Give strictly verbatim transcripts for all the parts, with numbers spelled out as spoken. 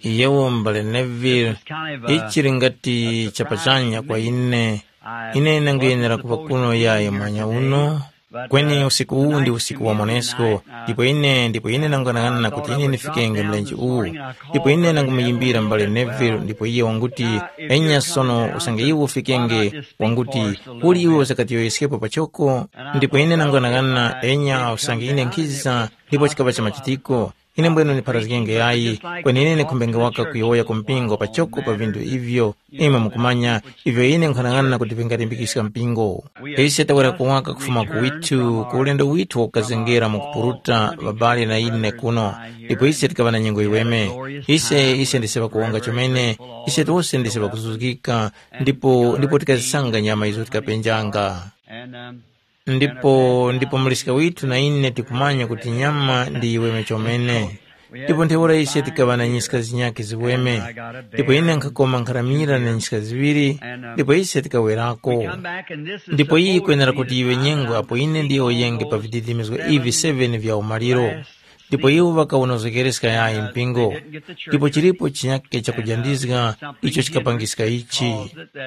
Yewo m'bale Neville, ichi lingati chapachanya kwa ine. Ine nanguyenera kuŵa kuno yayi mwanya uno, kweni usiku uwu ndi usiku wa monesko. Ndipo ine ndipo ine nanganang'ana kuti ine ndifikenge mlenje uwu. Ndipo ine nangumuyimbira m'bale Neville, ndipo iye wanguti, enya sono usange iwe ufikenge, wanguti, kuli iwe usakatiyoyeskepo pachoko? Ndipo ine nanganang'ana, enya usange ine nkhiza, ndipo chikaŵa cha machitiko. Ine mbwenu ndipharazgenge yayi, kweni ine ndikhumbenge waka kuyowoya ku mpingo pachoko pa vinthu ivyo imwe mukumanya, ivyo ine nkhanang'ana kuti vingalimbikiska mpingo. Ise tawera kuwaka kufuma ku withu ku ulendo withu wakukazengera mu kupuruta ŵabale na ine kuno, ndipo ise tikaŵa na nyengo yiweme. Ise ise ndise ŵakuwonga chomene, ise tose ndise ŵakuzuzgika, ndipo ndipo tikazisanga nyama izo tikapenjanga. Ndipo ndipo muliska withu na ine tikumanya kuti nyama ndi yiweme chomene. Ndipo ntheura ise tikaŵa na nyiska zinyakhe ziweme. Ndipo ine nkhakoma nkharamira na nyiska ziŵiri, ndipo ise tikawerako. Ndipo iyi ikwenera kuti yiŵe nyengo apo ine ndiyowoyenge pa vididimizgo ivi seven vya umaliro. Ndipo iwo ŵakawunozekereska yayi mpingo. Ndipo chilipo chinyakhe chakujandizga icho chikapangiska ichi,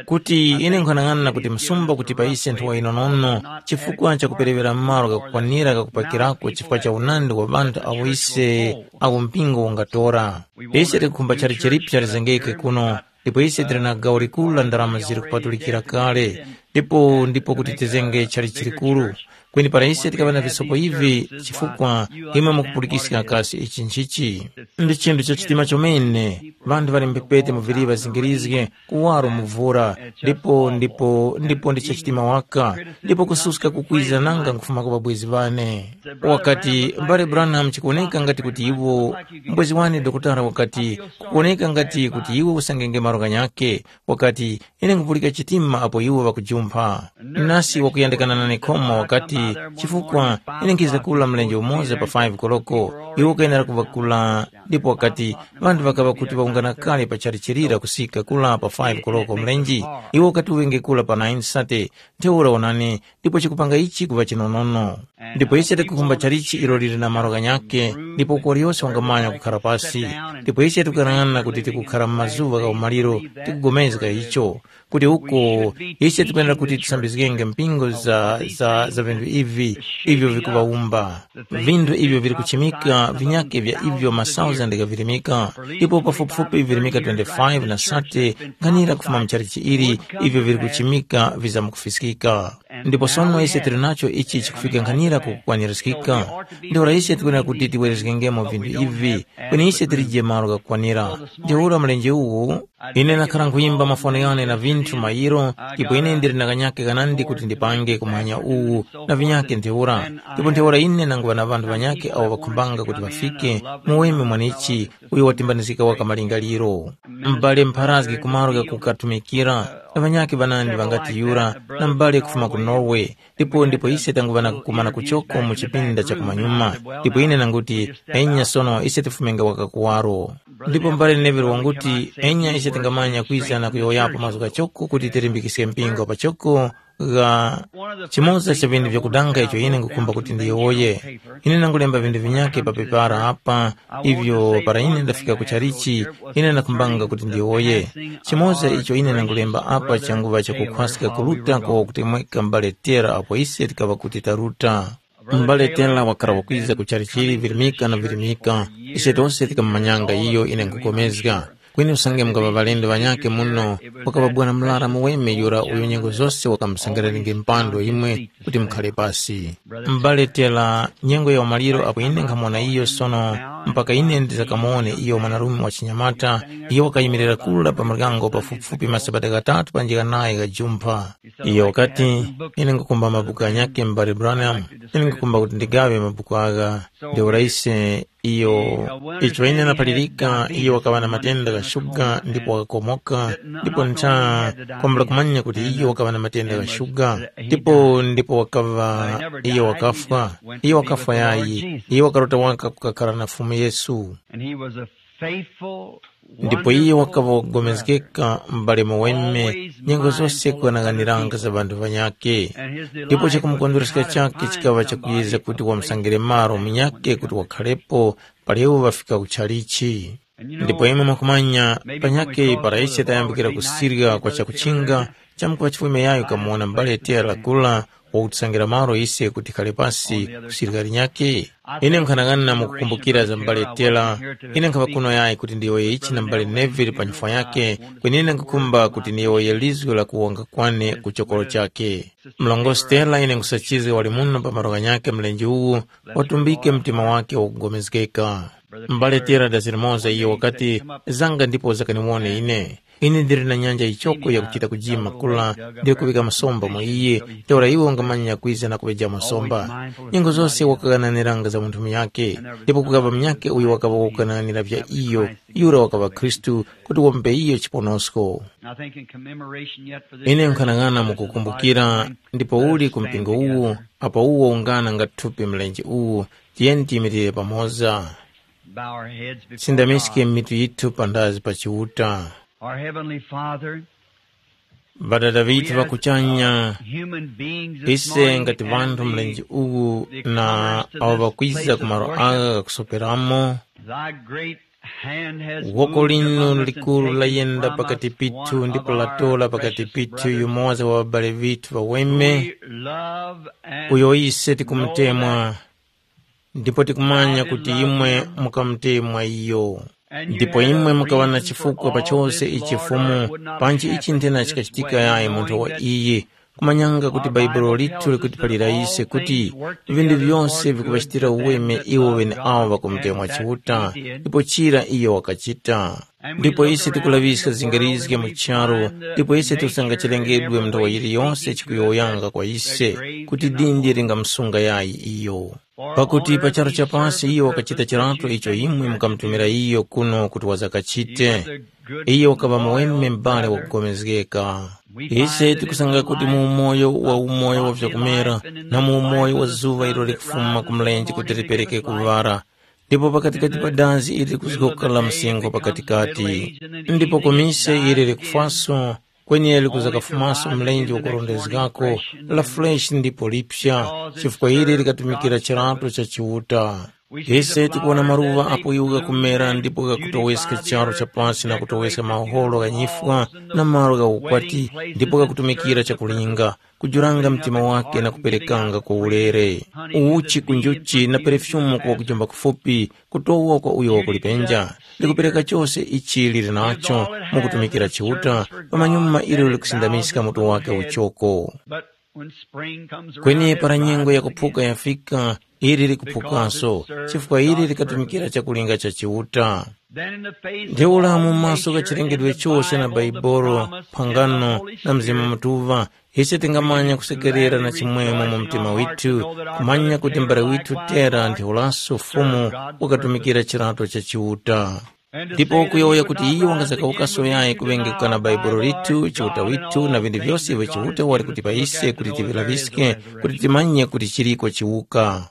kuti ine nkhanang'ana kuti msumba kuti pa ise nthowa yinonono, chifukwa chakuperewera malo gakukwanira gakupakirako chifukwa cha unandi wa ŵanthu awo ise awo mpingo ungatora. Ise tikukhumba chali chilipi chalizengeke kuno, ndipo ise tili na gawo likuru la ndarama zili kupatulikira kale, ndipo ndipo kuti tizenge chali chilikuru. Kweni para ise tikaŵa na visopo ivi, chifukwa imwe mukupulikiska kasi ichi nchichi? Ndi chinthu cha chitima chomene. Ŵanthu ŵali mphepete mu viliva zingirizge, kuwaro muvura, ndipo ndipo ndipo ndi cha chitima waka, ndipo kususka kukwiza nanga nkufuma kwa ŵabwezi ŵane. Wakati, mbale Branham, chikuwoneka ngati kuti iwo, mbwezi wane dokotala wakati, kukuwoneka ngati kuti iwe usangenge malo ghanyakhe. Wakati, ine nkupulika chitima apo iwo ŵakujumpha. Nasi wakuyandikana nane khomo wakati, chifukwa ine nkhiza kula mlenje umoza pa five koloko, iwo kayenera kuŵa kula. Ndipo wakati, ŵanthu ŵakaŵa kuti ŵawungana kale pa chalichirira kusika kula pa five koloko mlenje, iwo wakati uŵenge kula pa nine sate. Ntheura onani, ndipo chikupanga ichi kuŵa chinonono. Ndipo ise tikukhumba chalichi ilo lili na malo ghanyakhe, ndipo uko waliyose wangamanya kukhara pasi. Ndipo ise tikuyang'ana kuti tikukhara mu mazuŵa gha umaliro, tikugomezga icho, kuti uko ise tikwenera kuti tisambizgenge mpingo za, za, za vinthu ivi, ivyo vikuŵawumba. Vinthu ivyo vili kuchimika, vinyakhe vya ivyo masauzande ghavirimika, ndipo pafupifupi virimika twenty-five na sate nkhanira kufuma mu chalichi ili, ivyo vili kuchimika vizamkufiskika. Ndipo sono ise tili nacho ichi chikufika nkhanira ku kukwanirizgika. Ntheura ise tikwenera kuti tiwerezgengemo vinthu ivi, kweni ise tilije malo ghakukwanira. Ntheura mlenje uwu, ine ndakhara nkhuyimba mafoni ghane na vinthu mayiro, ndipo ine ndili na kanyake kanandi kuti ndipange kumwanya uwu na vinyake ntheura. Ndipo ntheura ine nanguŵa na ŵanthu ŵanyake awo ŵakhumbanga kuti ŵafike mu weme mwanichi uyo watimbanizgika waka malingaliro. M'bale mpharazgi kumaro ghakukatumikira, na ŵanyakhe ŵanandi ŵangati Yura, na m'bale kufuma ku Norway, ndipo ndipo ise tanguŵa na kukumana kuchoko mu chipinda cha kumanyuma. Ndipo ine nanguti, enya sono ise tifumenga waka kuwaro. Ndipo m'bale Neville wanguti, enya ise tingamanya kwiza na kuyowoyapo mazgu ghachoko kuti tilimbikiske mpingo pachoko, gha chimoza cha vinthu vyakudanga icho ine ngukhumba kuti ndiyowoye. Ine nangulemba vinthu vinyakhe pa pepara apa, ivyo para ine ndafika ku chalichi, ine ndakhumbanga kuti ndiyowoye. Chimoza icho ine nangulemba apa changuŵa chakukhwaska kuruta kwa wakutemweka m'bale Tera apo ise tikaŵa kuti taruta. M'bale Tera wakhala wakwiza ku chalichi virimika na virimika. Ise tose tikamumanyanga iyo ine nkupulikana. Kweni usange mungaŵa ŵalendo ŵanyakhe muno, wakaŵa bwana murara muweme yura uyo nyengo zose wakamusangirenge mpando imwe kuti mukhare pasi. M'bale Tera, nyengo ya umaliro apo ine nkhamona iyo sono, mpaka ine ndizakamuwone iyo mwanarume wa chinyamata, iyo wakayimirira kura pa muryango pafupifupi masabata ghatatu panjika naye ghajumpha. Iyo wakati, ine ngukumba mabuku ghanyakhe m'bale Branham, ine ngukumba kuti ndigaŵe mabuku agha. Ntheura ise iyo, icho ine naphalirika, iyo wakaŵa na matenda gha shuga ndipo wakakomoka, ndipo ntha kwambula kumanya kuti iyo wakaŵa na matenda gha shuga, ndipo ndipo wakaŵa, iyo wakafwa, iyo wakafwa yayi, iyo wakarota waka kukakhala na Fumu Yesu. And he was a faithful ndipo iye wakaŵa wakugomezgeka m'bale muweme, nyengo zose kughanaganiranga za ŵanthu ŵanyakhe. Ndipo chakumukondwereska chakhe chikaŵa chakuyezga kuti wamusangire malo munyakhe kuti wakhalepo palewo ŵafika ku chalichi. Ndipo imwe mwakumanya, panyakhe para ise tayambikira kusirya kwa chakuchinga, chamkupa chifume yayo kamuwona mbale Tera kula wakutisangira malo ise kuti tikhale pasi kusirya linyakhe? Ine nkhanang'ana mukukumbukira za mbale Tera. Ine nkhava kuno yayi kuti ndiyowoye ichi na mbale Neville pa nyifwa yake, kweni ine nkhukhumba kuti ndiyowoye lizgu la kuwonga kwane ku chokoro chake. Mlongosi Tera, ine nkhusachizga wali muno pa malo ghanyakhe mlenje uwu, watumbike mtima wake wakugomezgeka. Mbale Tera, dazi limoza iyo wakati, zanga ndipo zakaniwone ine. Ine ndili na nyanja yichoko yakuchita kujima kula, ndili kuŵika masomba mu iye, ntheura iwe ungamanya kwiza na kuŵejamo somba. Nyengo zose wakaghananiranga za munthu munyakhe, ndipo kukaŵa munyakhe uyo wakaŵa wakughananira vya iyo, yura wakaŵa Khristu, kuti wampe iyo chiponosko. I think in commemoration yet for ine this, nkhanang'ana this is the mukukumbukira body of Christ. Ndipo uli ku mpingo uwu, apo uwo ungana nga thupi mlenje uwu, tiyeni tiyimirire pamoza. Bow our heads before sindamiske God. Mitu yithu pandazi pa Chiuta. Our Heavenly Father, ŵadada ŵithu ŵakuchanya, human beings this ise morning, ngati vanthu mlenje uwu na awo ŵakwiza ku malo agha ghakusoperamo. Thy great hand has woko moved linu among us and likuru taken layenda from pakati us pithu one ndipo of our latola pakati precious pithu brothers yumoza wa ŵabale ŵithu ŵaweme, we love and uyo ise know tikumutemwa, that ndipo tikumanya kuti imwe mukamutemwa iyo. Ndipo imwe mukaŵa na chifukwa pa chose ichi Fumu, panji ichi nthena chikachitika yayi munthu wa iyi, kumanyanga kuti Bhaibuli lithu likutiphalira ise kuti vintu vyose vikuŵachitira uweme iwo ŵeneawo ŵakumutemwa Chiuta, ndipo chira iyo wakachita. Ndipo ise tikulaŵiska zingarizge mu charu, ndipo ise tikusanga chilengedwe munthawi yiliyose chikuyowoyanga kwa ise, kuti dindi lingamusunga yayi iyo. Pakuti pa charu cha pasi iyo wakachita chirato icho imwe mukamutumira iyo kuno kuti wazakachite. Iyo wakaŵa muweme m'bale wakugomezgeka. Ise tikusanga kuti mu umoyo wa umoyo wa vyakumera na mu umoyo wa zuŵa ilo likufuma ku mlenje kuti lipereke kuŵara, ndipo pakatikati pa dazi ili likuzgoka la msinkhu pakatikati, ndipo ku mise ili likufwaso, kweni likuza kafumaso mlenje wakurondezgako, la fresh ndipo lipya, chifukwa ili likatumikira chirato cha Chiuta. Ise tikuwona maluŵa apo iwo ghakumera ndipo ghakutoweska charu cha pasi na kutoweska maholo gha nyifwa na malo gha ukwati, ndipo ghakutumikira chakulinga, kujuranga mtima wake na kuperekanga kwa ulere. Uchi ku njuchi na perefyumu kwa kujomba kufupi, kutowa kwa uyo wakulipenja, likupereka chose ichi lili nacho mu kutumikira Chiuta, pamanyuma ilo likusindamiska mutu wake uchoko. Kweni para nyengo yakuphuka yafika, ili likuphukanso, chifukwa ili likatumikira chakulinga cha Chiuta. Ntheura mu maso gha chilengedwe chose na Baibolo, phangano, na Mzimu Mutuŵa, ise tingamanya kusekerera na chimwemwe mu mtima withu, kumanya kuti mbale withu Tera ntheuraso Fumu wakatumikira chirato cha Chiuta. Ndipo kuyowoya kuti iyo wangazakawukaso yayi kuŵengeka na Bhaibuli lithu, Chiuta withu, na vinthu vyose ivyo Chiuta wali kutipa ise kuti tivilaŵiske, kuti timanye kuti chiliko chiwuka.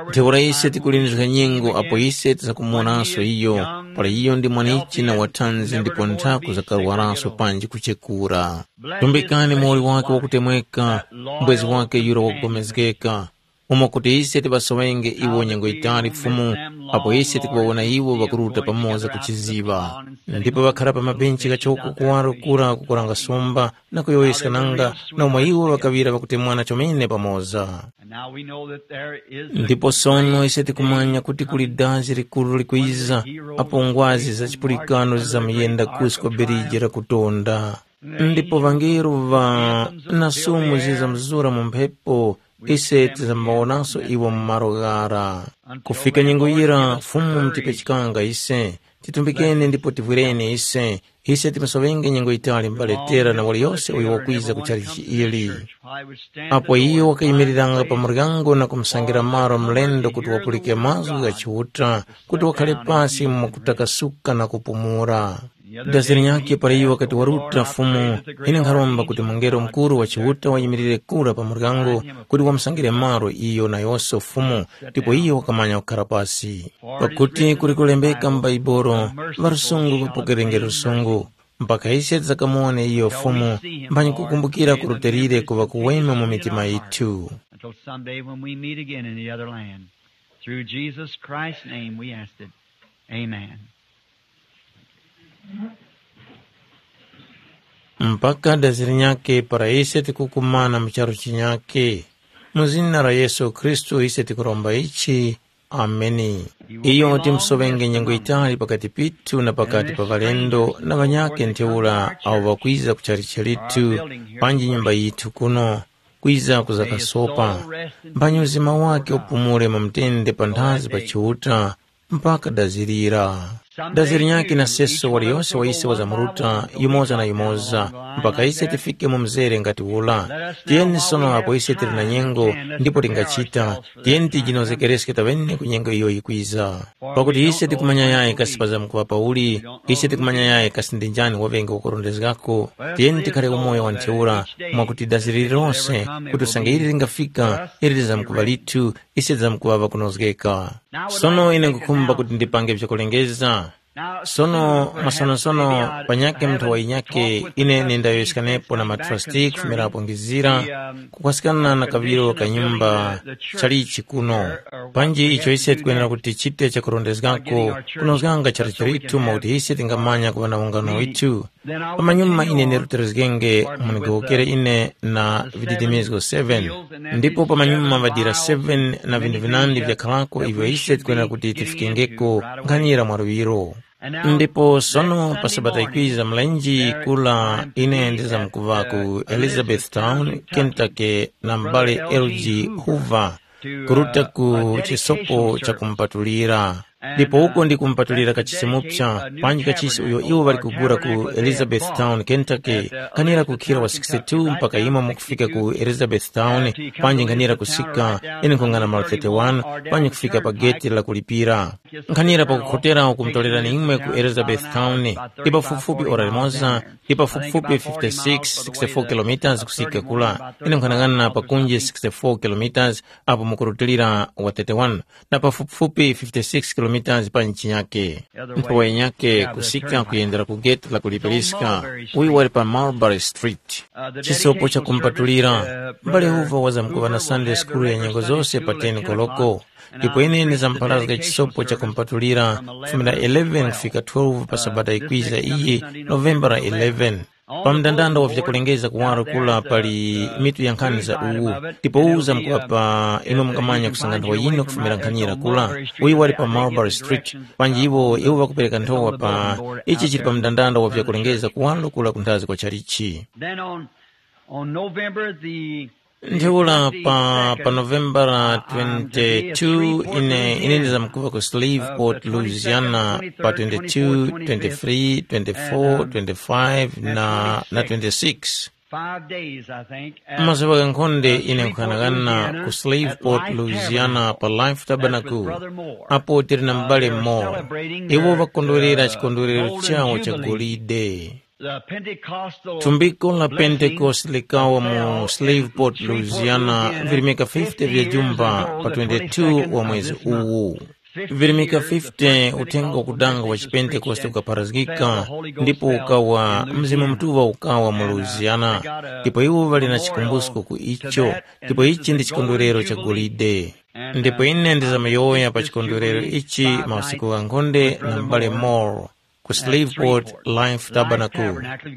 Ntheura ise tikulindizga nyengo apo ise tisakumuwonanso iyo, para iyo ndi mwanichi na wathanzi ndipo nthaku zakarwaranso panji kuchekura. Tumbikani muwoli wake wakutemweka, mbwezi wake yura wakupulikana, umo kuti ise tiŵasoŵenge iwo nyengo yitali Fumu, apo ise tikuŵawona iwo ŵakuruta pamoza ku chiziŵa. Ndipo ŵakhara pa mabenchi ghachoko kuwaro kura kukuranga sumba na kuyowoyeskananga, na umo iwo ŵakaŵira ŵakutemwana chomene pamoza. Ndipo sono ise tikumanya kuti kuli dazi likuru likwiza, apo ngwazi za chipulikano zizamuyenda kusi kwa biriji la kutonda. Ndipo ŵangelo ŵa na sumu zizamuzura mu mphepo, ise tizambaonanso iwo mu malo ghara. Kufika nyengo yira, Fumu mutipechekanga ise, titumbikeni ndipo tivwireni ise, ise timasoŵenge nyengo yitali mbale Tera na waliyose uyo wakwiza ku chalichi ili. Apo iyo wakayimiriranga pa muryango na kumusangira malo mlendo kuti wapulike mazgu gha Chiuta, kuti wakhare pasi mu kutakasuka na kupumula. Dazi linyakhe para iyo wakati waruta Fumu, ine nkharomba kuti mungelo mukuru wa Chiuta wayimirire kura pa muryango kuti wamusangire malo iyo nayose Fumu, ndipo iyo wakamanya kukhara pasi. Pakuti kuli kulembeka mu Baibolo, ŵalusungu ŵapokerenge lusungu, mpaka ise tizakamuwone iyo Fumu, mphanyi kukumbukira kurutilire kuŵa kuweme mu mitima yithu. Until someday when we meet again in the other land. Through Jesus Christ's name we ask it. Amen. Mpaka dazi linyakhe para ise tikukumana mu charu chinyakhe. Mu zina la Yesu Khristu ise tikuromba ichi. Ameni. Iyo timusoŵenge nyengo yitali pakati pithu na pakati pa ŵalendo na ŵanyakhe ntheura awo ŵakwiza ku chalichi chalitu panji nyumba yithu kuno, kwiza kuzakasopa. Mphanyi uzima wakhe upumule mu mtende panthazi pa Chiuta mpaka dazirira. Dazi linyakhe na seso waliyose wa ise wazamuruta yumoza na yumoza, mpaka ise tifike mu mzere ngati ula. Tiyeni sono apo ise tili na nyengo ndipo tingachita, tiyeni tijinozekereske tawene ku nyengo iyo yikwiza. Pakuti ise tikumanya yayi kasi pazamkuŵa pauli, ise tikumanya yayi kasi ndi njani waŵenge wakurondezgako. Tiyeni tikhale umoyo wa ntheura, mwakuti dazi lililonse kuti usange ili lingafika, ili lizamkuŵa lithu, ise tizamkuŵa ŵakunozgeka. Sono ine nkhukhumba kuti ndipange vyakulengeza. Sono masonosono, panyakhe munthu wa yinyakhe ine nindayowoyeskanapo na matrasti kufumirapo ngizira, kukwasikana na kaŵiro ka nyumba chalichi kuno. Panji icho ise tikwenera kuti tichite chakurondezgako, kunozganga chara chalithu mwakuti ise tingamanya kuŵa na ungano withu. Pamanyuma ine ndirutiriskenge, munigowokere ine na vididimizgo seven. Ndipo pamanyuma ŵadira seven na vinthu vinandi vyakhalako ivyo ise tikwenera kuti tifikengeko nkhanira mwaluŵiro. Ndipo sono pa sabata ikwiza mlenje kula ine ndizamkuŵa ku Elizabethtown, Kentucky na m'bale L G Hoover, kuruta ku chisopo chakumpatulira. Ndipo uko ndi kumpatulira kachisi mupsa, panji kachisi uyo iwo ŵali kugula ku Elizabethtown, Kentucky, kanira kukhira wa sixty-two mpaka imwe mukufika ku Elizabethtown, panji nkhanira kusika ine nkhungana malo thirty-one, panji kufika pa geti la kulipira. Nkhanira pakukhotera ukumutolera imwe ku Elizabethtown, ndi pafupifupi ora limoza, ndi pafupifupi fifty-six, sixty-four kilometers kusika kula, ine nkhanang'ana pakunje sixty-four kilometers, apo mukurutilira wa thirty-one, na pafupifupi fifty-six kilometers pa nchi yake. Nthowa yenyake kusika kuyendera ku geti la kulipiriska, uyu wali pa Mulberry Street. Chisopo chakumpatulira, mbale Hoover wazamkuŵa na Sunday school ya nyengo zose pa ten koloko, ndipo ine ndizamupharazga chisopo chakumpatulira kufumira eleven kufika twelve pa sabata ikwiza iyi, Novembara eleven. Pa mndandanda wa vyakulengeza kuwaro kula pali mitu ya nkhani za uwu, ndipo uwu uzamkuŵa pa imwe mungamanya kusanga nthowa yino kufumira nkhanira kula. Uyu wali pa Mulberry Street, panji iwo iwo ŵakupereka nthowa pa ichi chili pa mndandanda wa vyakulengeza kuwaro kula kunthazi kwa chalichi. Then on, on November the Ntheura pa, pa Novembara twenty-two, ine, ine ndizamkuŵa ku Shreveport, Louisiana, pa twenty-two, twenty-three, twenty-four, twenty-five na, na twenty-six. Five days, I think, at, mazuŵa ghankhonde uh, ine Shreveport, nkhanang'ana Louisiana, ku Shreveport, at Life Louisiana, Tabernacle. Pa Life Tabernacle. That's with Brother Moore. Apo tili na Uh, m'bale they were Moore. Celebrating iwo their, vakondwerera uh, chikondwerero golden chawo cha jubilee. Golide. The Pentecostal thumbiko la blessing Pentekoste likawa mu fell Shreveport, in Shreveport, Louisiana, Louisiana, virimika fifty fifty vya years jumba ago, pa the twenty-two twenty-second wa of mwezi this month. Uwu. Virimika fifty uthenga wakudanga wa chipentekoste ukapharazgika, ndipo ukawa Mzimu Mutuŵa ukawa mu Louisiana, ndipo iwo ŵali na chikumbusko ku icho, ndipo ichi ndi chikondwerero cha golide. Ndipo ine ndizamayowoya pa chikondwerero ichi mausiku ghankhonde na m'bale Moore ku Shreveport Life Tabernacle.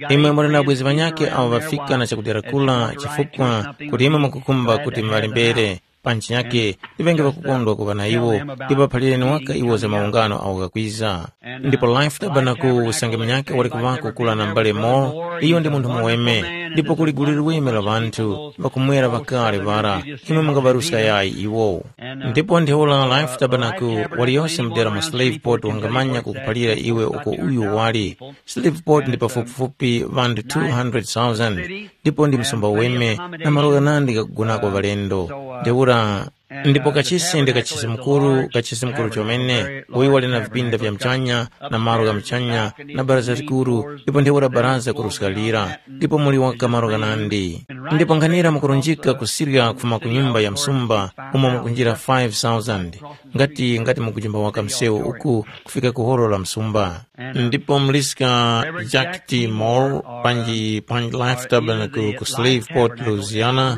Imwe muli na abwezi ŵanyakhe awo ŵafika na chakudera kula, chifukwa kuti imwe mukukhumba kuti muŵalembere. Pa ntchito yake, ŵenge ŵakukondwa kuŵa na iwo, ndipo aphalireni waka iwo za maungano awo ghakwiza. Ndipo Life Tabernacle usange munyakhe wali kuŵako kula na m'bale Moore, iyo ndi munthu muweme, ndipo kuli gulu liweme la ŵanthu ŵakumwera ŵakale ŵara, imwe mungaŵaruska yayi iwo. Ndipo ntheura Life Tabernacle waliyose mudera mu Shreveport wangamanya kukuphalira iwe uko uyu wali. Shreveport ndi pafupifupi ŵanthu two hundred thousand, ndipo ndi msumba weme na malo ghanandi ghakugonako ŵalendo. Ntheura, ndipo kachisi ndi kachisi mukuru, kachisi mukuru chomene, uyu wali na vipinda vya muchanya, na malo gha muchanya, na baraza likuru, ndipo ntheura baraza kuruska lira, ndipo muli waka malo ghanandi. Ndipo nkhanira mukurunjika kusirya kufuma ku nyumba ya msumba, umo mukunjira five thousand, ngati, ngati mukujimba waka msewu uku kufika ku holo la msumba. Ndipo muliska Jack T. Moore, panji, panji Life Tabernacle ku Shreveport, Louisiana,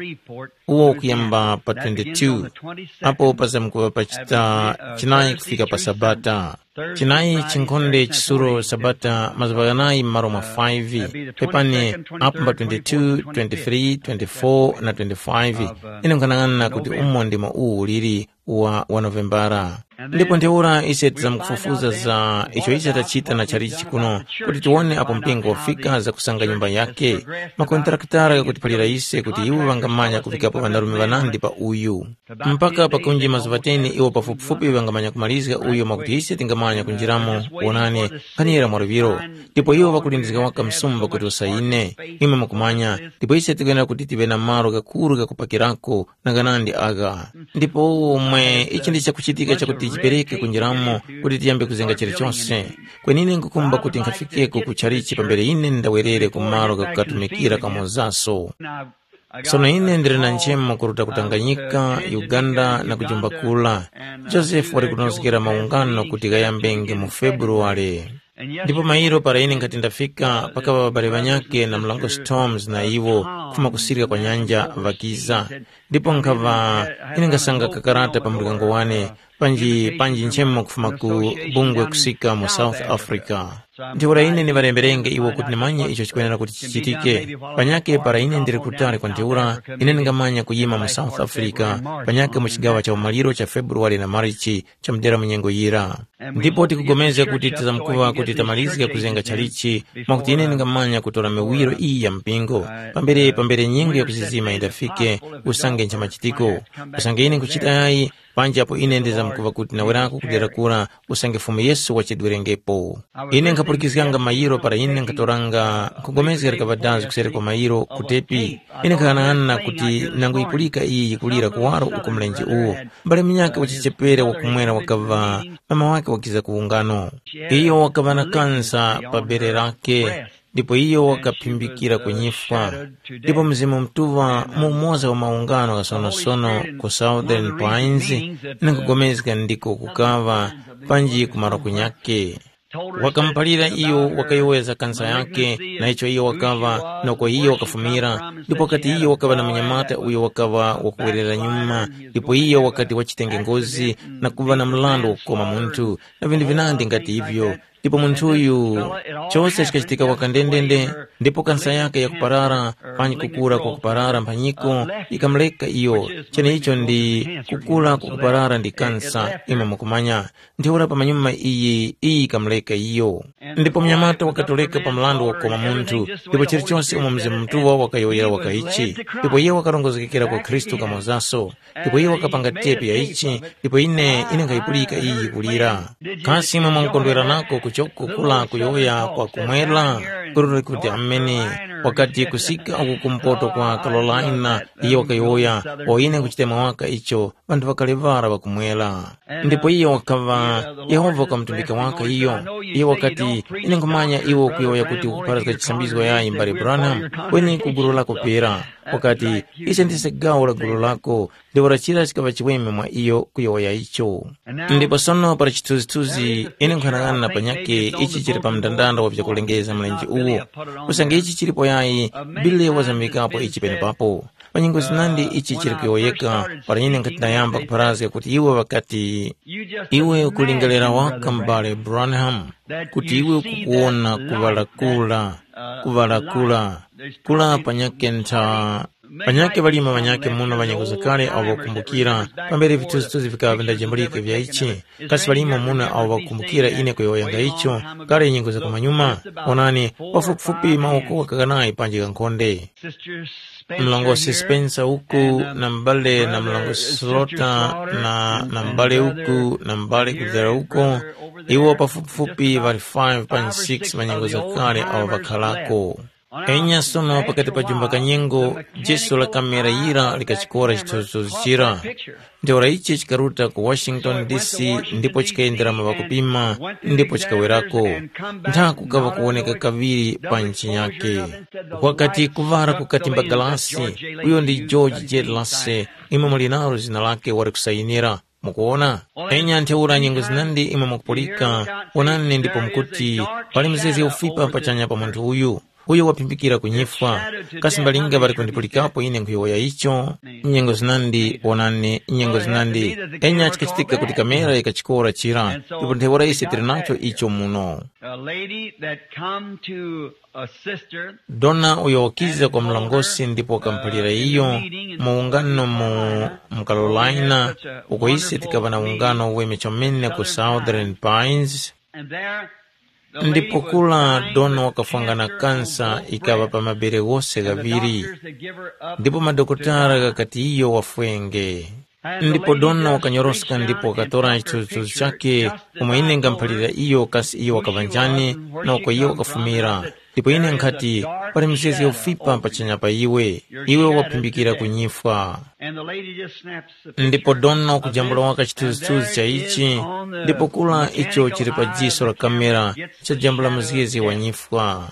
uwo kuyamba pa twenty-two, apo pazamkuŵa pa chita chinayi kufika pa Sabata. Chinayi chinkhonde chisuro Sabata mazuŵa ghanayi m'malo mwa five, pepani apo mba twenty-two, twenty-three, twenty-four na twenty-five. Ine nkhanang'ana kuti umo ndimo uwu uliri wa wa Novembara. Ndipo ntheura ise tizamkufufuza za icho ise tachita na chalichi kuno, kuti tiwone apo mpingo wafika za kusanga nyumba yake. Makontrakitara ghakutiphalira ise kuti iwo ŵangamanya kuvikapo ŵanarume ŵanandi pa uyu. Mpaka pakunji mazuŵa teni iwo pafupifupi ŵangamanya kumalizga uyo mwakuti ise tingamanya kunjiramo. Wonani, nkhanira mwa luŵiro. Ndipo iwo ŵakulindizga waka msumba kuti usayine. Imwe mukumanya, ndipo ise tikwenera kuti tive na malo ghakuru ghakupakirako na ghanandi agha. Ndipo umo mwe ichi ndi chakuchitika chakuti chipereke kunjiramo kuti tiyambe kuzenga chilichonse. Kwenine nkukumba kuti nkhafikeko ku chalichi pambere ine ndawerere ku malo ghakukatumikira kamozaso. Sono ine ndili na nchemo kuruta ku Tanganyika, Uganda na kujumba kula. Josefu wali kunozgera maungano kuti ghayambenge mu Februwale. Ndipo mairo para ine nkhati ndafika, pakaŵa ŵabale ŵanyakhe na mrango Storms na iwo kufuma kusirika kwa nyanja ŵakiza. Ndipo nkhaŵa ine nkasanga kakarata pa muryango wane, panji panji nchemo kufuma ku bungwe kusika mu South Africa. Ntheura ine ndiŵalemberenge iwo kuti ndimanye icho chikwenera kuti chichitike. Panyakhe para ine ndili kutali kwa ntheura, ine ndingamanya kuyima mu South Africa, panyakhe mu chigawa cha umaliro cha Februwale na Marichi cha mudera mu nyengo yira. Ndipo tikugomezga kuti tizamkuŵa kuti tamalizga kuzenga chalichi, mwakuti ine ndingamanya kutora miwiro iyi ya mpingo, pambere pambere nyengo ya kuzizima yindafike, usange nchamachitiko. Usange ine nkuchita yayi, panji apo ine ndizamkuŵa kuti nawerako kudera kura, usange Fumu Yesu wachedwerengepo. Ine nkhapulikizganga mayiro para ine nkhatoranga nkhugomezga likaŵa dazi kuseri kwa mayiro ku tepi. Ine nkhaghanaghana kuti nangu yipulika iyi yikulira kuwaro uko mlenje uwo. Mbale munyakhe wachichepere wakumwera wakaŵa mama wake wakiza ku ungano. Iyo wakaŵa na kansa pa bere lake, ndipo iyo wakaphimbikira ku nyifwa. Ndipo Mzimu Mutuŵa mu umoza wa maungano ghasonosono ku Southern Pines, nkhugomezga ndiko kukaŵa panji kumaro kunyakhe. Wakamuphalira iyo wakayowoya za kansa yakhe na icho iyo wakaŵa na uko iyo wakafumira, ndipo wakati iyo wakaŵa na munyamata uyo wakaŵa wakuwerera nyuma, ndipo iyo wakati wachitenge ngozi na kuŵa na mrandu wakukoma munthu na vinthu vinandi ngati ivyo. Ndipo munthuyu, chose chikachitika kwaka ndendende, ndipo kansa yake yakuparara, panji kukura kwa kuparara mphanyiko, ikamureka iyo. Cheneicho ndi kukura kwa kuparara ndi kansa, imwe mukumanya. Ntheura pamanyuma iyi, iyi ikamureka iyo. Ndipo mnyamata wakatoleka pa mrandu wakukoma munthu, ndipo chilichonse umo Mzimu Mutuŵa wakayowoyera waka ichi. Ndipo iye wakarongozgekera kwa Khristu kamozaso. Ndipo iye wakapanga tepi ya ichi, ndipo ine, ine nkhayipulika iyi yikulira. Kasi imwe mwamukondwera nako kuchoko kula kuyowoya kwa kumwera? Kururi kuti amene, wakati kusika uku kumpoto kwa Carolina, iye wakayowoya, o ine nkuchitema waka icho, ŵanthu ŵakale ŵara ŵakumwera. Ndipo iyo wakaŵa, Yehova wakamutumbika waka iyo. Iyo wakati, ine nkhumanya iwe ukuyowoya kuti ukupharazga chisambizgo yayi mbale Branham, kweni ku gulu lako pera. Wakati, ise ndise gawo la gulu lako, ndipo lachira chikaŵa chiweme mwa iyo kuyowoya icho. Ndipo sono para chithunzithunzi, ine nkhanang'ana na panyakhe ichi chili pa mndandanda wa vyakulengeza mlenje uwo. Usange ichi chilipo yayi, Bile wazamikapo ichi penepapo. Pa nyengo zinandi ichi chili kuyowoyeka, para ine nkhati ndayamba kupharazga kuti iwe ŵakati, iwe ukulingalira waka m'bale Branham, kuti iwe ukukuwona kuŵalakula, kuŵalakula, kula panyakhe ntha, panyakhe ŵalima ŵanyakhe muno ŵanyengo zakale awo ŵakumbukira, pambere vithunzithunzi vikaŵa vindajambulike vya ichi, kasi ŵalima muno awo ŵakumbukira ine kuyowoyanga icho, kale nyengo za kumanyuma? Onani, pafupifupi mawoko ghakanayi panji ghankhonde. Mlongosi Spencer uku na m'bale na mlongosi Slota na, na m'bale uku na m'bale kuzera uko, iwo pafupifupi ŵali five pa six manyengo zakale awo ŵakhalako. Enya sono pakati pa jumba kanyengo, Jesu la kamera yira likachikora chithunzithunzi chira. Ntheura ichi chikaruta ku Washington D C ndipo chikayendera mu ŵakupima ndipo chikawerako. Ntha kukaŵa kuwoneka kaŵiri pa nchinyake. Kwakati kuŵala kukati mbagalasi, uyo ndi George J. Lassay, imwe muli nalo zina lake wali kusayinira. Mukuwona? Enya ntheura nyengo zinandi imwe mukupulika, wonani ndipo mukuti, pali mzezge ufipa pachanya pa munthu uyu. uyo waphimbikira kunyifwa. Kasi mbalinga ŵali kundipulikapo ine nkhuyowoya icho? Nyengo zinandi, wonani, nyengo zinandi. Enya chikachitika kuti kamera yikachikora chira, ndipo ntheura ise tili nacho icho muno. A lady that come to a sister. Dona uyo wakiza kwa mlongosi ndipo wakamuphalira iyo mu ungano mu mu Carolina, uko ise tikaŵa na ungano weme chomene ku Southern Pines. And there the lady ndipo was kula dying dona with wakafwanga na cancer kansa from ikaŵa both pa mabere ghose and the ghaŵiri. Doctors had give her up ndipo madokotala to die. Ghakati iyo wafwenge. Ndipo dona wakanyoroska ndipo wakatora chithunzithunzi chake, umo ine ngamuphalira iyo kasi iyo wakaŵa njani, na uko iyo wakafumira. Ndipo ine nkhati, pali mizgezge ufipa pachanya pa iwe, iwe waphimbikira kunyifwa. Ndipo dona wakujambula waka chithunzithunzi cha ichi, ndipo kula icho chili pa jiso la kamera, chajambula mizgezge wanyifwa.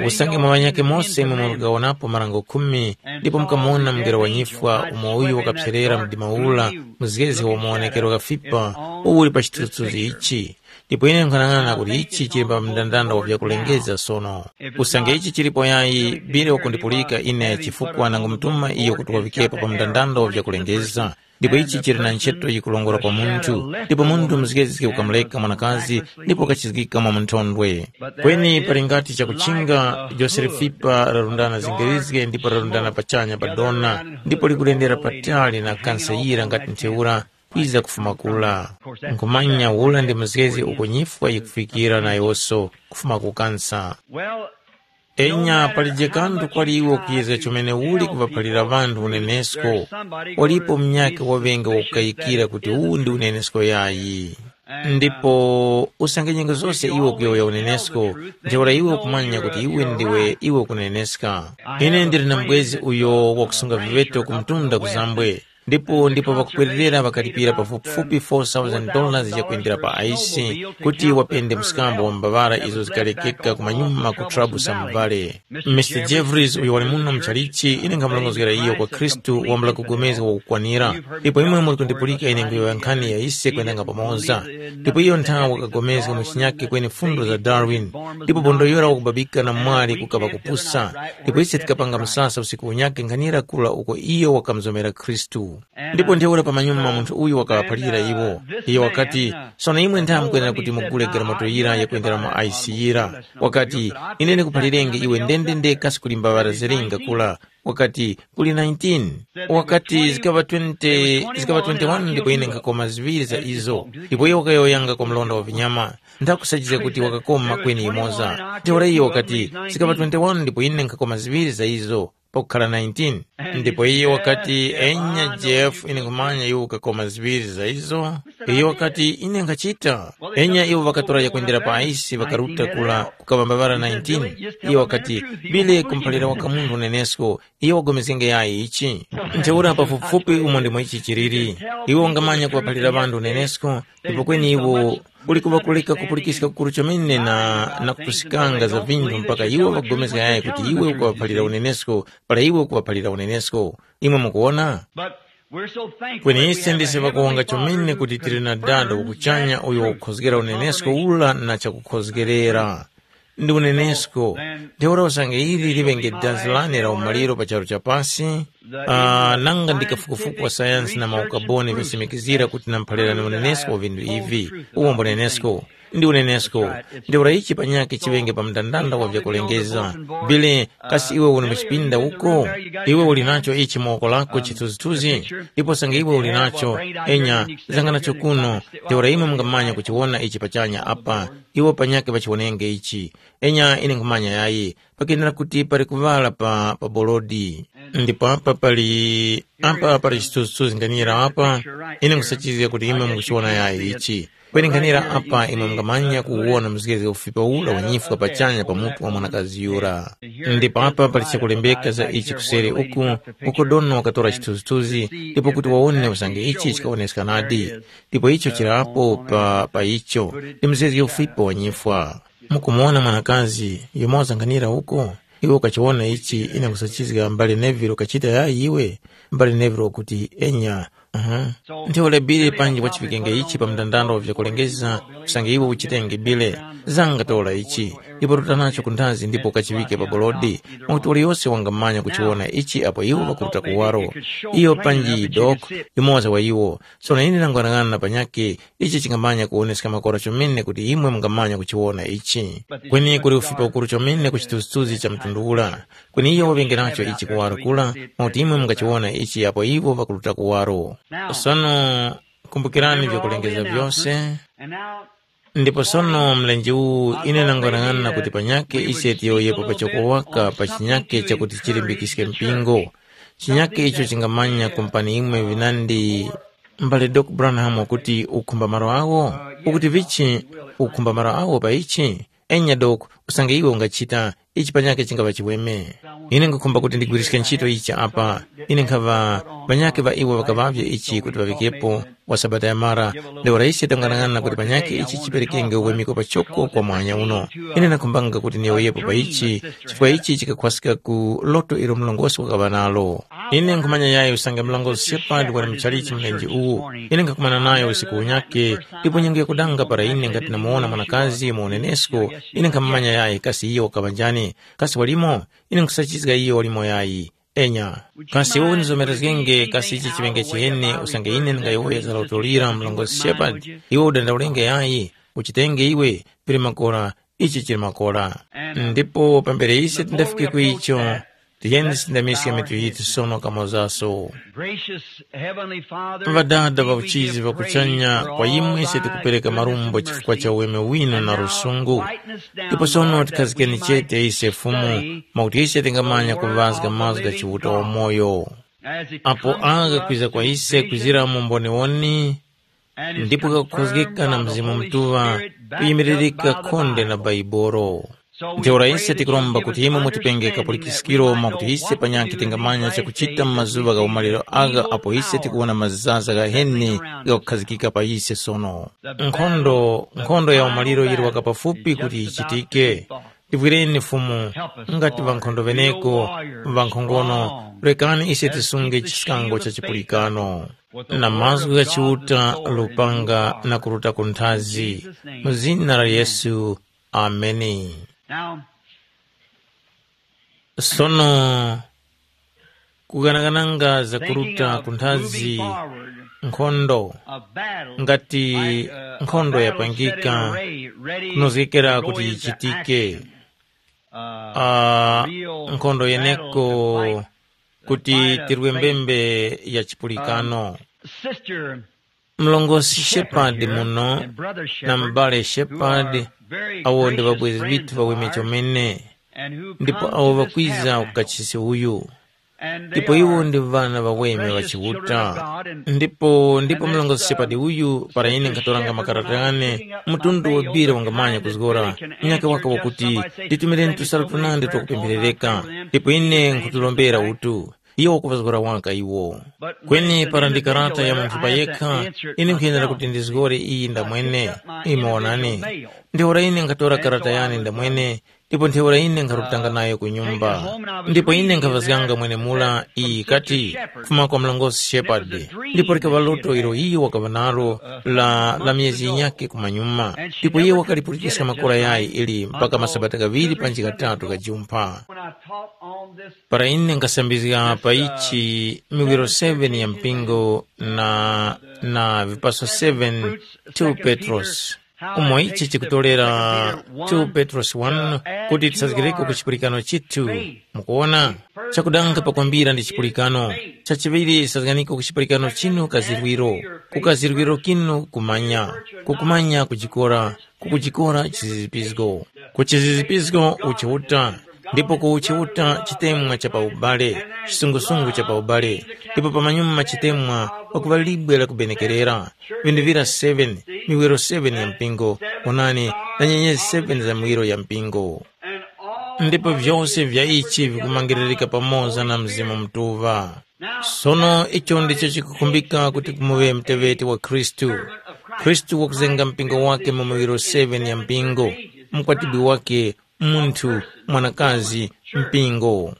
Usange mwa ŵanyakhe mose imwe mukawonapo marango khumi, ndipo mukamuwona mungelo wa nyifwa umo uyu wakapserera mdima ula, mzgezi wa mawonekerero ghafipa uwo uli pa chithunzithunzi ichi. Ndipo ine nkhanang'ana kuti ichi chili pa mndandanda wa vyakulengeza sono. Usange ichi chilipo yayi, bile wakundipulika ine chifukwa nangumutuma iyo kuti wavikepo pa mndandanda wa vyakulengeza. Ndipo ichi chili na ntchito yikulongora kwa munthu, ndipo munthu mzgezge ukamuleka mwanakazi ndipo ukachizgika mwa munthondwe. Kweni pali ngati chakuchinga, jose lifipa larundana zingerizge ndipo larundana pachanya pa dona, ndipo likulendera patali na kansa yira ngati ntheura kwiza kufuma kula. Nkhumanya ula ndi mzgezge uko nyifwa yikufikira nayonso kufuma ku kansa. Enya palije kanthu kwali iwe ukuyezga chomene uli kuŵaphalira ŵanthu unenesko, walipo munyakhe waŵenge wakukayikira kuti uwu ndi unenesko yayi. Ndipo usange nyengo zose iwe ukuyowoya unenesko, ntheura iwe ukumanya kuti iwe ndiwe iwe ukuneneska. Ine ndili na mbwezi uyo wakusunga viŵeto ku mtunda ku Zambwe, ndipo ndipo ŵakupwererera ŵakalipira pafupifupi four thousand dollars yakwendera pa aisi kuti wapende mskambo wa mbawara izo zikalekeka kumanyuma ku Trabusa mu Vale. Mister Jeffries uyo wali muno mu chalichi, ine nkhamulongozgera iyo kwa Khristu wambula kugomezga wakukwanira. Ndipo imwe muli kundipulika ine nguyowoya nkhani ya ise kwendanga pamoza. Ndipo iyo nthawe wakagomezga mu chinyake kweni fundo za Darwin. Ndipo bondo yura wakubabika na mwali kukapa kupusa. Ndipo ise tikapanga msasa usiku unyake nkhanira kula uko iyo wakamuzomera Khristu. Ndipo ntheura pamanyuma munthu uyu wakaŵaphalira iwo. Iyo wakati, sono imwe ntha mukwenera kuti mugule garamoto yira yakwendera mu aisi yira. Wakati, ine ndikuphalirenge iwe ndendende kasi kuli mbawara zilinga kula. Wakati, kuli nineteen. Wakati, zikaŵa twenty, zikaŵa twenty-one ndipo ine nkhakoma ziŵiri za izo. Ndipo iyo wakayowoyanga kwa mlonda wa vinyama. Nthakusachizga kuti wakakoma kweni yimoza. Ntheura iyo wakati, zikaŵa twenty-one ndipo ine nkhakoma ziŵiri za izo. Pakukhala nineteen. Ndipo iye wakati, enya Jeff, ine nkhumanya iwe ukakoma ziŵiri za izo. Iye wakati, ine nkhachita. Enya iwo ŵakatora yakwendera pa aisi ŵakaruta kula kukaŵambavara nineteen. Iye wakati, bile kumphalira waka munthu unenesko, iye wagomezgenge yayi ichi. Ntheura pafupifupi umo ndimo ichi chiliri. Iwe ungamanya kuŵaphalira ŵanthu unenesko, ndipo kweni iwo uli kuŵa kuleka kupulikiska kukuru chomene na, na kupusikanga za vinthu mpaka iwo ŵagomezga yayi kuti iwe ukuŵaphalira unenesko para iwe ukuŵaphalira unenesko. Imwe mukuwona? But we're so thankful kweni that we ise have a ndise heavenly ŵakuwonga chomene Father kuti tili na dada confirmed wakuchanya uyo wakukhozgera unenesko ula na chakukhozgerera. Ndi unenesko. Ntheura usange ili liŵenge dazi lane la umaliro pa charu cha pasi, ah, nanga ndi kafukufuku wa sayansi na maukaboni visimikizira kuti namphalirani unenesko wa vinthu ivi. Uwo mbunenesko. Ndi unenesko. Ntheura ichi panyakhe chiŵenge pa mndandanda wa vyakulengeza. Bile, kasi iwe uli mu chipinda uko? Iwe uli nacho ichi mu woko lako chithunzithunzi? Ndipo sange iwe uli nacho, enya, zanga nacho kuno. Ntheura imwe mungamanya kuchiwona ichi pachanya apa. Iwo panyakhe ŵachiwonenge ichi. Enya ine nkhumanya yayi, pakenera kuti pali kuŵala pa, pa bolodi. Ndipo apa pali, apa pali chithunzithunzi nganira apa, ine nkhusachizga kuti imwe mukuchiwona yayi ichi. Kweni nganira apa imwe mungamanya kuwona mzgezge ufipa ula wanyifwa pachanya pa mutu wa mwanakazi yura. Ndipo apa pali chakulembeka za ichi kuseri uku, uko Dona wakatora chithunzithunzi, ndipo kuti wawone usange ichi chikawoneska nadi. Ndipo icho chirapo pa, pa icho, ndi mzgezge ufipa wanyifwa. Mukumuwona mwanakazi, yumoza nganira uko? Iwe ukachiwona ichi, ine nkhusachizga mbale Neville ukachita yayi iwe? Mbale Neville wakuti, enya. Aha. Ntheura bile panji wachivikenge ichi pa mndandanda wa vyakulengeza, usange iwe uchitenge bile, zanga tora ichi. Ndipo ruta nacho ku nthazi ndipo ukachiŵike pa bolodi, mwakuti waliyose wangamanya kuchiwona ichi apo iwo ŵakuruta kuwaro. Iyo panji Dok, yumoza wa iwo. Sono ine ndangwanang'ana na panyakhe, ichi chingamanya kuwoneska makora chomene kuti imwe mungamanya kuchiwona ichi. Kweni kuli ufipa ukuru chomene ku chithunzithunzi cha mtundu ura. Kweni iyo waŵengeracho ichi kuwaro kura, mwakuti imwe mungachiwona ichi apo iwo ŵakuruta kuwaro. Sono, kumbukirani vyakulengeza vyose. Ndipo sono mlenje uwu ine nangwanang'ana kuti panyakhe ise tiyowoyepo pachoko waka pa chinyakhe chakuti chilimbikiske mpingo. Chinyakhe icho chingamanya kumpani imwe vinandi mbale Dok Branham kuti ukhumba malo awo? Ukuti vichi ukhumba malo awo pa ichi? Enya Dok, usange iwe ungachita, ichi panyakhe chingapa chiweme. Ine nkukhumba kuti ndigwiriske ntchito ichi apa. Ine nkhava ŵanyakhe ŵa iwo ŵakaŵavye ichi kuti ŵaŵikepo wa Sabata yamara, ntheura ise tangwanang'ana kuti panyakhe ichi chiperekenge uwemiko pachoko kwa mwanya uno. Ine nakhumbanga kuti niyowoyepo pa ichi, chifukwa ichi chikakhwaska ku loto ilo mlongosi wakaŵa nalo. Ine nkhumanya yayi usange mlongosi Shepard wali muchalichi mlenje uwu. Ine nkhakumana nayo usiku unyakhe, ndipo nyengo yakudanga para ine ngati namuwona mwanakazi mu unenesko, ine nkhamumanya yayi kasi iyo wakaŵa njani. Kasi walimo? Ine nkhusachizga iyo walimo yayi. Enya. Kasi iwe unizomerezgenge kasi ichi chiŵenge chiheni usange ine ndingayowoya za loto lira mlongosi Shepard? Iwe udandaulenge yayi, uchitenge iwe, pili makora, ichi chili makora. Ndipo pambere ise tindafike ku icho, tiyeni tisindamiske mitu yithu sono kamozaso. Gracious Heavenly Father, Ŵadada ŵa uchizi ŵa kuchanya, kwa imwe ise tikupereka marumbo chifukwa cha uweme winu na lusungu. Ndipo sono tikhazikeni chete ise Fumu, mwakuti ise tingamanya kuŵazga mazgu gha Chiuta wamoyo. Apo agha kwiza kwa ise kwizira mu mboniwoni, ndipo ghakukhozgeka na Mzimu Mutuŵa, kuyimiririka khonde na Baibolo. Ntheura ise tikuromba kuti imwe mutipenge kapulikiskiro mwakuti ise panyakhe tingamanya chakuchita mu mazuŵa gha umaliro agha apo ise tikuwona mazaza ghaheni ghakukhazikika pa ise sono. Nkhondo, nkhondo ya umaliro yili waka pafupi kuti yichitike. Tivwireni Fumu, ngati ŵankhondo ŵeneko, ŵankhongono, rekani ise tisunge chiskango cha chipulikano. Na mazgu gha Chiuta, lupanga na kuruta ku nthazi. Mu zina la Yesu, ameni. Now, Sono, kuganagananga za kuruta ku nthazi, nkhondo, ngati nkhondo yapangika, kunozgekera kuti yichitike. Ah, nkhondo yeneko kuti tirwe mbembe ya chipulikano. Mlongosi Shepard muno na m'bale Shepard, awo ndi ŵabwezi ŵithu ŵaweme chomene, ndipo awo ŵakwiza ku kachisi uyu. Ndipo iwo ndi ŵana ŵaweme ŵa Chiuta. Ndipo ndipo mlongosi Shepard uyu, para ine nkhatoranga makarata ghane, mtundu wambiri wangamanya kuzgora, munyakhe waka wakuti, nditumireni tusalu tunandi twakupempherereka, ndipo ine nkhuturombera utu. Iyo wakuvazgora waka iwo. Kweni para ndi karata ya munthu payekha, ine nkhuyenera kuti ndizgore iyi ndamwene. Imwe wonani, ntheura ine nkhatora karata yane ndamwene, ndipo ntheura ine nkharutanga nayo ku nyumba. Ndipo ine nkhavazganga mwenemura iyi kati, kufuma kwa mlongosi Shepard. Ndipo likaŵa loto ilo iyo wakaŵa nalo la, la myezi yinyakhe kumanyuma. Ndipo iye wakalipulikiska makora yayi ili mpaka masabata ghaŵiri panji ghatatu ghajumpha. Para ine nkasambizga pa ichi miwiro seven ya mpingo na, na vipaso seven two Petros, umo ichi chikutorera two Petros one, kuti tisazgireko ku chipulikano chithu. Mukuona? Chakudanga pakwambira ndi chipulikano. Chachiŵiri, sazganiko ku chipulikano chinu kazirwiro. Ku kazirwiro kinu kumanya. Kukumanya kujikora, kukujikora chizizipizgo. Ku chizizipizgo uchiuta, ndipo ku uchiuta chitemwa cha pa ubale, chisungusungu cha pa ubale, ndipo pamanyuma chitemwa pakuŵa libwe la kubenekerera. Vinthu vira seven, miwiro seven ya mpingo, onani, na nyenyezi seven za miwiro ya mpingo. Ndipo vyose vya ichi vikumangiririka pamoza na Mzimu Mutuŵa. Sono icho ndicho chikukhumbika kuti kumuŵe muteŵeti wa Khristu. Khristu wakuzenga mpingo wake mu miwiro seven ya mpingo, mkwatibwi wake, munthu, mwanakazi, mpingo.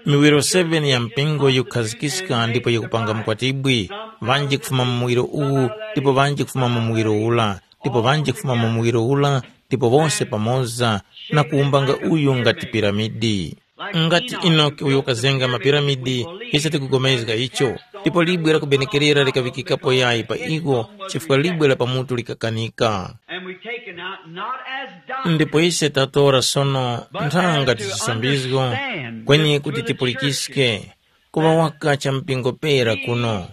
Miwiro seven ya mpingo yikukhazikiska ndipo yikupanga mkwatibwi, ŵanji kufuma mu muwiro uwu ndipo ŵanji kufuma mu muwiro ula, ndipo ŵanji kufuma mu muwiro ula, ndipo wose pamoza, na kuwumbanga uyu ngati piramidi. Ngati Enoki uyo wakazenga mapiramidi, ise tikupulikana icho, ndipo libwe la kubenekerera likaŵikikapo yayi pa iwo, chifukwa libwe la pamutu likakanika. And we take it out not as doctrine, Ndipo ise tatora sono nthanga but to tisisambizgo, understand kweni this kuti for the church tipulikiske, kuŵa waka cha mpingo pera kuno,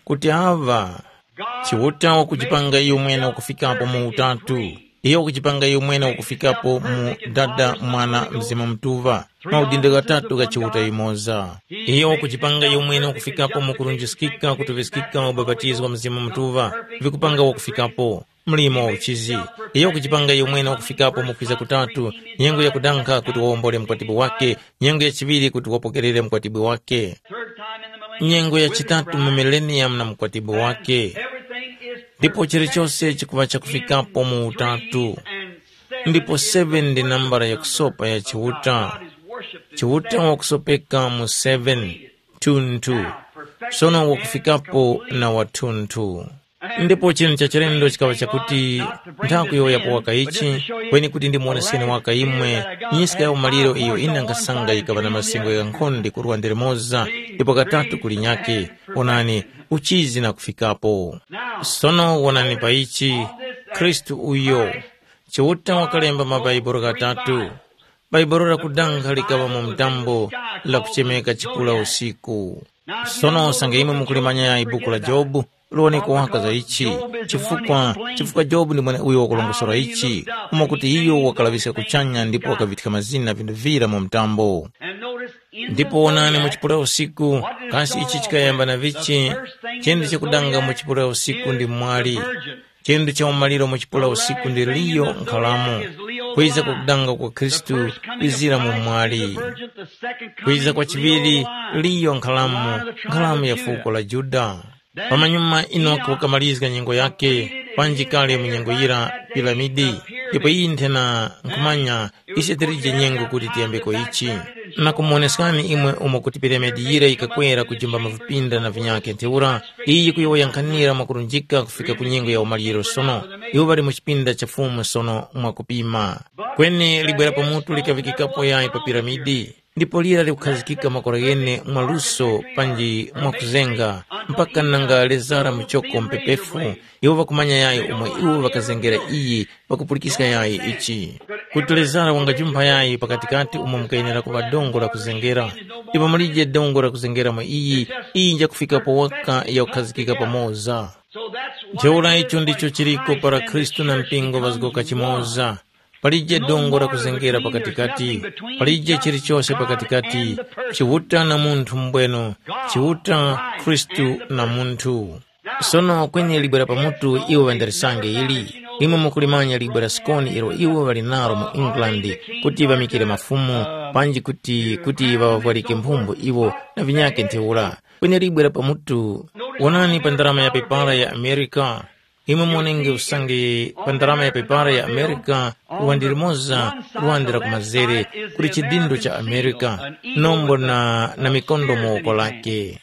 kuti aŵa Chiuta wakujipanga iyo mwene wakufikapo mu utatu. Iyo wakujipanga iyo mwene wakufikapo mu Dada, Mwana, Mzimu Mutuŵa, maudindo ghatatu gha Chiuta yumoza. Iyo wakujipanga iyo mwene wakufikapo mu kurunjiskika, kutuŵiskika, ubapatizo wa Mzimu Mutuŵa, vikupanga wakufikapo mlimo wa uchizi. Iyo wakujipanga iyo mwene wakufikapo mu kwiza kutatu, nyengo yakudankha kuti wawombole mkwatibwi wake, nyengo ya chiŵiri kuti wapokerere mkwatibwi wake, nyengo ya chitatu mu mileniyamu na mkwatibwi wake. Ndipo chilichose chikuŵa chakufikapo mu utatu. Ndipo seven ndi nambala ya kusopa ya Chiuta. Chiuta wakusopeka mu seven, two two. Sono wakufikapo na wathunthu. Ndipo chinthu cha chilendo chikaŵa chakuti, nthakuyowoyapo waka ichi, kweni kuti ndimuwoneseni waka imwe nyiska ya umaliro iyo ine nkasanga yikaŵa na masengo ghankhonde kurwa nde limoza, ndipo katatu kulinyake. Onani, uchizi na kufikapo. Sono wonani pa ichi, Khristu uyo, Chiuta wakalemba mabaibulo ghatatu. Baibulo lakudanga likaŵa mu mtambo, lakuchemeka chipula usiku. Sono usange imwe mukulimanya yayi buku la Jobu, lowani kuwaka za ichi, chifukwa chifukwa Jobu ndi mweneuyo wakulongosora ichi, umo kuti iyo wakalaŵiska kuchanya ndipo wakavithika mazina vinthu vira mu mtambo. Ndipo wonani mu chipulera usiku, kasi ichi chikayamba na vichi? Chinthu chakudanga mu chipulera usiku ndi mwali. Chinthu cha umaliro mu chipulera usiku ndi liyo nkhalamo. Kwiza kwa kudanga kwa Khristu kwizira mu mwali. Kwiza kwa chiŵiri liyo nkhalamo, nkhalamo ya fuko la Yuda. Pamanyuma Enoki wakamalizga nyengo yake, panji kale mu nyengo yira piramidi, ndipo iyi nthena nkhumanya ise tilije nyengo kuti tiyambeko ichi. Na kumuwoneskani imwe umo kuti piramidi yira yikakwera kujimba mavipinda na vinyakhe ntheura, iyi yikuyowoya nkhanira mwakurunjika kufika ku nyengo ya umaliro sono. Iwo ŵali mu chipinda cha Fumu sono mwakupima. Kweni libwera pamutu likaŵikikapo yayi pa piramidi. Ndipo lira likukhazikika makora ghene mwaluso panji mwakuzenga, mpaka nanga lezara muchoko mpepefu, iwo ŵakumanya yayi umo iwo ŵakazengera iyi, ŵakupulikiska yayi ichi. Kuti lezara wangajumpha yayi pakatikati umo mukayenera kuŵa dongo la kuzengera, ndipo mulije dongo la kuzengera mwa iyi, iyi njakufikapo waka yakukhazikika pamoza. Ntheura icho ndicho chiliko para Khristu na mpingo ŵazgoka chimoza. Palije dongo lakuzengera pakatikati, palije chilichose pakatikati, Chiuta na munthu mbweno, Chiuta, Khristu na munthu. Sono kweni libwe la pamutu iwo ŵandalisange ili, imwe mukulimanya libwe la sikoni ilo iwo ŵali nalo mu England, kuti ŵamikire mafumu, panji kuti kuti ŵaŵavwarike mphumbu iwo na vinyakhe ntheura. Kweni libwe la pamutu, wonani pa ndarama ya pepala ya Amerika, imwe muonenge usange pa ndarama ya pepara ya Amerika, luwande limoza, luwande la kumazere, kuli chidindo cha Amerika, nombo na, na mikondo mu woko lake.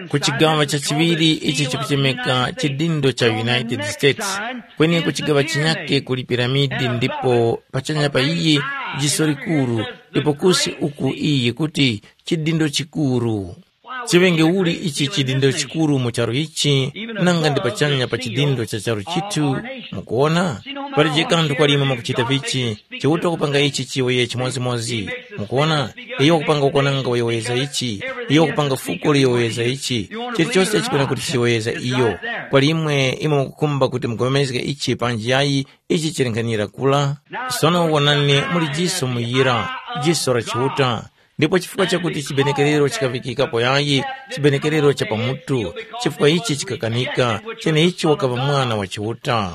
Ku chigawa cha chiŵiri ichi chikuchemeka chidindo cha United States, kweni ku chigawa chinyake kuli piramidi ndipo pachanya pa iyi jiso likuru, ndipo kusi uku iyi kuti chidindo chikuru. Chiŵenge uli ichi chidindo chikuru mu charu ichi, nanga ndi pachanya pa chidindo cha charu chithu? Mukuwona, palije kanthu kwalimwe mwakuchita vichi, Chiuta wakupanga ichi chiyowoye chimodzimodzi. Mukuwona, iyo wakupanga ukwananga uyowoyeza ichi, iyo wakupanga fuko liyowoyeza ichi, chilichose chipena kuti chiyowoyeza iyo. Kwalimwe imwe mukukhumba kuti mugomezge ichi panji yayi, ichi chili nkhanira kula. Sono wonani, muli jiso muyira, jiso la Chiuta. Ndipo chifukwa chakuti chibenekerero chikavikikapo yayi, chibenekerero cha pamutu, chifukwa ichi chikakanika, cheneichi wakaŵa mwana wa Chiuta.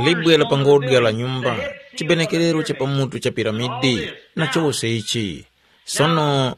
Libwe la pangodya la nyumba, chibenekerero cha pamutu cha piramidi, na chose ichi. Sono,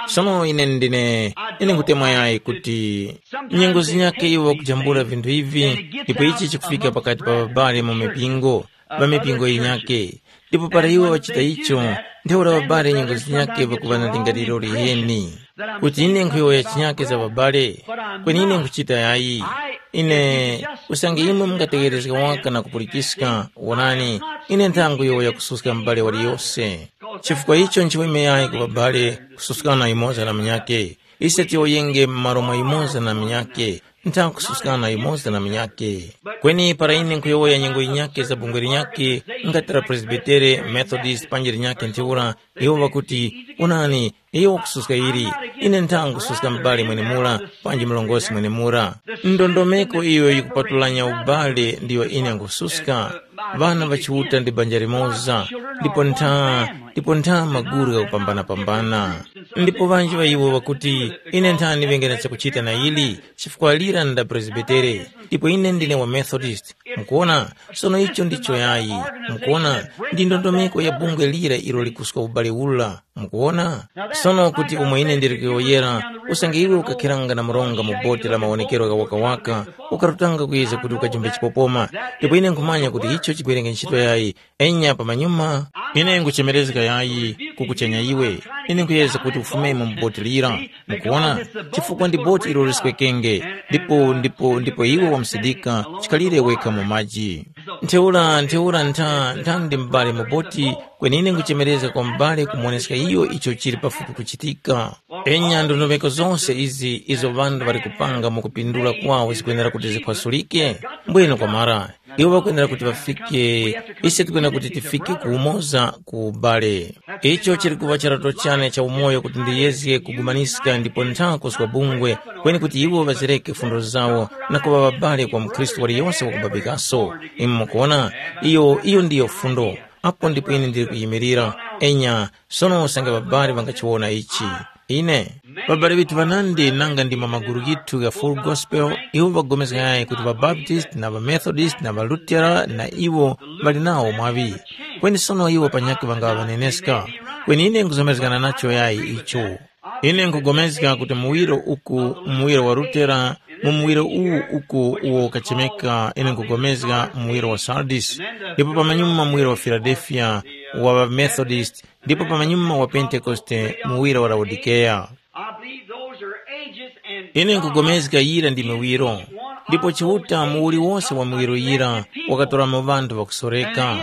sono ine ndine, ine nkutemwa yayi kuti nyengo zinyake iwo kujambula vinthu ivi, ndipo ichi chikufika pakati pa babali mu mipingo, ŵa mipingo yinyakhe. Ndipo para iwo ŵachita icho, ntheura ŵabali nyengo zinyakhe ŵakuŵa na lingaliro liheni. kuti ine nkhuyowoya chinyake za babale, kweni ine nkhuchita yayi. Ine, usange imwe mungategherezga waka na kupulikiska, wonani, ine nthanguyowoya kususka m'bale waliyose. Chifukwa icho nchiweme yayi ku babale kususkana yumoza na munyakhe. Ise tiyowoyenge m'malo mwa yumoza na munyakhe, ntha kususkana yumoza na munyakhe. Kweni para ine nkhuyowoya nyengo yinyakhe za bungwe linyakhe, ngati la Presbitere, Methodist panji linyakhe ntheura, iwo ŵakuti, “Onani, iyo wakususka ili, ine ntha nkususka m'bale mwenemura, panji murongozgi mwenemura.” Ndondomeko iyo yikupatulanya ubale ndiyo ine nkususka. Ŵana ŵa Chiuta ndi banja limoza, ndipo ntha, ndipo ntha maguru ghakupambana-pambana. Ndipo ŵanji ŵa iwo ŵakuti, “Ine nthani ŵenge na chakuchita na ili, chifukwa lira nda Presbitere, ndipo ine ndine wa Methodist.” Mukuona? Sono icho ndicho yayi. Mukuona? Ndi ndondomeko ya bungwe lira ilo likuska ubale ula. Mukuona? Sono kuti umo ine ndili kuyowoyera, usange iwe ukakhiranga na mronga mu boti la mawonekero gha wakawaka, ukarutanga kuyeza kuti ukajumbe chipopoma. Ndipo ine nkhumanya kuti icho chikwerenge ntchito yayi, enya pamanyuma, ine nguchemerezga yayi kukuchenya iwe. Ine nkuyeza kuti ufumemo mu boti lira. Mukuona? Chifukwa ndi boti ilo liswekenge, ndipo ndipo ndipo iwe wamsidika, chikhalire wekha mu maji. Ntheura ntheura ntha ntha ndi m'bale mu boti, kwenine nguchemerezga kwa m'bale kumuwoneska iyo icho chili pafupi kuchitika. Enya ndondomeko zonse izi izo ŵanthu ŵali kupanga mu kupindula kwawo zikwenera kuti zikhwasulike. Mbwino kwamara, iwo ŵakwenera kuti ŵafike, ise tikwenera kuti tifike ku umoza ku ubale. Icho chili kuŵa charato chane cha umoyo kuti ndiyezge kugumaniska ndipo ntha kuswa bungwe, kweni kuti iwo ŵazireke fundo zawo na kuŵa ŵabale kwa mukhristu waliyose wakubabikaso. Imwe mukuona, iyo iyo ndiyo fundo. Apo ndipo ine ndili kuyimirira. Enya, sono usange ŵabali ŵangachiwona ichi. Ine, ŵabali ŵithu ŵanandi nanga ndi mwa magulu ghithu gha Full Gospel, iwo ŵapulikana kuti ŵaBaptist na ŵaMethodist na ŵaLutera na iwo ŵali nawo mwaŵi. Kweni sono iwo panyakhe ŵangaŵa ŵaneneska. Kweni ine nkuzomerezgana nacho yayi icho. Ine nkupulikana kuti muwiro uku, muwiro wa Lutera, mu muwiro uwu uku uwo ukachemeka, ine nkupulikana muwiro wa Sardis, ndipo pamanyuma muwiro wa Filadelfiya, wa ŵaMethodist, ndipo pamanyuma wa Pentekoste, muwiro wa Laodikeya. I believe those are ages and ine nkupulikana yira ndi miwiro, ndipo Chiuta mu uliwonse wa miwiro yira wakatoramo ŵanthu ŵakusoreka.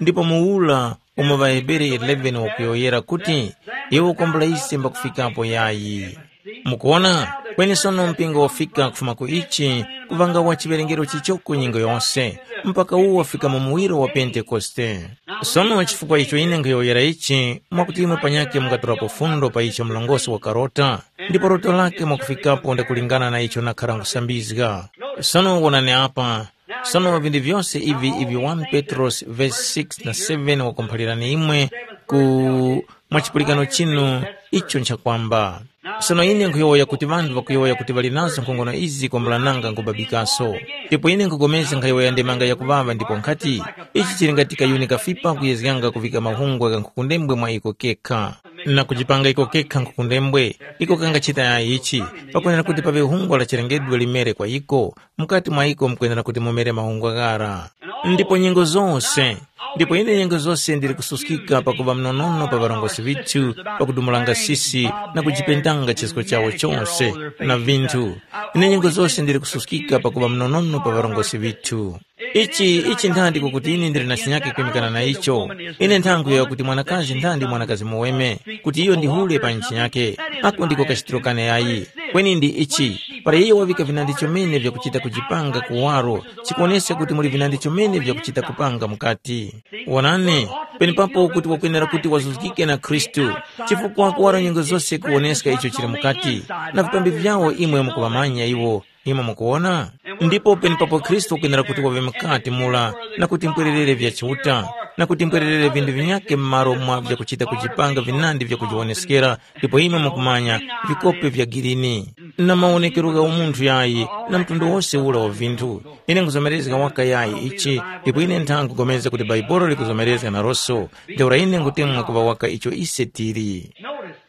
Ndipo muwura umo ŵaHebere eleven wakuyowoyera kuti, iwo kwambula ise mbakufikapo yayi. Mukuona, kweni sono mpingo wafika kufuma ku ichi, kuvanga wa chiwerengero chichoko nyengo yose, mpaka uwo wafika mu muwiro wa Pentekoste. Sono chifukwa icho ine nkhuyowoyera ichi, mwakuti imwe panyakhe mungatolapo fundo pa icho mlongosi wakarota, ndipo loto lake mwakufikapo ndakulingana na icho nakhara nkhusambizga. Sono wonani apa, sono vinthu vyose ivi ivi one Petrosi vesi six na seven wakumphalirani imwe ku mwa chipulikano chinu icho nchakwamba. Sono ine nkhuyowoya kuti ŵanthu ŵakuyowoya kuti ŵali nazo nkhongono izi kwambulananga nkubabikaso. Ndipo ine nkhupulikana nkhayowoya ndemanga yakuŵaŵa ndipo nkhati, ichi chili ngati kayuni kafipa kuyezganga kuvika mahungwa gha nkhukundembwe mwa iko kekha, na kujipanga iko kekha nkhukundembwe, iko kangachita yayi ichi, pakwenera kuti paŵe hungwa la chilengedwe limere kwa iko, mukati mwa iko mukwenera kuti mumere mahungwa ghara. Ndipo nyengo zose, ndipo ine nyengo zose ndili kususkika pakuŵa mnonono pa ŵarongozgi ŵithu, pakudumulanga sisi na kujipendanga chisko chawo chose na vinthu. Ine nyengo zose ndili kususkika pakuŵa mnonono pa ŵarongozgi ŵithu. Ichi ichi nthandi kukuti ine ndili na chinyake kwimikana na icho. Ine nthangu ya kuti mwanakazi nthandi mwanakazi muweme, kuti iyo ndi hule pa nchi yake. Ako ndiko kachitiro kane yayi. Kweni ndi ichi, para iyo wavika vinandi chomene vyakuchita kujipanga kuwaro, chikuwoneska kuti muli vinandi chomene vyakuchita kupanga mukati. Wonani, penepapo kuti wakwenera kuti wazuzgike na Khristu, chifukwa kuwaro nyengo zose kuwoneska icho chili mukati, na vipambi vyawo imwe mukuŵamanya iwo. Imwe mukuwona? Ndipo penepapo Khristu wakwenera kuti waŵe mukati mura, na kuti mpwererere vya Chiuta, na kuti mpwererere vinthu vinyakhe m'malo mwa vyakuchita kujipanga vinandi vyakujiwoneskera, ndipo imwe mukumanya, vikope vya girini, na mawonekero gha umunthu yayi, na mtundu wose ura wa vinthu. Ine nkhuzomerezga waka yayi ichi, ndipo ine ntha nkhupulikana kuti Bhaibuli likuzomerezga naroso, ntheura ine nkhutemwa kuŵa waka icho ise tili.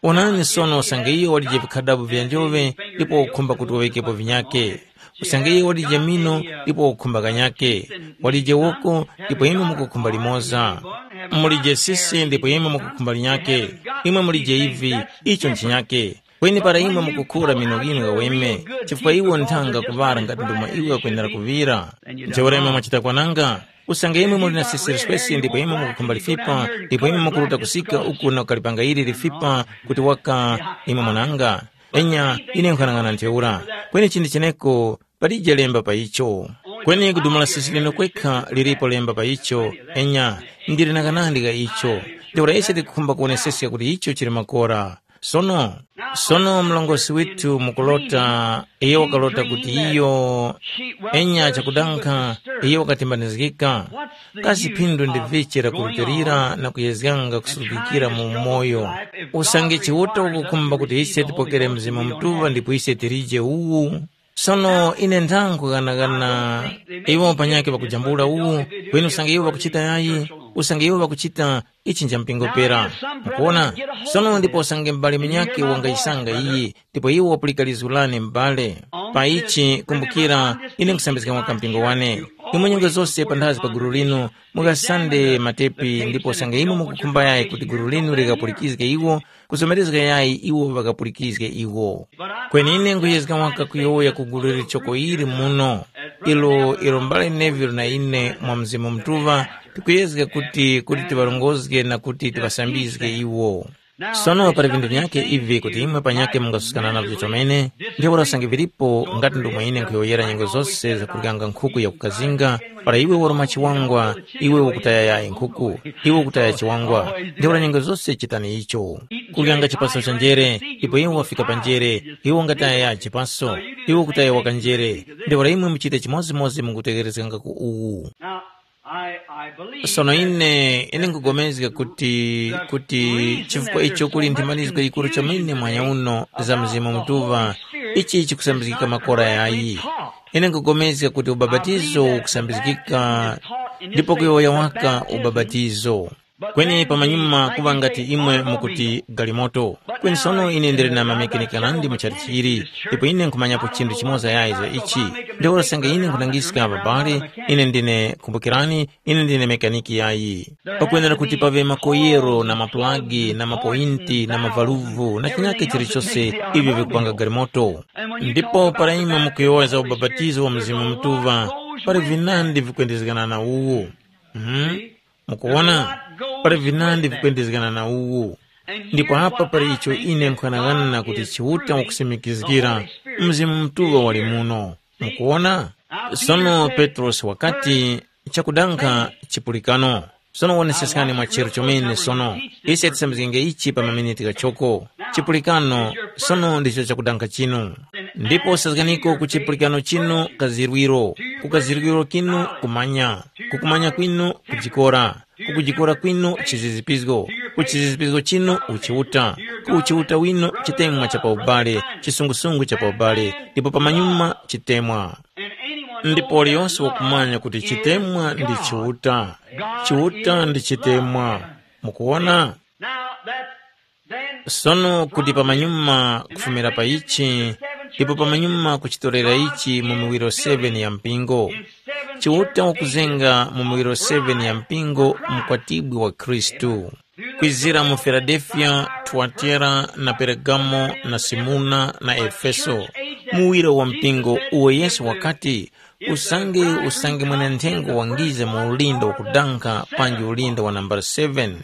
Onani sono usange iyo walije vikhadabo vya njoŵe ndipo wakukhumba kuti waŵikepo vinyakhe. Usange iyo walije mino ndipo wakukhumba kanyakhe. Walije woko ndipo imwe mukukhumba limoza. Mulije sisi ndipo imwe mukukhumba linyakhe. Imwe mulije ivi, icho nchinyakhe. Kweni para imwe mukukhura mino ghinu ghaweme, chifukwa iwo nthanga kuŵala ngati ndomwe iwe ukwenera kuŵira. Ntheura imwe mwachita kwananga, usange imwe muli na sisiri swesi ndipo imwe mukukhumba lifipa, ndipo imwe mukuruta kusika uku na kukalipanga ili lifipa kuti waka imwe mwananga. Enya, ine nkhanang'ana ntheura. Kweni chinthu cheneko palije lemba pa icho. Kweni kudumula sisi lino kwekha lilipo lemba pa icho. Enya, ndili na kanandi ka icho. Ntheura ise tikukhumba kuwoneseska kuti icho chili makora. Sono, sono mlongosi withu mukulota, iyo wakalota kuti iyo, enya chakudankha, iyo wakatimbanizgika. Kasi phindu ndi vichi lakurutilira na kuyezganga kusurukikira mu umoyo? Usange Chiuta ukukhumba kuti ise tipokere Mzimu Mutuŵa ndipo ise tilije uwu? Sono ine ndangughanagana iwo panyakhe pakujambula uwu, kweni usange iwo ŵakuchita yayi, usange iwo ŵakuchita ichi nja mpingo pera. Mukuona? Sono ndipo usange m'bale munyakhe wangayisanga iyi, ndipo iwo wapulika lizgu lane m'bale. Pa ichi kumbukira, ine nkusambizga mwaka mpingo wane. Imwe nyengo zose panthazi pa gulu linu, mukasande matepi ndipo usange imwe mukukhumba yayi kuti gulu linu likapulikizge iwo, kuzomerezga yayi iwo ŵakapulikizge iwo. Kweni ine nkuyezga waka kuyowoya ku gulu lilichoko ili muno, ilo ilo mbale Neville na ine mwa Mzimu Mutuŵa tikuyezga kuti kuti tiŵarongozge na kuti tiŵasambizge iwo. Sono pali vinthu vyake ivi kuti imwe panyakhe mungasuskana navyo chomene, ntheura usange vilipo ngati ndomwe ine nkhuyowoyera nyengo zose zakuryanga nkhuku yakukazinga, para iwe waruma chiwangwa, iwe ukutaya yayi nkhuku, iwe ukutaya chiwangwa, ntheura nyengo zose chitani icho. Kuryanga chipaso cha njere, ipo iwe wafika pa njere, iwe ungataya yayi chipaso, iwe ukutaya waka njere, ntheura imwe muchite chimodzimodzi mukutegherezganga ku uwu. Now, I, I believe Sono that ine, ine nkugomezga kuti, kuti chifukwa icho kuli nthimanizgo yikuru chomene mwanya uno za Mzimu Mutuŵa, ichi chikusambizgika makora yayi. Ine nkugomezga kuti ubapatizo ukusambizgika, ndipo kuyowoya waka ubapatizo. Kweni pamanyuma kuŵa ngati imwe mukuti galimoto. Kweni sono ine ndili na mamekeneka nandi mu chalichi ili, ndipo ine nkhumanyapo chinthu chimoza yayi za ichi. Ntheura usange ine nkhutangiska ababale, ine ndine, kumbukirani, ine ndine mekaniki yayi. Pakwenera kuti paŵe makoyero na mapulagi na mapoyinti na mavaluvu na chinyake chilichose ivyo vikupanga galimoto. Ndipo para imwe mukuyowoya za ubapatizo wa Mzimu Mutuŵa, pali vinandi vikwendezgana na uwu. Mhm. Mukuwona, pali vinandi vikwendezgana na uwu. Ndipo apa pali icho ine nkhanang'ana kuti Chiuta wakusimikizgira, Mzimu Mutuŵa wali muno. Mukuwona? Sono Petrosi wakati, chakudankha chipulikano. Sono woneseskani mwa chero chomene sono. Ise tisambizgenge ichi pa maminiti ghachoko. Chipulikano, sono ndicho chakudankha chinu. Ndipo sazganiko ku chipulikano chinu kazirwiro, ku kazirwiro kinu kumanya, ku kumanya kwinu kujikora, ku kujikora kwinu chizizipizgo, ku chizizipizgo chinu uchiuta, ku uchiuta winu chitemwa cha paubale, chisungusungu cha paubale, ndipo pamanyuma chitemwa. Ndipo waliyonse wakumanya kuti chitemwa ndi Chiuta, Chiuta ndi chitemwa. Mukuwona? Now that Sono kuti pamanyuma kufumira pa ichi, ndipo pamanyuma kuchitorera ichi mu miwiro seven ya mpingo, Chiuta wakuzenga mu miwiro seven ya mpingo mkwatibwi wa Khristu, kwizira mu Filadelfiya, Tuwatera na Peregamo na Simuna na Efeso, muwiro wa mpingo uwo Yesu wakati, usange usange mwenenthengo wangiza mu ulinda wakudankha panji ulinda wa nambala seven.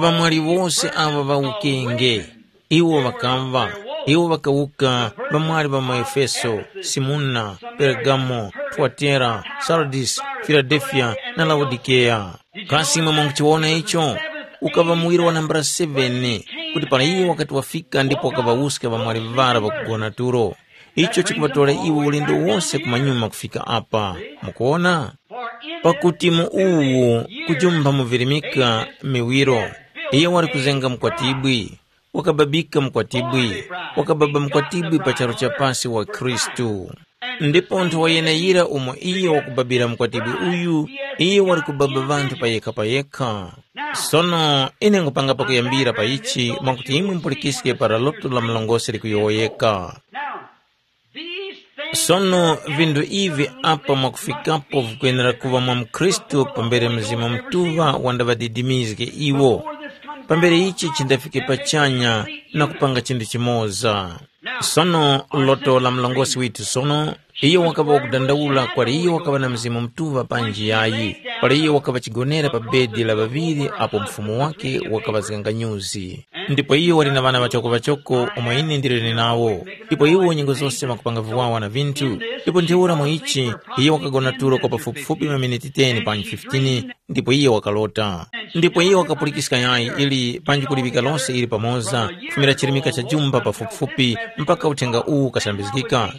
Ŵamwali wose aŵa ŵa ukenge, iwo ŵakamva, iwo ŵakawuka ŵamwali ŵa mu Efeso, Simuna, Pergamo, Tuwatera, Sardis, Filadelfiya na Laodikeya. Kasi imwe mwanguchiwona icho? Ukaŵa muwiro wa nambala seven, kuti para iye wakati wafika ndipo wakaŵawuska ŵamwali ŵara ŵakugona tulo. Icho chikuŵatora iwo ulendo wose kumanyuma kufika apa. Mukuwona? Pakuti mu uwu kujumpha muvirimika miwiro, iyo wali kuzenga mukwatibwi, wakababika mukwatibwi, wakababa mukwatibwi pa charu cha pasi wa Khristu. Ndipo nthowa yeneyira umo iyo wakubabira mukwatibwi uyu, iyo wali kubaba ŵanthu payekha-payekha. Sono ine nkupanga pakuyambira pa ichi mwakuti imwe mupulikiske para loto la mlongosi likuyowoyeka. Sono vinthu ivi apa mwakufikapo vikwenera kuŵa mwa mkhristu pambere Mzimu Mutuŵa wandaŵadidimizge iwo. pambere ichi chindafike pachanya na kupanga chinthu chimoza. Sono loto la mlongosi withu sono, iyo wakaŵa wakudandaula kwali iyo wakaŵa na Mzimu Mutuŵa panji yayi, pali iyo wakaŵa chigonera pa bedi la ŵaŵiri apo mfumu wake wakaŵazganga nyuzi. Ndipo iyo wali na ŵana ŵachoko-ŵachoko umo ine ndiliri nawo, ndipo iwo nyengo zose ŵakupanga viwawa na vinthu. Ndipo ntheura mu ichi, iyo wakagona tulo kwa pafupifupi maminiti ten panji fifteen, ndipo iyo wakalota. Ndipo iyo wakapulikiska yayi ili panji kuliŵika lose ili pamoza, kufumira chirimika cha jumba pafupifupi mpaka uthenga uwu ukasambizgika.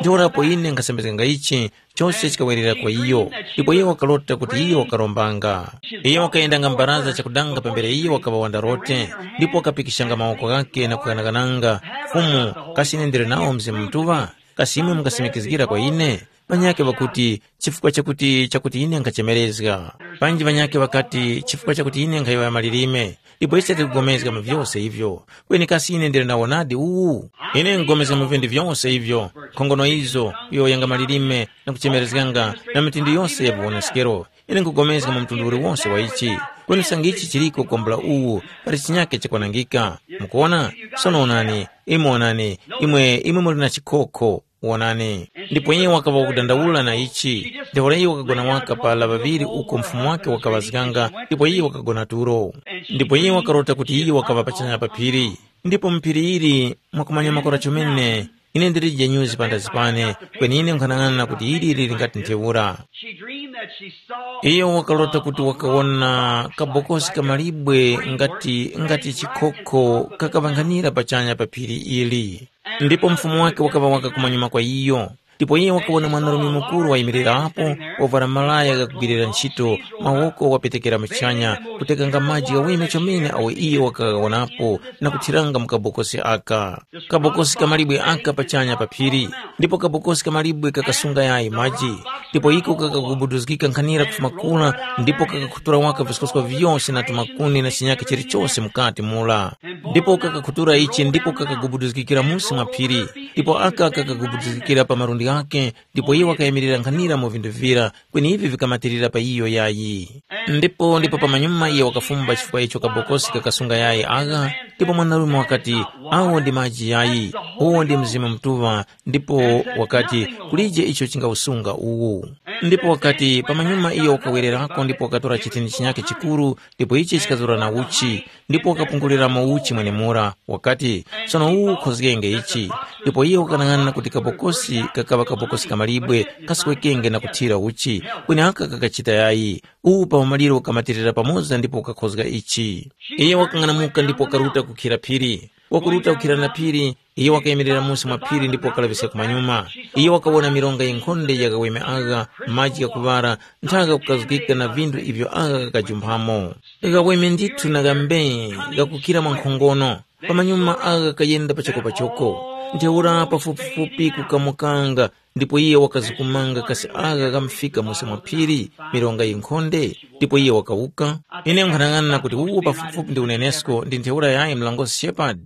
Ntheurapo ine nkasambizganga ichi, chose chikawerera kwa iyo, ndipo iyo wakalota kuti iyo wakarombanga. Iyo wakayendanga mbaraza chakudanga pambere iyo wakaŵa wandarote, ndipo wakapikishanga mawoko ghake na kukanakananga, Fumu, kasi ine ndili nawo Mzimu Mutuŵa? Kasi imwe mungasimikizgira kwa ine? Ŵanyakhe ŵakuti, chifukwa chakuti chakuti ine nkhachemerezga. Panji ŵanyakhe ŵakati, chifukwa chakuti ine nkhayowoya malilime. Ndipo ise tikugomezga mu vyose ivyo. Kweni kasi ine ndili na wonadi uwu? Ine nkugomezga mu vinthu vyose ivyo, nkhongono izo, kuyowoyanga malilime na kuchemerezganga na mitundu yose ya viwoneskero. Ine nkugomezga mu mtundu uliwonse wa ichi. Kweni usange ichi chiliko kwambula uwu, pali chinyake chakwanangika. Mukuona? Sono onani, imwe onani, imwe imwe muli na chikhokho. Wonani. Ndipo iye wakaŵa wakudandaula na ichi. Ntheura iye wakagona waka pala ŵaŵiri uko mfumu wake wakaŵazganga, ndipo iye wakagona tulo. Ndipo iye wakarota kuti iye wakaŵa pachanya pa phiri. Ndipo mu phiri ili mwakumanya makora chomene, ine ndilije nyuzi pandazi pane, kweni ine nkhanang'ana kuti ili lili ngati ntheura. She dreamed that she saw Iyo wakarota kuti wakawona kabokosi kamalibwe ngati ngati chikhokho kakaŵankhanira pachanya pa phiri ili. Ndipo mfumu wake wakaŵa waka kumanyuma kwa iyo. Ndipo iye wakawona mwanarume mukuru wayimirirapo, wavwara malaya ghakugwirira ntchito, mawoko wapetekera muchanya, kutekanga maji ghaweme chomene awo iye wakaghawonapo na kuthiranga mu kabokosi aka. Kabokosi kamalibwe aka pachanya pa phiri, ndipo kabokosi kamalibwe kakasunga yayi maji. Ndipo iko kakagubuduzgika nkhanira kufuma kura, ndipo kakakhutura waka viskoska vyose na tumakuni na chinyakhe chilichose mukati mura. Ndipo kakakhutura ichi ndipo kakagubuduzgikira musi mwa phiri, ndipo aka kakagubuduzgikira pa malundi ghakhe, ndipo iye wakayimirira nkhanira mu vinthu vira, kweni ivi vikamatirira pa iyo yayi. Ndipo ndipo pamanyuma iye wakafumba chifukwa icho kabokosi kakasunga yayi agha, ndipo mwanarume wakati, awo ndi maji yayi, uwo ndi Mzimu Mutuŵa, ndipo wakati, kulije icho chingawusunga uwu. Ndipo wakati, pamanyuma iyo wakawererako ndipo wakatora chithini chinyakhe chikuru, ndipo ichi chikazura na uchi, ndipo wakapunguliramo uchi mwenemura, wakati, sono uwu ukhozgenge ichi. Ndipo iye wakanang'ana kuti kabokosi kakaŵa kabokosi kamalibwe, kaswekenge na kuthira uchi, kweni aka kakachita yayi. Uwu pa umaliro ukamatirira pamoza ndipo ukakhozga ichi. Iye wakang'anamuka ndipo wakaruta kukhira phiri. Wakuruta kukhira na phiri, iye wakayemerera musi mwa phiri ndipo wakalaŵiska kumanyuma. Iye wakawona mironga yinkhonde ya ghaweme agha, maji ghakuŵara, nthaka kukazgika na vinthu ivyo agha ghakajumphamo. Ghaweme ndithu na ghambee, ghakukira mwa nkhongono. Pamanyuma agha ghakayenda pachoko-pachoko. Ntheura pafupifupi kukamukanga, ndipo iye wakazukumanga kasi agha ghamufika musi mwa phiri, mironga yinkhonde, ndipo iye wakawuka. Ine nkhanang'ana kuti uwu pafupifupi ndi unenesko ndi ntheura yayi mlangosi Shepard.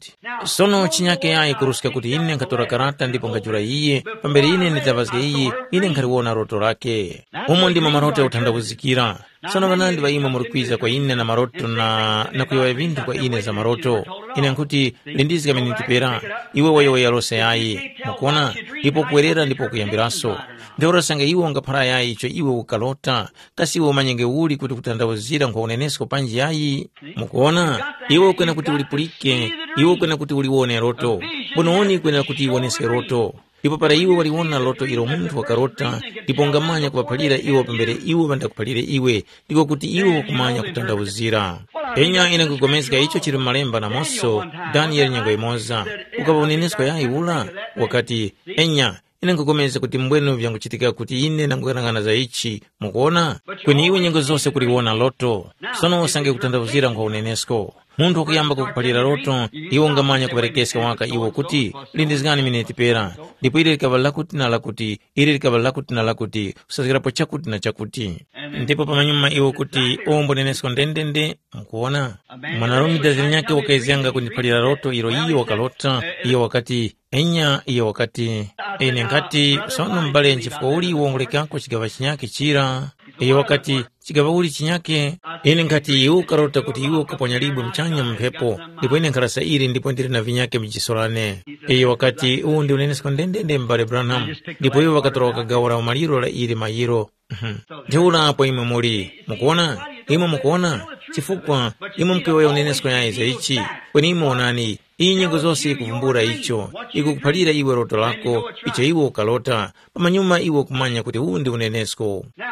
Sono chinyake yayi kuruska kuti ine nkhatora karata ndipo nkhajula iye, pambere ine nditaŵazge iye, ine nkhaliwona loto lake. Umo ndimo maroto yakuthandawuzikira. Sono ŵanandi ŵa imwe muri kwiza kwa ine na maroto na, na kuyowoya vinthu kwa ine za maroto. Ine nkhuti, lindizga miniti pera, iwe wayowoya lose yayi. Mukuona? Ndipo kuwerera ndipo kuyambiraso. Ntheura sanga iwe ungaphara yayi icho iwe ukalota, kasi iwe umanyenge uli kuti kutandawuzira nkwa unenesko panji yayi? Mukuona? Iwe ukwena kuti ulipulike, iwe ukwena kuti uliwone loto. Mbononi ikwenera kuti iwoneske loto. Ndipo para iwe waliwona loto ilo munthu wakarota, ndipo ungamanya kuŵaphalira iwo pambere iwo ŵandakuphalire iwe, ndiko kuti iwe wakumanya kutandawuzira. Enya ine nkupulikana icho chili mu Malemba namoso, Daniyele nyengo imoza. Ukaŵa unenesko yayi ula? Wakati, enya, ine nkupulikana kuti mbwenu vyanguchitika kuti ine ndanguyang'ana za ichi, mukuona? Kweni iwe nyengo zose kuliwona loto. Sono usange kutandawuzira nkwa unenesko. Munthu wakuyamba kukuphalira loto, iwe ungamanya kuŵerekeska waka iwo kuti, lindizgani miniti pera, ndipo ili likaŵa lakuti na lakuti, ili likaŵa lakuti na lakuti, kusazgirapo chakuti na chakuti. Ndipo pamanyuma iwe kuti, ombo nenesko ndendende, mukuwona? Mwanarume dazi linyakhe wakayezganga kundiphalira loto ilo iyo wakalota, iyo wakati, enya, iyo wakati, ine nkhati, sono m'bale nchifukwa uli iwe ungulekako chigaŵa chinyakhe chira? Iyo wakati, Chigaŵauli chinyakhe? Ine nkhati iwe ukarota kuti iwe ukaponyalibwe muchanya mu mphepo, ndipo ine nkharasa ili ndipo ndili na vinyakhe mu jiso lane. Iyo wakati, uwu ndi unenesko ndendende m'bale Branham, ndipo iwo ŵakatora kagawo la umaliro la ili mayiro. Mhm. Ntheura apo imwe muli, mukuona? Imwe mukuona? Chifukwa imwe mukuyowoya unenesko yayi za ichi, kweni imwe wonani, iyi nyengo zose ikuvumbula icho, ikukuphalira iwe loto lako, icho iwe ukalota, pamanyuma iwe ukumanya kuti uwu ndi unenesko. Now,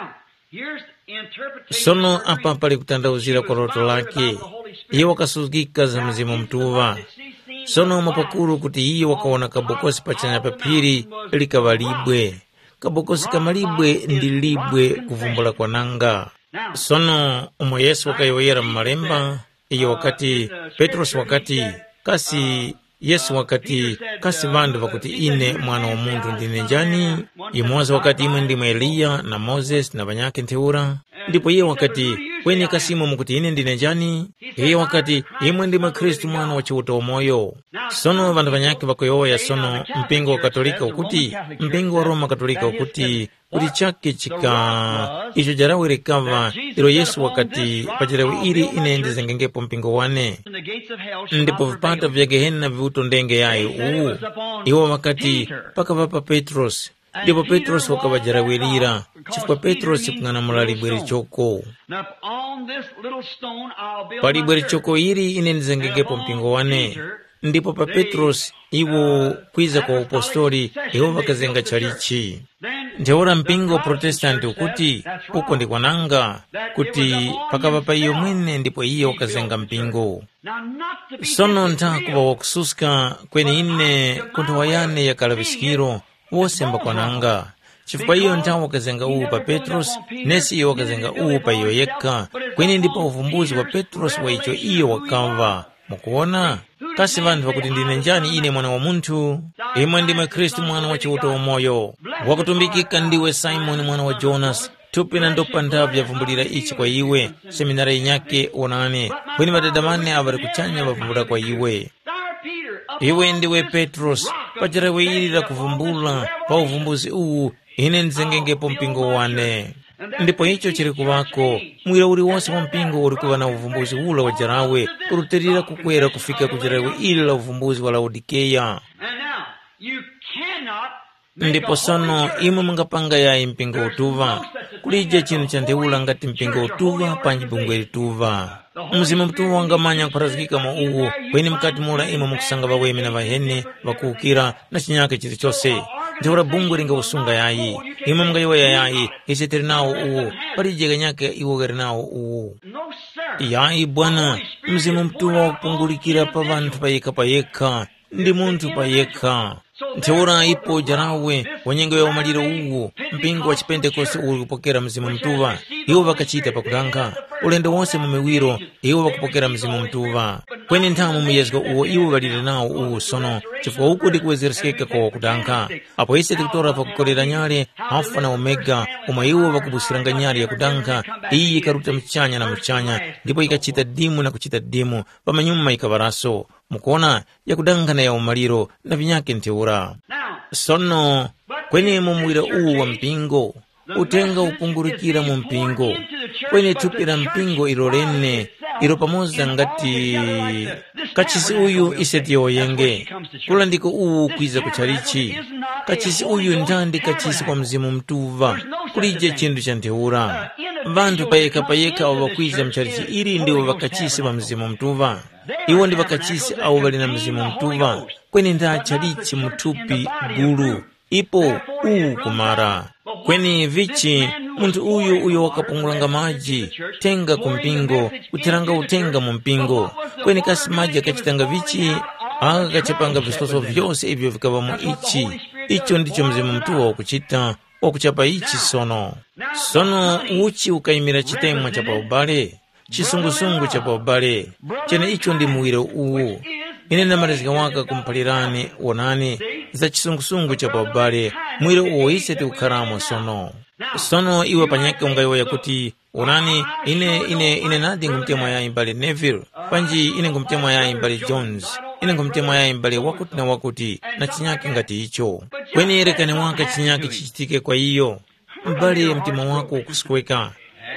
here's interpretation. Sono apa pali kutanthauzira kwa loto lake. Iye wakasuzgika za Mzimu Mutuŵa. Sono mwapakuru kuti iye wakawona kabokosi pachanya pa phiri likaŵa libwe. Kabokosi ka malibwe ndi libwe kuvumbula kwananga. Sono umo Yesu wakayowoyera mu Malemba, iyo wakati, Petrosi wakati, kasi Yesu wakati, kasi ŵanthu ŵakuti ine Mwana wa Munthu ndine njani? Yumoza wakati, imwe ndimwe Eliya na Mozesi na ŵanyakhe ntheura. Ndipo iye wakati, kweni kasi imwe mukuti ine ndine njani? Iye wakati, imwe ndimwe Khristu Mwana wa Chiuta wamoyo. Sono ŵanthu ŵanyakhe ŵakuyowoya sono, mpingo wa Katolika ukuti, mpingo wa Roma Katolika ukuti, kuti chake chika icho jarawe likaŵa ilo Yesu wakati, pa jarawe ili ine ndizengengepo mpingo wane, ndipo vipata vya Gehena viwutondenge yayi uwu. Iwo ŵakati, pakaŵa pa Petrosi, ndipo Petrosi wakaŵajarawirira, chifukwa Petrosi kung'anamula libwe lichoko. Now, on this little stone I'll build pa my libwe church. Lichoko ili ine ndizengengepo mpingo wane. Ndipo pa Petrosi iwo kwiza kwa upostoli, iwo ŵakazenga chalichi. Ntheura mpingo wa Protestanti ukuti, uko ndi kwananga, kuti pakaŵa pa iyo mwene ndipo iye wakazenga mpingo. Sono ntha kuŵa wakususka kweni ine ku nthowa yane ya kalaŵiskiro, wose mbakwananga. Chifukwa iyo nthawi wakazenga uwu pa Petrosi, nesi iyo wakazenga uwu pa iyo yekha, kweni ndi pa uvumbuzi wa Petrosi wa icho iyo wakamva. Mukuwona? Kasi ŵanthu ŵakuti ndine njani ine Mwana wa Munthu? Imwe ndimwe Khristu Mwana wa Chiuta wamoyo. Wakutumbikika ndiwe Simoni mwana wa Jonasi, thupi na ndopa nthavi yavumbulira ichi kwa iwe, seminari yinyakhe wonani, kweni Ŵadada ŵane awo ŵali kuchanya ŵavumbula kwa iwe. Iwe ndiwe Petrosi, pa jerawe ili lakuvumbula, pa uvumbuzi uwu, ine ndizengengepo mpingo wane. Ndipo icho chili kuŵako, muwira uliwonse wa mpingo uli kuŵa na uvumbuzi ula wa jerawe, kurutilira kukwera kufika ku jerawe ili la uvumbuzi wa Laodikeya. And now, you cannot Ndipo sono imwe mungapanga yayi mpingo utuŵa. Kulije chinthu cha ntheura ngati mpingo utuŵa panji bungwe lituŵa. Mzimu Mutuŵa wangamanya kupharazgika mwa uwo, kweni mukati mura imwe mukusanga ŵaweme na ŵaheni, ŵakuwukira na chinyake chilichose. Ntheura bungwe lingawusunga yayi. Imwe mungayowoya yayi, ise tili nawo uwo, palije kanyake iwo ghali nawo uwo. Yayi bwana, Mzimu Mutuŵa wakupungulikira pa ŵanthu payekha payekha. Ndi munthu pa yekha. Ntheura ipo jarawe wa nyengo ya umaliro uwu, mpingo wa chipentekoste uwu uli kupokera Mzimu Mutuŵa, iwo ŵakachita pakutanga. Ulendo wonse mu miwiro, iwo ŵakupokera Mzimu Mutuŵa. Kweni nthamu muyezgo uwo iwo ŵalire nawo uwu sono, chifukwa uku ndi kuwezereskeka kwa wakutanga. Apo ise tikutora pakukorera nyale, Alfa na Omega, umo iwo ŵakubusiranga nyale yakutanga, iyi yikaruta muchanya na muchanya, ndipo yikachita dimu na kuchita dimu, pamanyuma yikaŵaraso. Mukuona, yakudanga na ya umaliro na vinyakhe ntheura. Sono, kweni mu muwira uwu wa mpingo, uthenga upungurukira mu mpingo, kweni thupi la mpingo ilo lene, ilo pamoza ngati kachisi uyu ise tiyowoyenge, kula ndiko uwu kwiza ku chalichi. Kachisi uyu ndandi kachisi kwa Mzimu Mutuŵa, kulije chinthu cha ntheura. Ŵanthu payekha payekha awo ŵakwiza mu chalichi ili ndiwo ŵakachisi ŵa Mzimu Mutuŵa. Iwo ndi ŵakachisi awo ŵali na Mzimu Mutuŵa, kweni ndi achalichi mu thupi gulu. Ipo uwu kumara. Kweni vichi, munthu uyu uyo wakapungulanga maji, tenga ku mpingo, kutheranga uthenga mu mpingo. Kweni kasi maji akachitanga vichi? Aka kachapanga viswaso vyose ivyo vikaŵa mu ichi. Icho ndicho Mzimu Mutuŵa wakuchita, wakuchapa ichi sono. Sono uchi ukayimira chitemwa cha pa ubale? Chisungusungu cha pa ubale, cheneicho ndi muwiro uwu. Ine ndamalizika waka kumuphalirani, wonani, za chisungusungu cha pa ubale, muwiro uwo ise tikukharamo sono. Sono iwe panyakhe ungayowoya kuti, wonani, ine, ine, ine nadi ngumutemwa yayi mbale Neville, panji ine ngumutemwa yayi mbale Jones, ine ngumutemwa yayi mbale wakuti na wakuti, na chinyakhe ngati icho. Kweni rekani waka chinyakhe chichitike kwa iyo. M'bale, mtima wako ukusweka.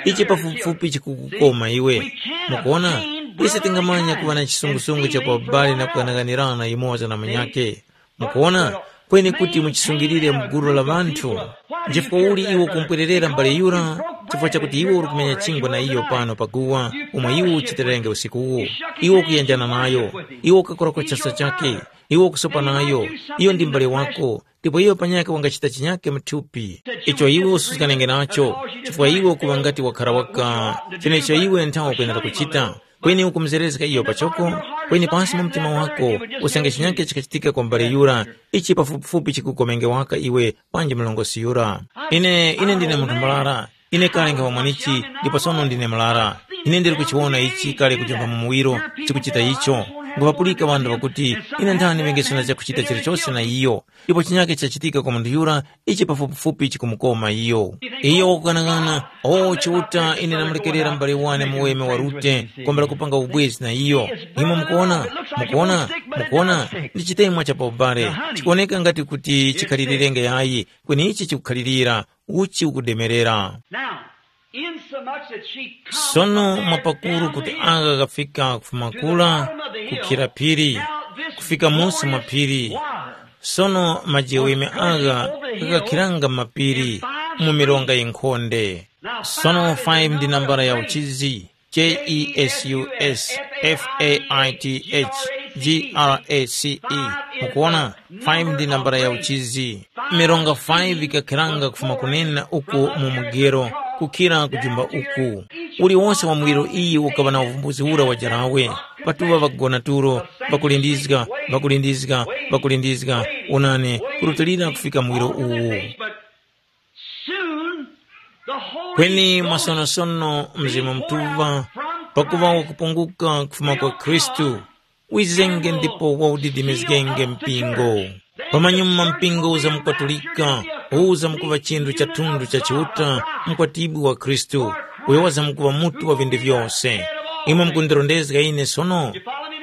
Ichi pafupifupi chikukukoma iwe. Mukuona, ise tingamanya kuŵa na chisungusungu cha pa ubale na kuganaganirana yumoza na munyakhe. Mukuona, kweni kuti muchisungilire mu gulu la ŵanthu. Nchifukwa uli iwe ukumpwererera mbale yura? Chifukwa chakuti iwe uri kumenya chingwa na iyo pano paguwa, umo iwe uchitirenge usikuwu. Iwe ukuyenjana nayo, iwe ukakora kwa chasa chakhe, iwe ukusopa nayo, iyo ndi mbale wako, ndipo iyo panyakhe wangachita chinyakhe mu thupi. Icho iwe ususkanenge nacho, chifukwa iwe ukuŵa ngati wakhara waka. Chenecho iwe nthawe ukwenera kuchita. Kweni ukumuzerezga iyo pachoko, kweni pansi mu mtima wako, usange chinyakhe chikachitika kwa mbale yura, ichi pafupifupi chikukomenge waka iwe panji mlongosi yura. Ine, ine ndine munthu murara, ine kale nkhawa mwanichi, ndipo sono ndine murara. Ine ndili kuchiwona ichi kale kujumpha mu muwiro, chikuchita icho. Nkupapulika ŵanthu ŵakuti, ine nthani ŵengesana chakuchita chilichose na iyo. Ndipo chinyakhe chachitika kwa munthu yura, ichi pafupifupi chikumukoma iyo. Iyo wakughanaghana, o Chiuta, ine ndamulekerera m'bale wane muweme wa Rute, kwambula kupanga ubwezi na iyo. Imwe mukuona, mukuona, mukuona, ndi chitemwa cha pa ubale. Chikuwoneka ngati kuti chikhalirenge yayi, kweni ichi chikukhalirira, uchi ukudemerera. Now, insomuch that she comes Sono from mwapakuru kuti Bethlehem, agha ghafika kufuma kula, kukhira phiri, kufika musi mwa phiri. Sono majeweme agha ghakakhiranga mapiri mu milonga yinkhonde. Sono five ndi nambala ya uchizi, J E S U S F A I T H G R A C E. Mukuona, five ndi nambala ya uchizi. Milonga five ikakhiranga kufuma kunena uku mu mugero, kukhira kujumba uku. Uliwonse wa muwiro iyi ukaŵa na uvumbuzi ura wa jarawe. Patuŵa ŵakugona tulo, ŵakulindizga, ŵakulindizga, ŵakulindizga, onani, kurutilira kufika muwiro uwu. But soon the Holy Kweni Ghost mwasonosono Mzimu Mutuŵa pakuŵa wakupunguka kufuma kwa Khristu, wizenge ndipo wawudidimizgenge mpingo. Pamanyuma mpingo uzamukwatulika, uzamukuŵa chinthu cha thundu cha Chiuta, mkwatibwi wa Khristu, uyo wazamukuŵa mutu wa vinthu vyose. Imwe mukundirondezga ine sono?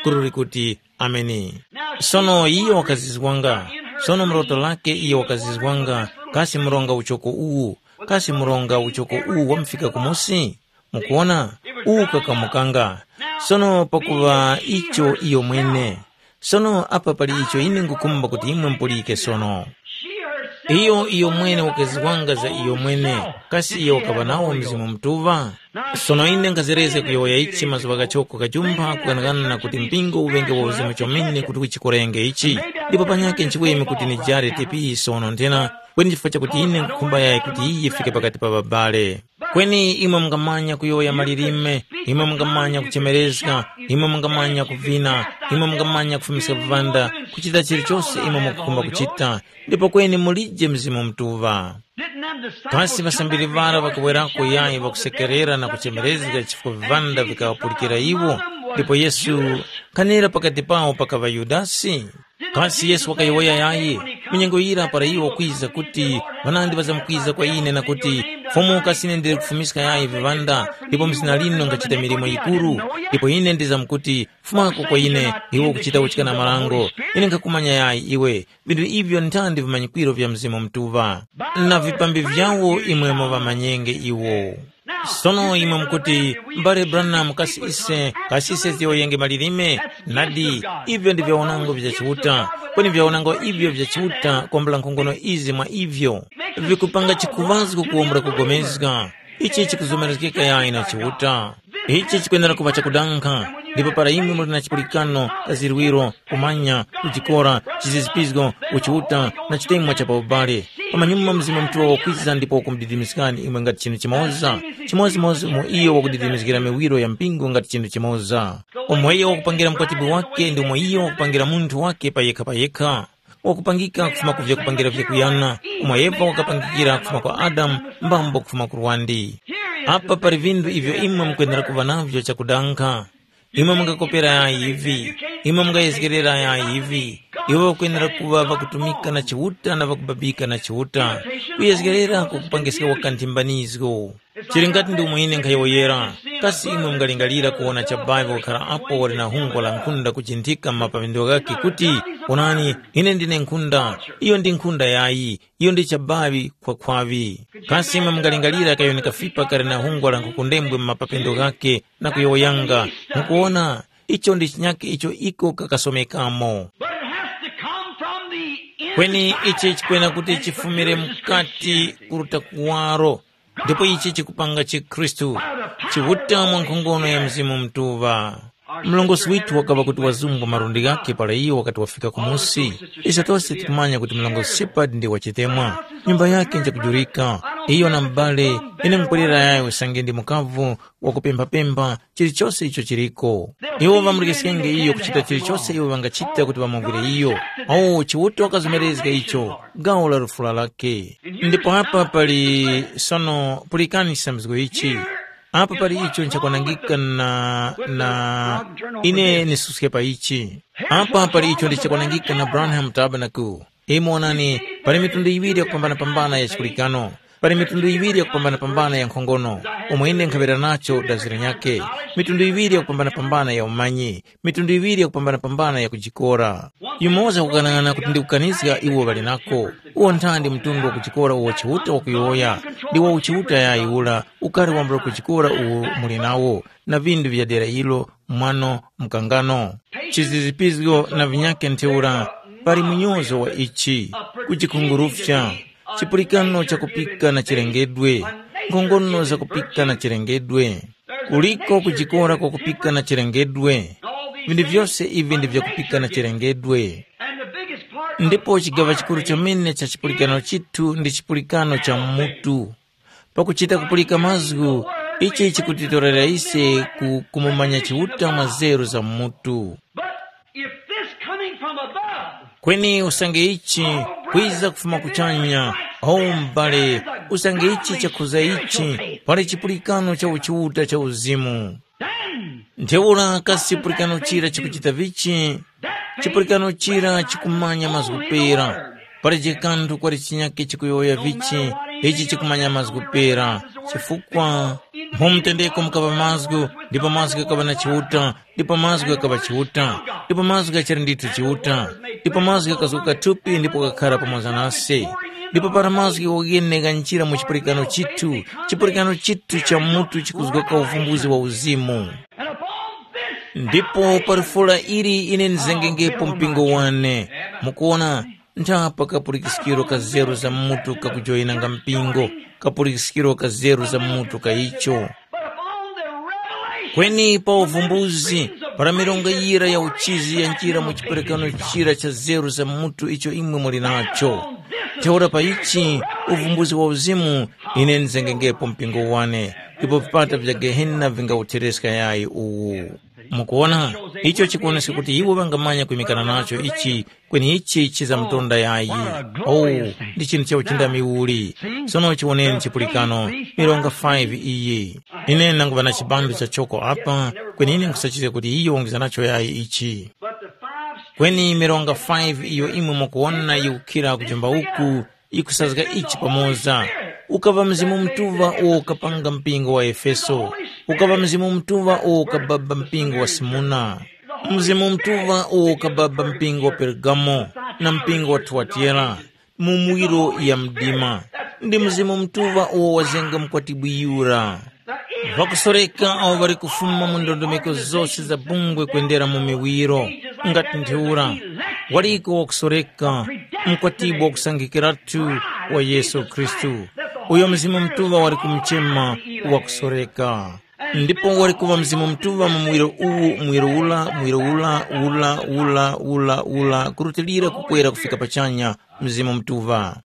Kururi kuti, Ameni. Sono iyo wakazizwanga. Sono mloto lake iyo wakazizwanga, kasi mronga uchoko uwu, kasi mronga uchoko uwu wamufika kumusi? Mukuwona, uwu kakamukanga. Sono pakuŵa icho iyo mwene. Sono apa pali icho ine ngukhumba kuti imwe mupulike sono. Iyo iyo mwene wakazizwanga za iyo mwene, kasi iyo wakaŵa nawo Mzimu Mutuŵa? Sono ine nkhazerezga kuyowoya ichi mazuŵa ghachoko kajumpha kughanagana na kuti mpingo uŵenge wa uzimu chomene kuti uchikorenge ichi. Ndipo panyakhe nchiweme kuti nijare tepi sono nthena, kweni chifukwa chakuti ine nkhukhumba yayi kuti iyi yifike pakati pa ŵabale. Kweni imwe mungamanya kuyowoya malilime, imwe mungamanya kuchemerezga, imwe mungamanya kuvina, imwe mungamanya kufumiska viŵanda, kuchita chilichose imwe mukukhumba kuchita, ndipo kweni mulije Mzimu Mutuŵa. Kasi ŵasambiri ŵara ŵakawerako yayi ŵakusekerera na kuchemerezga chifukwa viŵanda vikaŵapulikira iwo? Ndipo Yesu, nkhanira pakati pawo pakaŵa Yudasi? Kasi Yesu wakayowoya yayi? Mu nyengo yira para iwo wakwiza kuti, ŵanandi ŵazamkwiza kwa ine na kuti, Fumu kasi ine ndili kufumiska yayi viŵanda, ndipo mu zina linu nkhachita milimo yikuru? Ndipo ine ndizamkuti, Fumako kwa ine, iwe ukuchita uchikana marango, ine nkhakumanya yayi iwe. Vinthu ivyo ntandi vimanyikwiro vya Mzimu Mutuŵa. Na vipambi vyawo imwe muvamanyenge iwo. Sono imwe mukuti, M'bale Branham, kasi ise, kasi ise tiyowoyenge malilime? Nadi, ivyo ndi vyawanango vya Chiuta. Kweni vyawanango ivyo vya Chiuta kwambula nkhongono izi mwa ivyo, vikupanga chikhuŵazgo kuwombola kugomezga. Ichi chikuzomerezgeka yayi na Chiuta. Ichi chikwenera kuŵa chakudankha, ndipo para imwe muli na chipulikano, kazirwiro, kumanya, kujikora, chizizipizgo, uchiuta, na chitemwa cha paubale, pamanyuma Mzimu Mutuŵa wakwiza ndipo wakumudidimizgani imwe ngati chinthu chimoza, chimodzimodzi umo iyo wakudidimizgira miwiro ya mpingo ngati chinthu chimoza. Umo iyo wakupangira mkwatibwi wake ndi umo iyo wakupangira munthu wake payekha payekha. Wakupangika kufuma ku vyakupangira vyakuyana, umo Eva wakapangikira kufuma kwa Adamu, mbambo kufuma ku lwandi. Apa pali vinthu ivyo imwe mukwenera kuŵa navyo chakudankha. Imwe mungakopera yayi ivi, imwe mungayezgerera yayi ivi. Iwo ŵakwenera kuŵa ŵakutumika na Chiuta na ŵakubabika na Chiuta. Kuyezgerera kukupangiska wakanthimbanizgo. Chili ngati ndi umo ine nkhayowoyera. Kasi imwe mungalingalira kuwona chabavi wakhala apo wali na hungwa la nkhunda kujinthika m'mapapindo ghakhe kuti, “Onani, ine ndine nkhunda, iyo ndi nkhunda yayi, iyo ndi chabavi khwakhwaŵi.” Kasi imwe mungalingalira kayuni kafipa kali na hungwa la nkhukundembwe m'mapapindo ghakhe na kuyowoyanga, mukuwona, icho ndi chinyakhe icho iko kakasomekamo. But it has to come from the inside. Kweni ichi chikwena kuti chifumire mukati kuruta kuwaro, ndipo ichi chikupanga chikhristu chiwuta mwa nkhongono ya Mzimu Mutuŵa. Mlongosi withu wakaŵa kuti wazumba malundi ghakhe para iyo wakati wafika kumusi. Ise tose tikumanya kuti mlongosi Shepard ndi wachitemwa. Nyumba yake njakujurika. Iyo na m'bale, ine nkupwerera yayo usange ndi mukavu wakupemphapempha chilichose icho chiliko. Iwo ŵamulekesyenge iyo kuchita chilichose iwo ŵangachita kuti ŵamugwire iyo. Awo Chiuta wakazomerezga icho, gawo la lufula lakhe. Ndipo apa pali sono pulikani chisambisko ichi. Apa pali icho nchakwanangika na, na ine nisuske pa ichi. Apa pali icho ndichakwanangika na Branham Tabernacle. Imwe onani, pali mitundu iŵiri yakupambana-pambana ya chipulikano. Pali mitundu iŵiri yakupambana-pambana ya nkhongono, umo ine nkhaŵera nacho daziro nyakhe. Mitundu iŵiri yakupambana-pambana ya umanyi, mitundu iŵiri yakupambana-pambana ya kujikora. Yumoza wakukanang'ana kuti ndi kukanizga iwo ŵali nako. Uwo nthandi mtundu wa kujikora uwo Chiuta wakuyowoya, ndi wa uchiuta yayi ula, ukari wambula kujikora uwo muli nawo, na vindu vya dera ilo, mwano, mkangano, chizizipizgo na vinyakhe ntheura. Pali munyozo wa ichi, kujikhungurufya, chipulikano chakupika na chilengedwe, nkhongono zakupika na chilengedwe. Kuliko kujikora kwakupika na chilengedwe. Vinthu vyose ivi ndi vyakupika na chilengedwe. Ndipo chigaŵa chikuru chomene cha chipulikano chithu ndi chipulikano cha mutu. Pakuchita kupulika mazgu, ichi chikutitorera ise ku kumumanya Chiuta mwa zeru za mutu. But if this coming from above, kweni usange ichi kwiza kufuma kuchanya, o m'bale, usange ichi chakhuza ichi, pali chipulikano cha uchiuta cha uzimu. Then ntheura kasi chipulikano chira chikuchita vichi? Chipulikano chira chikumanya mazgu pera. Palibe kanthu kwali chinyakhe chikuyowoya vichi, ichi chikumanya mazgu pera, chifukwa mu mtendeko mukaŵa mazgu, ndipo mazgu ghakaŵa na Chiuta, ndipo mazgu ghakaŵa Chiuta, ndipo mazgu ghachali ndithu Chiuta, ndipo mazgu ghakazguka thupi ndipo ghakhara pamoza nase. Ndipo para mazgu ghene ghanjira mu chipulikano chithu, chipulikano chithu cha mutu chikuzgoka uvumbuzi wa uzimu. Ndipo pa lifula ili ine ndizengengepo mpingo wane. Mukuona, ntha pa kapulikiskiro ka zeru za mutu kakujoyinanga mpingo, kapulikiskiro ka zeru za mutu ka icho. Kweni pa uvumbuzi, para milonga yira ya uchizi yanjira mu chiperekano chira cha zeru za mutu icho imwe muli nacho. Ntheura pa ichi, uvumbuzi wa uzimu, ine ndizengengepo mpingo wane, ndipo vipata vya Gehena vingawuthereska yayi uwu. Mukuwona, icho chikuwoneska kuti iwo ŵangamanya kwimikana nacho ichi, kweni ichi chizamtonda yayi. Oh, ndi chinthu cha uchindami uli. Sono chiwoneni chipulikano, milonga five iyi. Ine nanguŵa na chibandu cha choko apa, kweni ine nkhusachizga kuti iyo wongiza nacho yayi ichi. Kweni milonga five iyo imwe mukuwona yikukhira kujomba uku, ikusazga ichi pamoza. Ukaŵa Mzimu Mutuŵa uwo ukapanga mpingo wa Efeso, ukaŵa Mzimu Mutuŵa uwo ukababa mpingo wa Simuna, Mzimu Mutuŵa uwo ukababa mpingo wa Pergamo na mpingo wa Tuwatera, mu muwiro ya mdima. Ndi Mzimu Mutuŵa uwo wazenga mukwatibwi yura. Ŵakusoreka awo ŵali kufuma mu ndondomeko zose za bungwe kwendera mu miwiro, ngati ntheura, waliko wakusoreka, mkwatibwi wakusangikiratu wa Yesu Khristu, uyo Mzimu Mutuŵa wali kumuchema wakusoreka. Ndipo wali kuŵa Mzimu Mutuŵa mu muwiro uwu, muwiro ula, muwiro ula, ula, ula, ula, ula, kurutilira kukwera kufika pachanya, Mzimu Mutuŵa.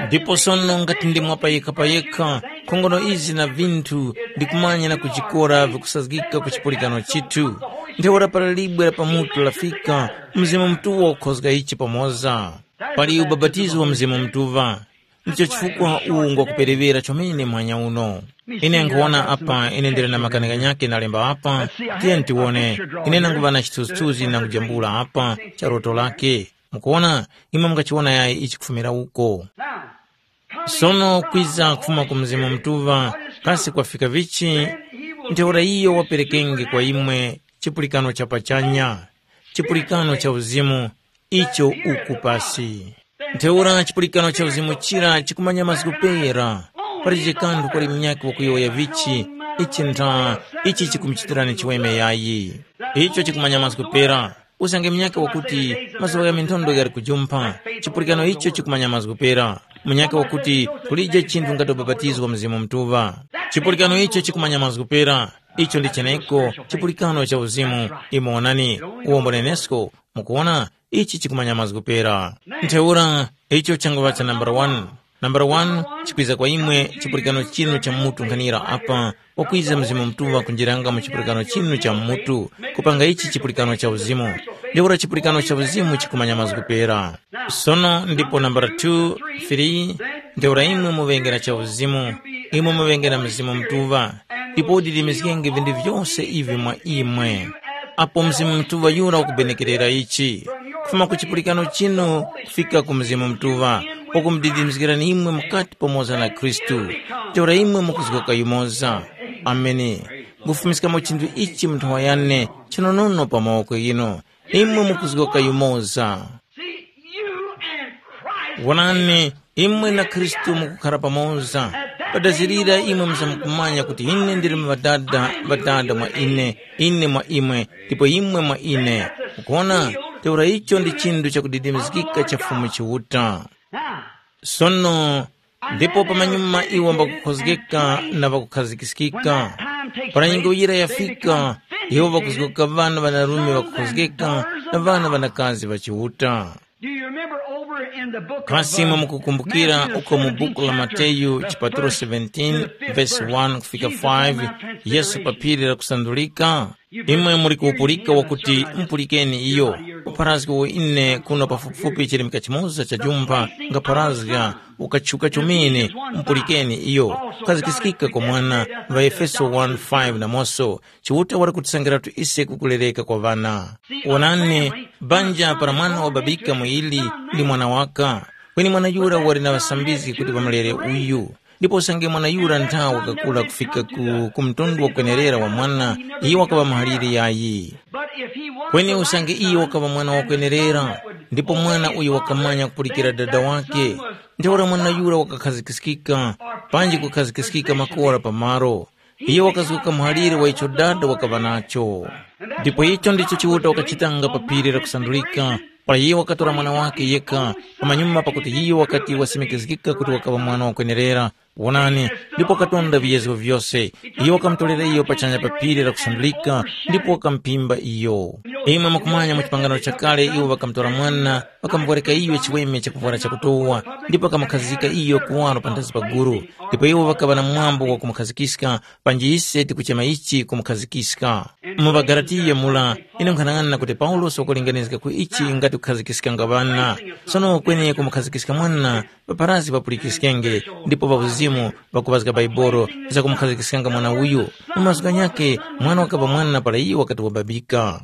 Ndipo sono ngati ndi mwa payekha-payekha, nkhongono izi na vinthu ndikumanya na kujikora vikusazgika ku chipulikano chithu. Ntheura para libwe la pamutu lafika, Mzimu Mutuŵa wakukhozga ichi pamoza. Pali ubapatizo wa Mzimu Mutuŵa. Ndicho chifukwa uwu ngwakupereŵera chomene mwanya uno. Ine nkhuwona apa, ine ndili na makani ghanyakhe nalemba apa, tiyeni tiwone, ine nanguŵa na chithunzithunzi na kujambula apa cha loto lakhe. Mukuwona, imwe mungachiwona yayi ichi kufumira uko. Sono kwiza kufuma ku Mzimu Mutuŵa, Kasi kwafika vichi? Ntheura iyo waperekenge kwa imwe chipulikano cha pachanya, chipulikano cha uzimu, icho uku pasi. Ntheura chipulikano cha uzimu chira chikumanya mazgu pera, palibe kanthu kuli munyakhe wakuyowoya vichi, ichi ntha, ichi chikumuchitirani chiweme yayi. Icho chikumanya mazgu pera. Usange munyakhe wakuti mazuŵa gha minthondo ghali kujumpha, chipulikano icho chikumanya mazgu pera. Munyakhe wakuti kulije chinthu ngati ubapatizo wa Mzimu Mutuŵa. Chipulikano icho chikumanya mazgu pera. Icho ndi cheneko chipulikano cha uzimu. Imo onani, uwombo nenesko, mukuona, ichi chikumanya mazgu pera. Ntheura, icho changuŵa cha nambala wani. Nambala wani, chikwiza kwa imwe chipulikano chinu cha mutu nkhanira apa, wakwiza Mzimu Mutuŵa kunjiranga mu chipulikano chinu cha mutu, kupanga ichi chipulikano cha uzimu. Ntheura chipulikano cha uzimu chikumanya mazgu pera. Sono ndipo nambala two, three, ntheura imwe muŵengera cha uzimu, imwe muŵengera Mzimu Mutuŵa, ndipo udidimizgenge vinthu vyose ivi mwa imwe. Apo Mzimu Mutuŵa yura ukubenekerera ichi, kufuma ku chipulikano chinu kufika ku Mzimu Mutuŵa, wakumudidimizgirani imwe mukati pamoza na Khristu, ntheura imwe mukuzgoka yumoza. Ameni. Ngufumiskamo chinthu ichi mu nthowa yane chinonono pa mawoko ghinu. Imwe mukuzgoka yumoza. See, you and Christ. Wonani, imwe na Khristu mukukhara pamoza. Padazirira imwe muzamkumanya kuti ine ndili mu Ŵadada, Ŵadada mwa ine, ine mwa imwe, ndipo imwe mwa ine. Mukuona, ntheura icho ndi chinthu chakudidimizgika cha Fumu Chiuta. Now, sono, ndipo pamanyuma iwo mbakukhozgeka na ŵakukhazgiskika. Para nyengo yira yafika, iwo ŵakuzgoka ŵana ŵanarume ŵakukhozgeka na ŵana ŵanakazi ŵa Chiuta. Do you remember over in the book of, kasi uh, mwe mukukumbukira Matthew uko mu buku la seventeen, Mateyu chapter chipatulo seventeen, verse one kufika five, Yesu pa phiri la kusandulika? Imwe muli kuwupulika wakuti, mupulikeni iyo, upharazgi uwo ine kuno pafupifupi chirimika chimoza cha jumpha ngapharazga, ukatchuka chomene, mupulikeni iyo, kukhazikikika kwa mwana, ŵaEfeso one five namoso, Chiuta wali kutisankhiratu ise kukulereka kwa ŵana. Wonani, banja para mwana wababika muili ndi mwana waka, kweni mwana yura wali na ŵasambizgi kuti ŵamulere uyu. Ndipo usange mwana yura ntha wakakura kufika ku, ku mtundu wakwenerera wa mwana, iyo wakaŵa muhaliri yayi. Kweni usange iyo wakaŵa mwana wakwenerera, ndipo mwana uyo wakamanya kupulikira dada wake, ntheura mwana yura wakakhazikiskika, panji kukhazikiskika makora pamaro. Iyo wakazguka muhalire wa icho dada wakaŵa nacho. Ndipo icho ndicho Chiuta wakachitanga pa phiri la kusandulika, para iyo wakatora mwana wake yekha, pamanyuma pakuti iyo wakati wasimikizgika kuti wakaŵa mwana wakwenerera. Wonani, ndipo wakatonda viyezgo vyose. Iyo wakamutorera iyo pachanya pa phiri la kusandulika, ndipo wakamuphimba iyo. Imwe mukumanya mu chipangano chakale iwo ŵakamutora mwana, ŵakamuvwarika iyo chiweme chakuvwara chakutowa, ndipo ŵakamukhazika iyo kuwaro panthazi pa guru. Ndipo iwo ŵakaŵa na mwambo wa kumukhazikiska, panji ise tikuchema ichi kumukhazikiska. Mu ŵaGalatiya mura, ine nkhanang'ana kuti Paulosi wakulinganizga ku ichi ngati kukhazikiskanga ŵana. Sono kweni kumukhazikiska mwana, ŵapharazgi ŵapulikiskenge, ndipo ŵauzimu ŵakuŵazga Baibolo zakumukhazgiskanga mwana uyu. Mu mazgu ghanyakhe, mwana wakaŵa mwana para iyo wakati wababika.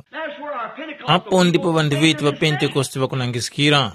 Apo ndipo ŵanthu ŵetu ŵa Pentekoste ŵakunangiskira,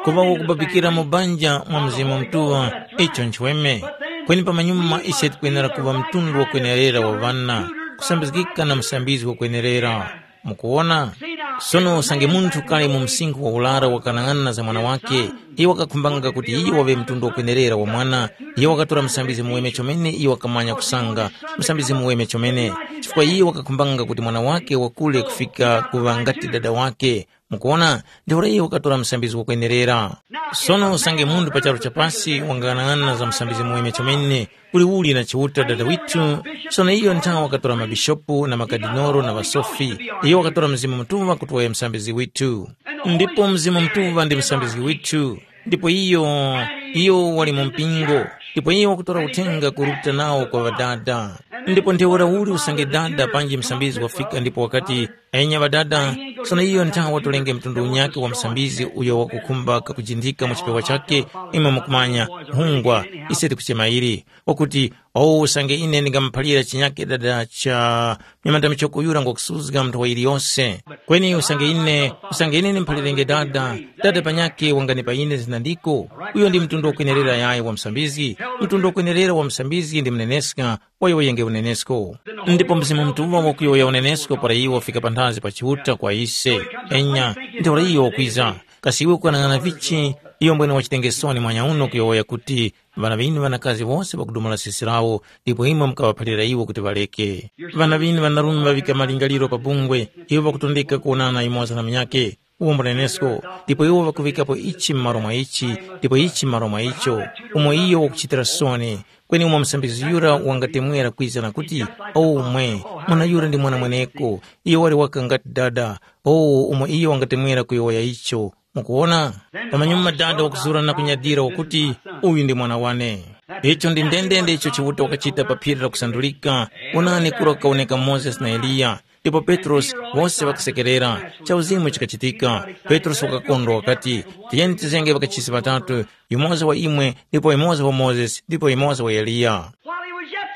kuŵa wakubabikira mu banja mwa Mzimu Mutuŵa, icho nchweme. Kweni pamanyuma ise tikwenera kuŵa mtundu wakwenerera wa ŵana, kusambizgika na musambizgi wakwenerera. Mukuwona? Sono usange munthu kali mu msinkhu wa ularo wakanang'ana za mwana wake, iyo wakakhumbanga kuti iyo waŵe mtundu wakwenerera wa mwana, iyo wakatora musambizgi muweme chomene iyo wakamanya kusanga, musambizgi muweme chomene, chifukwa iyo wakakhumbanga kuti mwana wake wakule kufika kuŵa ngati dada wake. Mukuwona? Ntheura iyo wakatora musambizgi wakwenerera. Sono usange munthu pa charu cha pasi wanganang'ana za musambizgi muweme chomene, uliuli na Chiuta Dada withu, sono iyo nthawe wakatora mabishopu na makadinolo na ŵasofi, iyo wakatora Mzimu Mutuŵa kuti waye musambizgi withu. Ndipo Mzimu Mutuŵa ndi musambizgi withu, ndipo iyo, iyo wali mu mpingo, ndipo iyo wakutora uthenga kuruta nawo kwa ŵadada. Ndipo ntheura uli usange dada panji musambizgi wafika ndipo wakati, enya ŵadada, sono iyo nthawe watolenge mtundu unyakhe wa musambizgi uyo wakukhumba kakujindika mu chipewa chakhe, imwe mukumanya, nkhungwa, ise tikuchema ili. Wakuti, “Owu usange ine ndingamuphalira chinyakhe dada cha myamanda michoko yura ngwakusuzga munthu wa yiliyose.” Kweni usange ine, usange ine ndimuphalirenge Dada, Dada panyakhe wanganipa ine zina ndiko. Uyo ndi mtundu wakwenerera yayi wa musambizgi. Mtundu wakwenerera wa musambizgi ndi muneneska, wayowoyenge unenesko. Ndipo Mzimu Mutuŵa wakuyowoya unenesko para iwo wafika panthazi pa Chiuta kwa ise. Enya, ntheura iyo wakwiza. Kasi iwe ukwanang'ana vichi? Iyo mbwene wachitenge soni mwanyauno kuyowoya kuti, ŵana ŵinu ŵanakazi wose ŵakudumula sisi lawo, ndipo imwe mukaŵaphalira iwo kuti ŵareke. Ŵana ŵinu ŵanarume ŵaŵika malingaliro pa bungwe, iwo ŵakutondeka kuwonana yumoza na munyakhe. Umo mbunenesko, ndipo iwo ŵakuŵikapo ichi m'malo mwa ichi, ndipo ichi m'malo mwa icho, umo iyo wakuchitira soni. Kweni umo musambizgi yura wangatemwera kwiza na kuti, “Omwe, mwana yura ndi mwana mweneko, iyo wali waka ngati dada, o umo iyo wangatemwera kuyowoya icho.” Mukuwona? Pamanyuma dada wakuzura na kunyadira wakuti, “Uyu ndi mwana wane.” Icho ndi ndendende icho Chiuta wakachita pa phiri la kusandulika. Wonani kura kukawoneka Mozesi na Eliya, ndipo Petrosi, wose ŵakasekerera. Chauzimu chikachitika. Petrosi wakakondwa wakati, “Tiyeni tizenge ŵakachisi ŵatatu, yumoza wa imwe, ndipo yumoza wa Mozesi, ndipo yumoza wa Eliya.”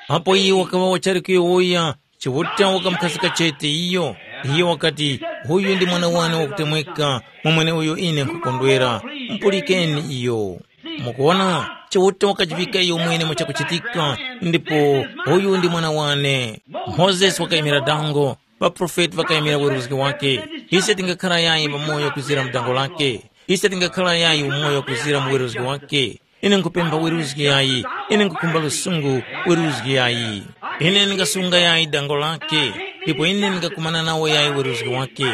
Apo iye wakaŵa wachali kuyowoya, Chiuta wakamukhazika chete iyo. Iyo wakati, “Uyu ndi mwana wane wakutemweka, mwa mweneuyo ine nkhukondwera. Mupulikeni iyo.” Mukuwona, Chiuta wakajivika iyo mwene mu chakuchitika, ndipo, “Uyu ndi mwana wane.” Mozesi wakayimira dango, ŵaprofeti ŵakayimira weruzgi wake. Ise tingakhala yayi pamoyo kuzira mu dango lake? Ise tingakhala yayi umoyo kuzira mu weruzgi wake? Ine nkhupempha weruzgi yayi, ine nkhukhumba lusungu weruzgi yayi. Ine ndingasunga yayi dango lake, ndipo ine ndingakumana nawo yayi weruzgi wake.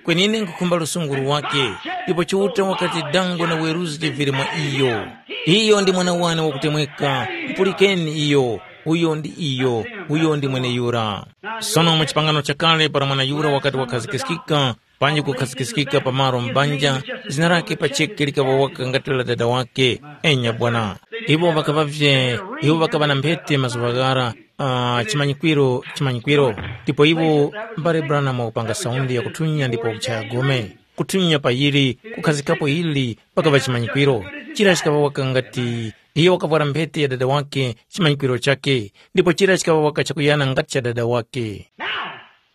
Kweni ine nkhukhumba lusungu lwake, ndipo Chiuta wakati dango na weruzgi vili mwa iyo. Iyo ndi mwana wane wakutemweka, mupulikeni iyo, uyo ndi iyo, uyo ndi mweneyura. Sono mu chipangano chakale para mwana yura wakati wakhazikiskika, panji kukhazikiskika pa malo mbanja, zina lake pacheke likaŵa waka ngati la dada wake. Enya bwana. Iwo ŵakaŵavye, iwo ŵakaŵa na mphete mazuŵa ghara, uh, chimanyikwiro, chimanyikwiro. Ndipo iwo mbale Branham wakupanga saundi yakutunya ndipo wakuchaya gome. Kutunya pa yili, kukhazikapo yili, pakaŵa chimanyikwiro. Chira chikaŵa waka ngati, iyo wakavwara mphete ya dada wake, chimanyikwiro chake, ndipo chira chikaŵa waka chakuyana ngati cha dada wake. Now,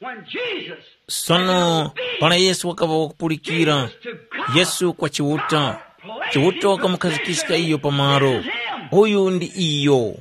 when Jesus Sono, para Yesu wakaŵa wakupulikira, Yesu kwa Chiuta, Chiuta wakamukhazikika iyo pamaro. Uyu ndi iyo.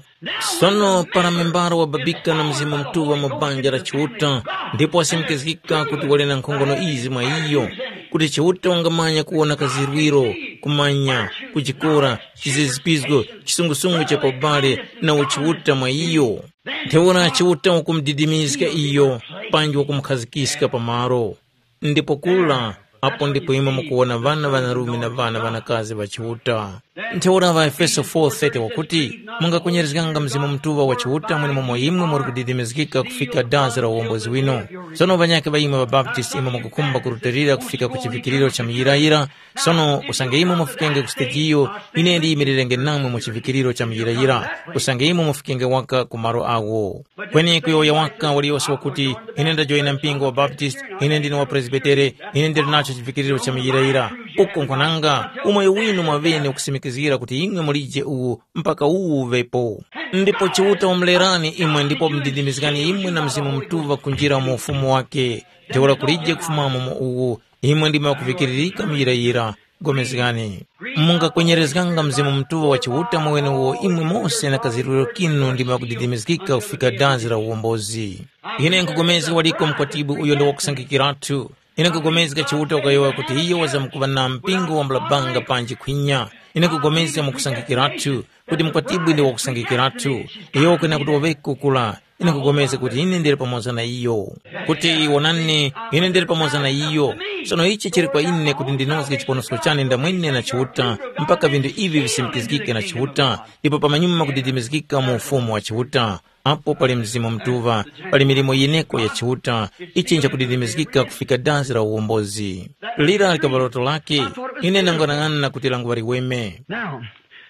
Sono para membara wababika na Mzimu Mutuŵa mu banja la Chiuta, ndipo wasimikizgika kuti wali na nkhongono izi mwa iyo, kuti Chiuta wangamanya kuwona kazirwiro, kumanya, kujikora, chizizipizgo, chisungusungu cha pa ubale na uchiuta mwa iyo. Ntheura Chiuta wakumudidimizga iyo, panji wakumukhazikiska pamalo. Ndipo kura, apo ndipo imwe mukuwona ŵana ŵanarume na ŵana ŵanakazi ŵa Chiuta. Ntheura ŵaEfeso four thirty wakuti, mungakwenyerezganga Mzimu Mutuŵa wa Chiuta mwenemomo imwe muri kudidimizgika kufika dazi la uwombozi winu. Sono ŵanyakhe ŵa imwe ŵaBaptisti imwe mukukhumba kurutilira kufika ku chivikiriro cha muyirayira, sono usange imwe mufikenge ku sitejiyo, ine ndiyimirirenge namwe mu chivikiriro cha muyirayira, usange imwe mufikenge waka ku malo agho. Kweni kuyowoya waka waliyose wakuti, ine ndajoyina mpingo wa Baptist, ine ndine wa Presbitere, ine ndili nacho chivikiriro cha muyirayira. Uko nkwananga, umoyo winu mwaŵene ukusimikizgira kuti imwe mulije uwu mpaka uwu uŵepo. Ndipo Chiuta wamulerani imwe ndipo wamudidimizgani imwe na Mzimu Mutuŵa kunjira mu ufumu wake. Ntheura kulije kufumamo mu uwu, imwe ndimwe ŵakuvikiririka muyirayira. Pulikani. Mungakwenyerezganga Mzimu Mutuŵa wa Chiuta mwenewo imwe mose na kazirwiro kinu ndimwe ŵakudidimizgika kufika dazi la uwombozi. Ine nkhupulikana waliko mkwatibwi uyo ndi wakusangikirathu. Ine nkhupulikana Chiuta wakayowoya kuti iyo wazamkuŵa na mpingo wambula banga panji khwinya. Ine nkhupulikana mukusangikirathu kuti mkwatibwi ndi wakusangikirathu. Iyo wakwena kuti waŵeko kula. Ine nkhupulikana kuti ine ndili pamoza na iyo. Kuti wonani, ine ndili pamoza na iyo. Sono ichi chili kwa ine kuti ndinozge chiponosko chane ndamwene na Chiuta mpaka vinthu ivi visimikizgike na Chiuta, ndipo pamanyuma kudidimizgika mu ufumu wa Chiuta. Apo pali Mzimu Mutuŵa, pali milimo yeneko ya Chiuta, ichi nchakudidimizgika kufika dazi la uwombozi. Lira likaŵa loto lake, ine ndangwanang'ana kuti languŵa liweme. Now,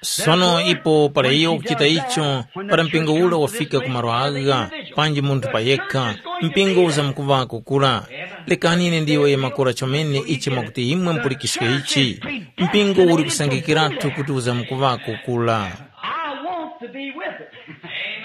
Sono ipo para iyo ukuchita icho, para mpingo ura wafika ku malo agha, panji munthu payekha, mpingo uzamkuŵako kura. Lekani ine ndiyowoye makora chomene ichi mwakuti imwe mupulikiske ichi. Mpingo uli kusangikiratu kuti uzamkuŵako kura. I want to be with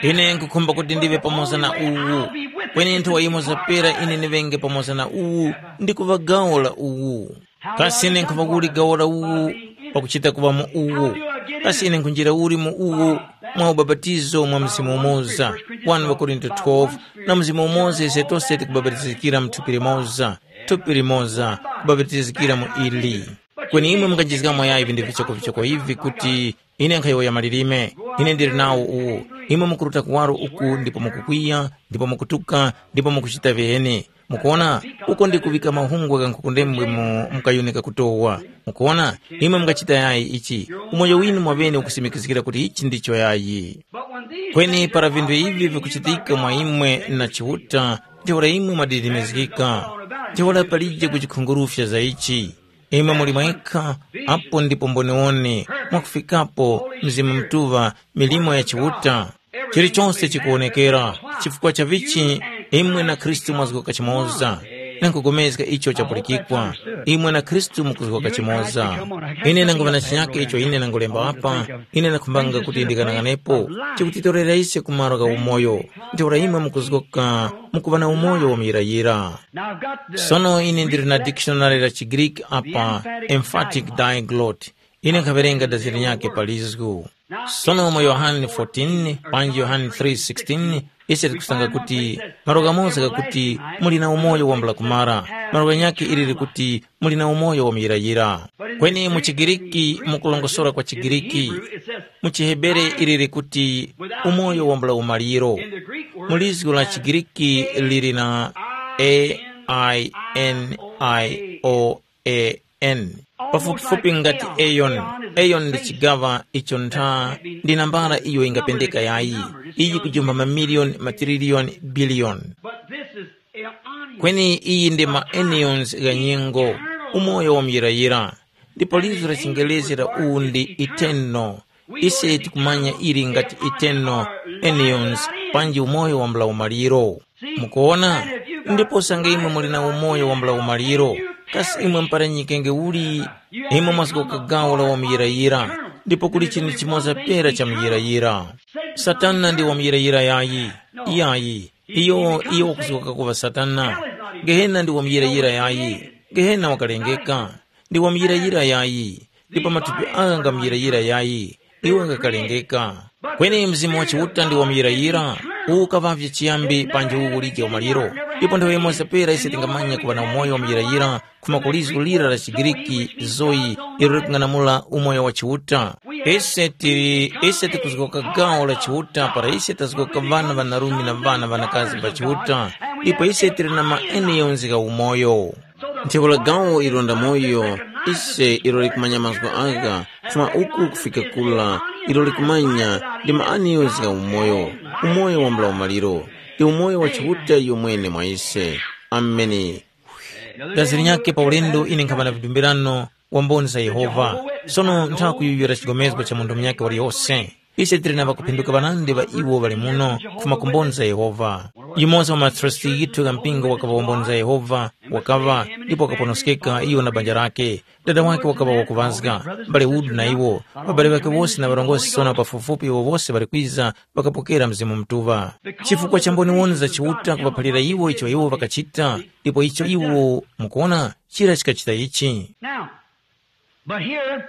it. Ine nkukhumba kuti ndive pamoza na uwu. Kweni nthowa yimoza pera ine ndiŵenge pamoza na uwu ndi kuŵa gawo la uwu. Kasi ine nkhuŵa uli gawo la uwu pakuchita kuŵa mu uwu? Kasi ine nkhunjira uli mu uwu? Mwa ubapatizo mwa Mzimu umoza, wani ŵakorinto twelve, na Mzimu umoza ise tose tikubapatizikira mu thupi limoza, thupi limoza, kubapatizikira mu ili. Kweni imwe mungajizgamo yayi vinthu vichokovichoko ivi kuti, ine nkhayowoya malilime, ine ndili nawo uwu, imwe mukuruta kuwaro uku ndipo mukukwiya, ndipo mukutuka, ndipo mukuchita viheni. Mukuona, uko ndi kuŵika mahungwe gha nkhukundembwe mu mukayuni kakutowa. Mukuona, imwe mungachita yayi ichi, umoyo winu mwaŵene ukusimikizgira kuti ichi ndicho yayi. Kweni para vinthu ivi vikuchitika mwa imwe na Chiuta, ntheura imwe mwadidimizgika. Ntheura palije kuchikhungurufya za ichi. Imwe muli mwekha, apo ndipo mboniwoni, mwakufikapo, Mzimu Mutuŵa, milimo ya Chiuta. Chilichonse chikuwonekera, chifukwa cha vichi, imwe na Khristu mwazgoka chimoza. Nangugomezga icho chapulikikwa, imwe na Khristu mukuzgoka chimoza. Ine nanguŵa na chinyake icho ine nangulemba apa, ine nakhumbanga kuti ndikanang'anepo, chikutitorera ise ku malo gha umoyo. Ntheura imwe mukuzgoka, mukuŵa na umoyo wa muyirayira. Sono ine ndili na dikishonari la chiGriki apa, emphatic diglot. Ine nkhaŵerenga daziri nyakhe pa lizgu. Sono mu Yohane fourteen, panji Yohane three sixteen, ise tikusanga kuti, malo ghamoza ghakuti, muli na umoyo wambula kumara, malo ghanyakhe ili likuti, muli na umoyo wa muyirayira. Kweni mu chiGiriki, mu kulongosora kwa chiGiriki, mu chiHebere ili likuti, umoyo wambula umaliro. Mu lizgu la chiGiriki lili na A I N I O A N. Pafupifupi ngati eon. Eon ndi chigaŵa icho ntha ndi nambala iyo ingapendeka yayi. Iyi kujumba mamiliyoni, matililiyoni, biliyoni. Kweni iyi ndi ma eons gha nyengo, umoyo wa muyirayira. Ndipo lizo la chingerezi la uwu ndi eternal. Ise tikumanya ili ngati eternal, eons, panji umoyo wambula umaliro. Mukuona? Ndipo sanga imwe muli na umoyo wambula umaliro, kasi imwe mpara nyikenge uli? Imwe mwazgoka gawo la wamuyirayira, ndipo kuli chinthu chimoza pera cha muyirayira. Satana ndi wamuyirayira yayi. Iyayi. Iyo, iyo wakuzgoka kuŵa Satana. Gehena ndi wamuyirayira yayi. Gehena wakalengeka. Ndi wamuyirayira yayi. Ndipo matupi agha nga muyirayira yayi, iwo ngakalengeka. Kweni Mzimu wa Chiuta ndi wamuyirayira, uwu ukaŵavye chiyambi panji uwu ulije umaliro. Ndipo nthawi yimoza pera ise tingamanya kuŵa na umoyo wamuyirayira, khuma ku lizgu lira la chiGiriki, zoe, ilo likung'anamula umoyo wa Chiuta. Ise tili, ise tikuzgoka gawo la Chiuta para ise tazgoka ŵana ŵanarume na ŵana ŵanakazi ŵa Chiuta, ndipo ise tili na maeneo nzika umoyo. Ntheura gawo ilo nda moyo, ise ilo likumanya mazgu agha, kufuma uku kufika kula, ilo likumanya ndi maaniyo zga umoyo, umoyo wambula umaliro, ndi umoyo wa Chiuta iyo mwene mwa ise. Ameni. Gazi linyakhe pa ulendo ine nkhaŵa na vidumbirano wa mboni za Yehova. Sono nthakuyuyura chigomezgo cha munthu munyakhe waliyose. Ise tili na ŵakuphinduka ŵanandi ŵa iwo ŵali muno kufuma ku mboni za Yehova. Yumoza wa matrasti yithu gha mpingo wakaŵa wa mboni za Yehova, wakaŵa, ndipo wakaponoskeka iyo na banja lake. Dada wake wakaŵa wakuŵazga, mbale Wood na iwo, ŵabale ŵake wose na ŵarongozgi sono pafupifupi iwo wose ŵali kwiza ŵakapokera Mzimu Mutuŵa. Chifukwa cha mboniwoni za Chiuta kuŵaphalira iwo icho iwo ŵakachita, ndipo icho iwo, mukuona, chira chikachita ichi. Now, but here,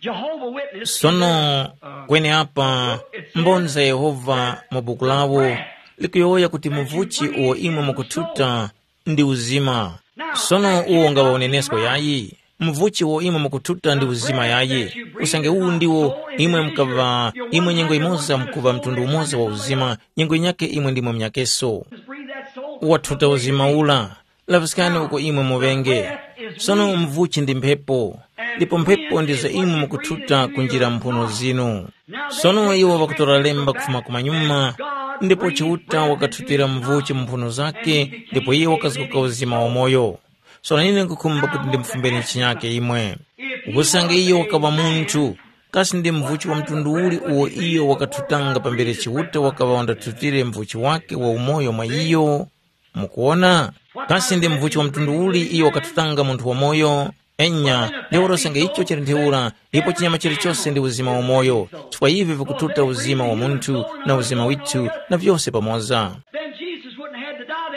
Jehovah Witness. Sono, kweneapa, mboni za Yehova mu buku lawo likuyowoya kuti muvuchi uwo imwe mukuthuta ndi uzima. Sono uwo ngawa unenesko yayi, muvuchi uwo imwe mukuthuta ndi uzima yayi. Usange uwu ndiwo imwe mukaŵa, imwe nyengo imoza mukuŵa mtundu umoza wa uzima, nyengo yinyakhe imwe ndimwe munyakeso. Wathuta uzima ula. Laŵiskani uko imwe muŵenge. Sono mvuchi ndi mphepo, ndipo mphepo ndizo imwe mukuthuta kunjira mphuno zinu. Sono iwo ŵakutora lemba kufuma kumanyuma, ndipo Chiuta wakathutira mvuchi mu mphuno zake, ndipo iye wakazgoka uzima wamoyo. Sono ine nkukhumba kuti ndimufumbeni chinyake imwe. Usange iyo wakaŵa munthu, kasi ndi mvuchi wa mtundu uli uwo iyo wakathutanga pambere Chiuta wakaŵa wandathutire mvuchi wake wa umoyo mwa iyo? Mukuwona? Kasi ndi mvuchi wa mtundu uli iyo wakathutanga munthu wamoyo? Enya, ntheura usange icho chili ntheura, ipo chinyama chilichose ndi uzima wamoyo, chifukwa ivi vikuthuta uzima wa munthu na uzima withu na vyose pamoza. Then Jesus wouldn't have had to die.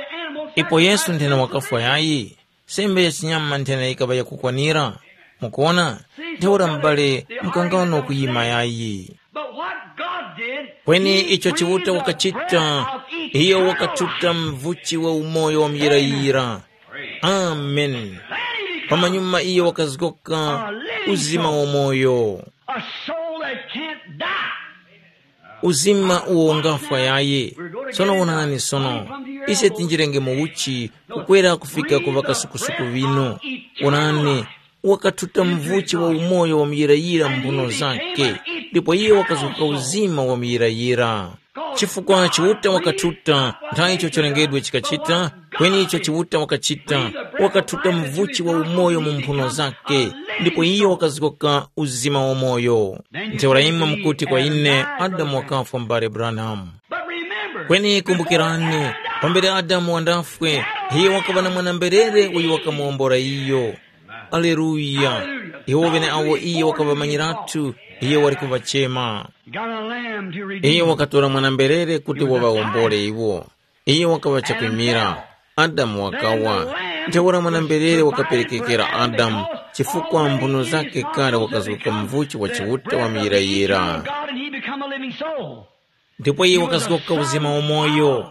Ipo Yesu nthena wakafwa yayi, sembe ya chinyama nthena yikaŵa yakukwanira. Mukuona, ntheura m'bale mukangano kuyima yayi. But what God did, kweni he icho Chiuta wakachita, iyo wakatuta mvuchi wa umoyo wa muyirayira. Amen. Pamanyuma iyo wakazgoka uzima wa moyo. A soul that can't die. Uzima uwo ungafwa yaye. Sono wonani sono, ise tinjirenge mu uchi kukwera kufika ku ŵakasukusuku ŵinu. Wonani, wakathuta mvuchi wa umoyo wa muyirayira mphuno zake, ndipo iye wakazuka uzima wa muyirayira. Chifukwa Chiuta wakathuta, nthawi icho cholengedwe chikachita, kweni icho Chiuta wakachita, wakathuta mvuchi wa umoyo mu mphuno zake, ndipo iye wakazuka uzima wa moyo. Ntheura imwe mukuti kwa ine, Adamu wakafwa, m'bale Branham. Kweni kumbukirani, pambere Adamu wandafwe, iye wakaŵa na mwana-mberere uyo wakamuwombora iyo. Aleluya! Iwo ŵeneawo iye wakaŵamanyiratu, iye wali kuŵachema. He got a lamb to redeem. Iye wakatora mwana-mberere kuti waŵawombole iwo. Iye wakaŵa chakwimira. Adamu wakawa. Ntheura mwana-mberere wakaperekekera Adamu, chifukwa mphuno zake kale wakazuka mvuchi wa Chiuta wa muyirayira. God and he become a living soul. Ndipo iye wakazgoka uzima wamoyo.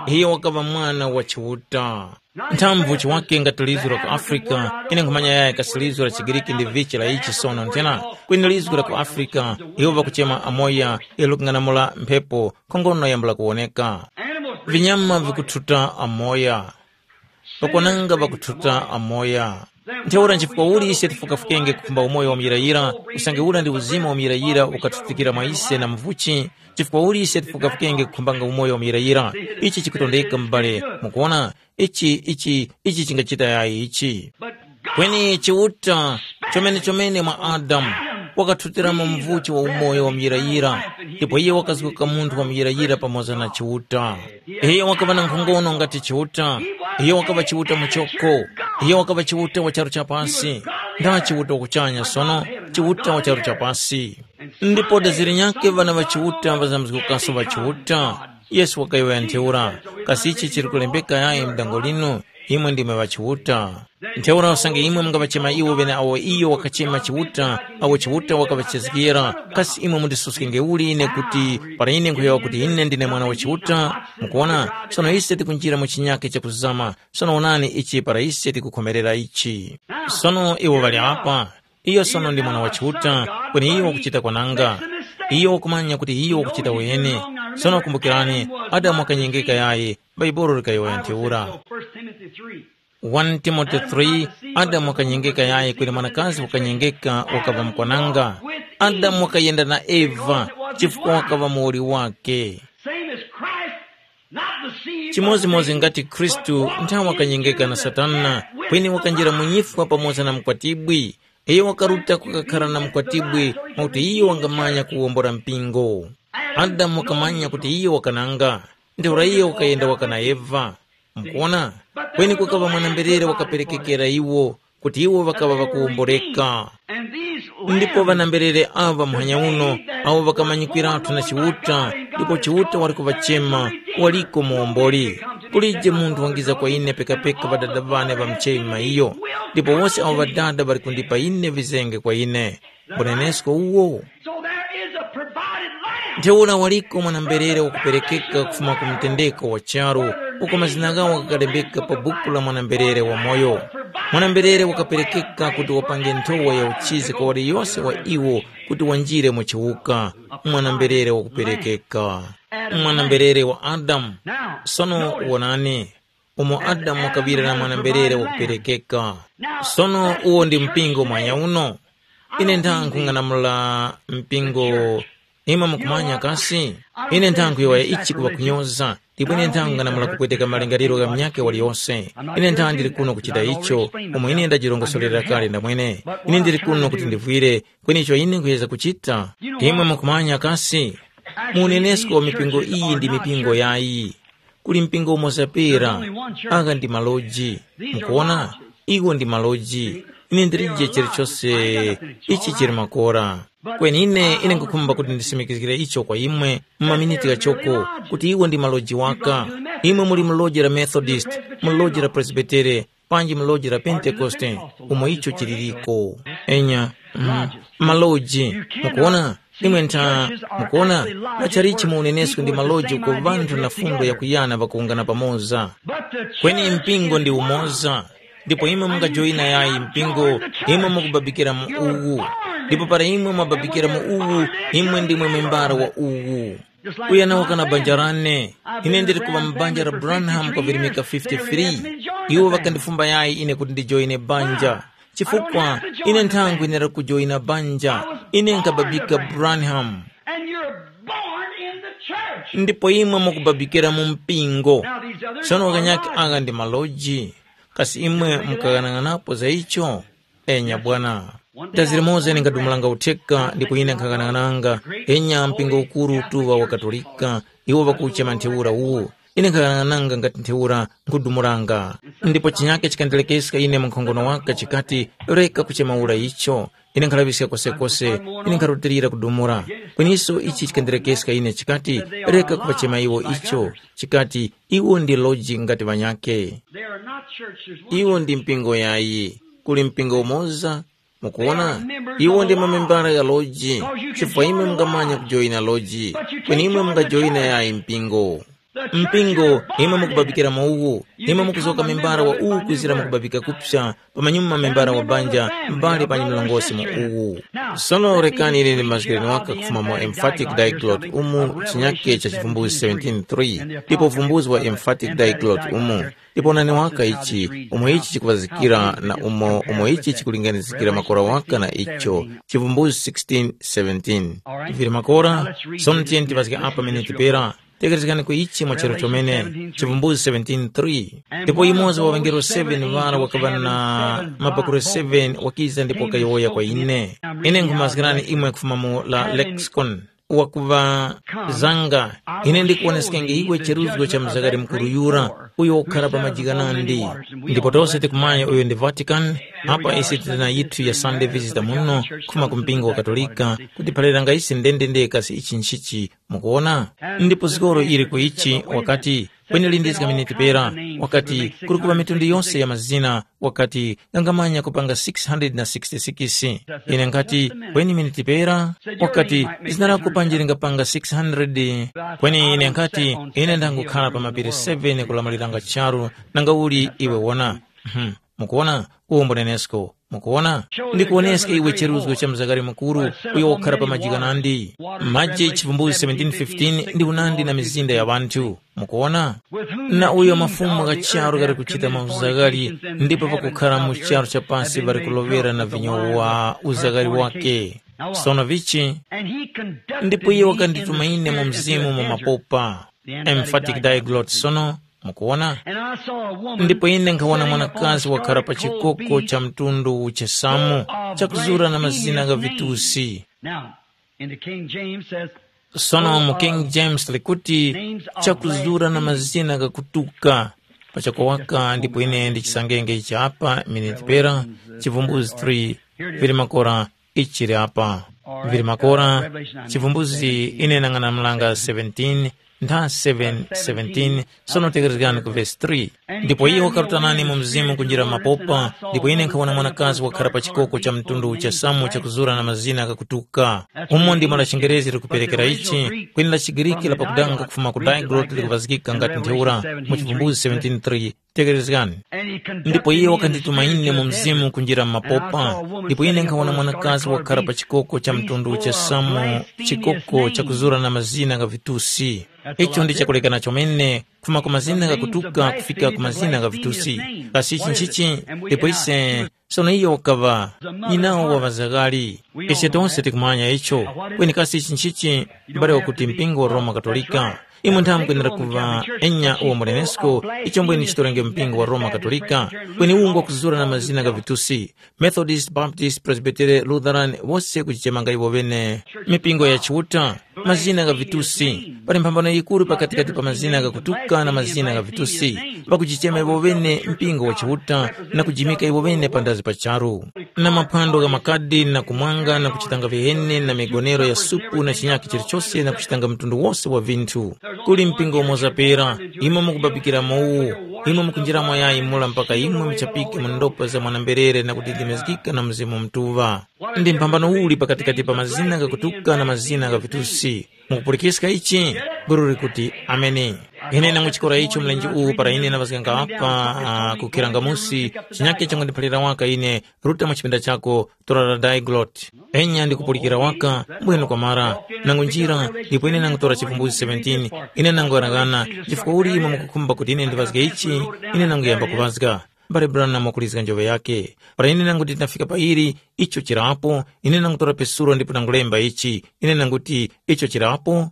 Iye wakaŵa mwana wa Chiuta. Nthamvu chiwake ngati lizgu la ku Afrika, ine nkhumanya yaya kasi lizgu la Chigiriki ndi vichi la ichi sono nthena, kweni lizgu la ku Afrika, iwo ŵakuchema amoya, ilo likung'anamula mphepo, nkhongono yambula kuwoneka. Vinyama vikuthuta amoya. Pakwananga ŵakuthuta amoya. Ntheura nchifukwa uli ise tifukafukenge kukhumba umoyo wa muyirayira, usange ura ndi uzima wa muyirayira ukathutikira mwa ise na muvuchi, chifukwa uli ise tifukafukenge kukhumbanga umoyo wa muyirayira? Ichi chikutondeka m'bale, mukuona, ichi ichi ichi chingachita yayi ichi. Kweni Chiuta chomene-chomene mwa Adamu wakathutiramo mvuchi wa umoyo wa muyirayira, ndipo iye wakazuka munthu wa muyirayira pamoza na Chiuta. Iyo wakaŵa na nkhongono ngati Chiuta. Iyo wakaŵa Chiuta muchoko. Iyo wakaŵa Chiuta wa charu cha pasi. Nda Chiuta wa kuchanya sono, Chiuta wa charu cha pasi. Ndipo daziri nyakhe ŵana ŵa Chiuta ŵazamizgukaso ŵa Chiuta. Yesu wakayowoya ntheura, kasi ichi chili kulembeka yayi m'dango linu? Imwe ndimwe ŵa Chiuta. Ntheura usange imwe mungaŵachema iwo ŵeneawo iyo wakachema Chiuta, awo Chiuta wakaŵachezgera, kasi imwe mundisuskenge uli ine kuti para ine nkhuyowoya kuti ine ndine mwana wa Chiuta? Mukuwona, sono ise tikunjira mu chinyakhe chakuzama. Sono wonani ichi para ise tikukhomerera ichi. Sono iwo ŵali apa. Iyo sono ndi mwana wa Chiuta, kweni iyo wakuchita kwananga. Iyo wakumanya kuti iyo wakuchita wene. Sono kumbukirani, Adamu wakanyengeka yayi, Bhaibuli likayowoya ntheura. First Timothy three. One Timothy three, Adamu wakanyengeka yayi kweni mwanakazi wakanyengeka wakaŵa mukwananga. Adamu wakayenda na Eva chifukwa wakaŵa muwoli wake. Same as Christ, not deceived by Chimodzimodzi Satan, ngati Khristu but walked nthawi in wakanyengeka na sinners' Satana, stead with kweni the wakanjira mu bride. Nyifwa pamoza na mkwatibwi. Iyo wakaruta kukakhala na mkwatibwi mwakuti iyo wangamanya kuwombora mpingo. Adamu wakamanya kuti iyo wakananga, ntheura iyo wakayenda waka na Eva. Mukuona? Kweni kukaŵa mwana-mberere wakaperekekera iwo, kuti iwo ŵakaŵa ŵakuwomboreka. Ndipo ŵana-mberere aŵa muhanya uno, awo ŵakamanyikwiratu na Chiuta, ndipo Chiuta wali kuŵachema, waliko muwomboli. Kulije munthu wangiza kwa ine pekapeka Ŵadada ŵane ŵamuchema iyo, ndipo wose awo Ŵadada ŵali kundipa ine vizenge kwa ine. Mbunenesko uwo? So there is a provided lamb. Ntheura waliko mwana-mberere wakuperekeka kufuma ku mtendeko wa charu, uko mazina ghawo ghakalembeka pa buku la mwana-mberere wamoyo. Mwana-mberere wakaperekeka kuti wapange nthowa ya uchizi kwa waliyose wa iwo kuti wanjire mu chiwuka. Mwana-mberere wakuperekeka. Mwana-mberere wa Adamu. Sono wonani, umo Adamu wakaŵira na mwana-mberere wakuperekeka. Sono uwo ndi mpingo mwanya uno. Ine ndang'ung'anamula mpingo. Imwe mukumanya kasi? Ine ndang'uyowoya ichi kuŵa kunyoza, ndipo ine ndang'ung'anamula kupweteka malingaliro gha munyakhe waliyose. Ine ndili kuno kuchita icho, umo ine ndajirongosorera kale ndamwene. Ine ndili kuno kuti ndivwire, kweni icho ine nkhuyeza kuchita. Imwe mukumanya kasi? Mu unenesko wa mipingo iyi ndi mipingo yayi. Kuli mpingo umoza pera, agha ndi maloji. Mukuona? Iwo ndi maloji. Ine ndilije chilichose ichi chili makora. Kweni ine, ine nkhukhumba kuti ndisimikizgire icho kwa imwe mu maminiti ghachoko, kuti iwo ndi maloji waka. Imwe muli mu loji la Methodist, mu loji la Presbitere, panji mu loji la Pentekoste, umo icho chiliriko. Enya, mm, maloji, mukuona? Imwe ntha, mukuona? Machalichi mu unenesko ndi maloji uko ŵanthu na fundo yakuyana ŵakuwungana pamoza. Kweni mpingo ndi umoza, ndipo imwe mungajoyina yayi mpingo, imwe mukubabikira mu uwu. Ndipo para imwe mwababikira mu uwu, imwe ndimwe membara wa uwu. Uyo anawaka na banja lane, ine ndili kuŵa mu banja la Branham kwa virimika fifty-three. Iwo ŵakandifumba yayi ine kuti ndijoyine banja. Chifukwa ine nthangwinira kujoyina banja, ine nkababika Branham. And you're born in the church. Ndipo imwe mukubabikira mu mpingo. Now these others sono are wakanyake lies. Aka ndi maloji. Kasi imwe mukaghanag'anapo za icho? Enya bwana. Dazira moza ine nkadumulanga utheka ndipo ine nkhaghanaghananga, enya mpingo ukuru utuŵa wa Katolika, iwo ŵakuchema ntheura uwu. Ine nkhaghanaghana ngati ntheura nkhudumuranga. Ndipo chinyake chikandilekeska ine mu nkhongono waka chikati, reka kuchemaula icho. Ine nkhalaŵiska kosekose, ine nkharutilira kudumura. Kweniso ichi chikandilekeska ine chikati, reka kuŵachema iwo icho, chikati, iwo ndi loji ngati ŵanyakhe. Iwo ndi mpingo yayi, kuli mpingo umoza. Mukuwona, iwo ndi mamembala ya loji, chifukwa imwe mungamanya kujoyina loji, kweni imwe mungajoyina yayi mpingo. Mpingo, imwe mukubabikira mu uwu, imwe mukuzoka membala wa uwu kwizira mukubabika kupsa, pamanyuma membala wa banja, mbali panyi mlongosi mu uwu. Sono rekani ine ndimazgireni waka kufuma mu emphatic diglot umu chinyake cha chivumbuzi seventeen three, ndipo uvumbuzi wa emphatic diglot umu. Ndipo nani waka ichi, umo ichi chikuvazikira na umo, umo ichi chikulinganizikira makora waka na icho, chivumbuzi sixteen seventeen. Vili makora, sono tiyeni tivazike apa pamene tipera, tekerezgani ku ichi mwa chero chomene, chivumbuzi seventeen three. Ndipo yumoza wa ŵangelo seven ŵara wakaŵa na mabakure seven wakiza ndipo wakayowoya kwa ine. Ine nkhumazgirani imwe kufuma mu la lexicon. Wakuŵa zanga, ine ndikuwoneskenge iwe cheruzgo cha mzakari mukuru yura, uyo ukhala pa maji ghanandi. Ndipo tose tikumanya uyo ndi Vatican, apa ise tili na yithu ya Sunday visitor muno, khuma ku mpingo wa Katolika, kutiphaliranga ise ndendende kasi ichi nchichi, mukuwona? Ndipo zikoro ili ku ichi, wakati, kweni lindizga miniti pera, wakati, kuli kuŵa mitundu yose ya mazina, wakati, ngangamanya kupanga six hundred na sixty-six. Ine nkati, kweni miniti pera? Wakati, zina lako panji lingapanga six hundred? Kweni ine nkati, ine ndangukhala pa mapiri seven kulamuliranga charu, nanga uli iwe wona? Mhm. Mukuwona? Uwo mbunenesko. Mukuwona? Ndikuwoneska iwe cheruzgo cha mzakari mukuru, uyo wakhala pa maji ghanandi. Maji chivumbuzi seventeen fifteen ndi unandi na mizinda ya ŵanthu. Mukuwona? Na uyo mafumu gha charu ghali kuchita mauzagari, ndipo pakukhala mu charu cha pasi ŵali kuloŵera na vinyo wa uzagari wake. Sono vichi? Ndipo iye wakandituma ine mu mzimu mu mapopa. Emphatic diglot sono, mukuwona? Ndipo ine nkhawona mwanakazi wakhala pa chikoko cha mtundu uchesamu, chakuzura na mazina gha vitusi. Now, in the King James says, sono mu King James likuti, chakuzura na mazina ghakutuka. Pachakowaka ndipo ine ndichisangenge ichi apa miniti pera, chivumbuzi three, vili makora ichi chili apa. Vili makora, chivumbuzi ine nang'anamulanga seventeen, ntha seven seventeen, sono tekerezgani ku vesi three. Ndipo iye wakaruta nane mu mzimu kunjira mapopa, ndipo ine nkhawona mwanakazi wakhala pa chikoko cha mtundu uchesamu chakuzura na mazina ghakutuka. Umo ndimo la chingerezi likuperekera ichi, kweni la chigiriki la pakudanga kufuma ku diglot likuvazgika ngati ntheura mu chivumbuzi seventeen three. Tekerezgani. Ndipo iye wakandituma ine mu mzimu kunjira m'mapopa, ndipo ine nkhawona mwanakazi wakhala pa chikoko cha mtundu cha samu, chikoko chakuzura na mazina gha vitusi. Icho ndi chakulekana chomene, kufuma ku mazina ghakutuka kufika ku mazina gha vitusi. Kasi ichi nchichi? Ndipo ise sono iyo wakaŵa nyinawo wa ŵazagari. Ise tonse tikumanya icho. Kweni kasi ichi nchichi? M'bale wakuti mpingo wa Roma Katolika. Imwe nthawe mukwenera kuŵa enya uwo mulenesko, icho mbwene chitolenge mpingo wa Roma Katolika, kweni uwu ngwakuzura na mazina gha vitusi, Methodist, Baptist, Presbytere, Lutheran, wose kuchichemanga iwo ŵene mipingo ya Chiuta. Mazina gha vitusi. Pali mphambano yikuru pakatikati pa mazina ghakutuka na mazina gha vitusi. Pakuchichema iwo ŵene mpingo wa Chiuta na kujimika iwo ŵene pandazi pa charu. Na maphwando gha makadi na kumwanga na kuchitanga viheni na migonero ya supu na chinyakhe chilichose na kuchitanga mtundu wose wa vinthu. Kuli mpingo umoza pera, imwe mukubabikira mu uwu, imwe mukunjiramo yayi mura mpaka imwe muchapike mu ndopa za mwana-mberere na kudidimizgika na Mzimu Mutuŵa. Ndi mphambano uli pakatikati pa mazina ghakutuka na mazina gha vitusi? Mukupulikiska ichi? Guru likuti, Ameni. Ine nanguchikora icho mlenje uwu para ine ndavazganga apa, ah, ku Kirangamusi, chinyakhe changondiphalira waka ine, ruta mwa chipinda chako, tora la Diglot. Enya ndikupulikira waka, mbwenu kwamara, nangunjira, ndipo ine nangutora chivumbuzi seventeen, ine nangoghanaghana, chifukwa uli imwe mukukhumba kuti ine ndivazge ichi, ine nanguyamba kuvazga. Mbale Branham wakulizga njoŵe yakhe. Para ine nanguti ndafika pa ili, icho chirapo, ine nangutora pesulo ndipo nangulemba ichi, ine nanguti, icho chirapo.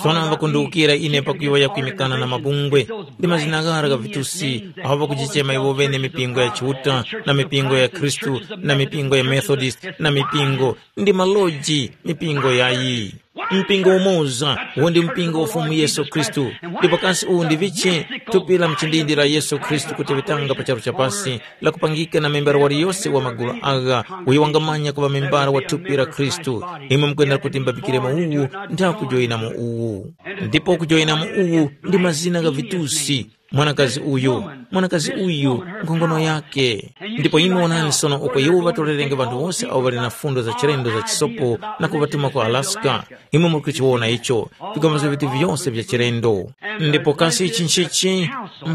Sono ŵakundiwukira ine pakuyowoya kwimikana na mabungwe, ndi mazina ghara gha vitusi, awo ŵakujichema iwo ŵene mipingo ya Chiuta, na mipingo ya Khristu, na mipingo ya Methodist, na mipingo, ndi maloji, mipingo yayi. Mpingo umoza, uwo ndi mpingo wa Fumu Yesu Khristu. Ndipo kasi uwu ndi vichi? Thupi la mchindindi la Yesu Khristu kuteŵetanga pa charu cha pasi, lakupangika na membara waliyose wa magulu agha, uyo wangamanya kuŵa membara wa thupi la Khristu. Imwe mukwenda kuti mbapikiremo uwu, ntha kujoyinamo uwu. Ndipo kujoyinamo uwu ndi mazina gha vitusi. Mwanakazi uyu, mwanakazi uyu, nkhongono yake. Ndipo imwe wonani sono uko iwo ŵatorerenge ŵanthu wose awo ŵali na fundo za chilendo za chisopo na kuŵatuma ku Alaska. Imwe muli kuchiwona icho, vigamuzo vitu vyose vya chilendo. Ndipo kasi ichi nchichi?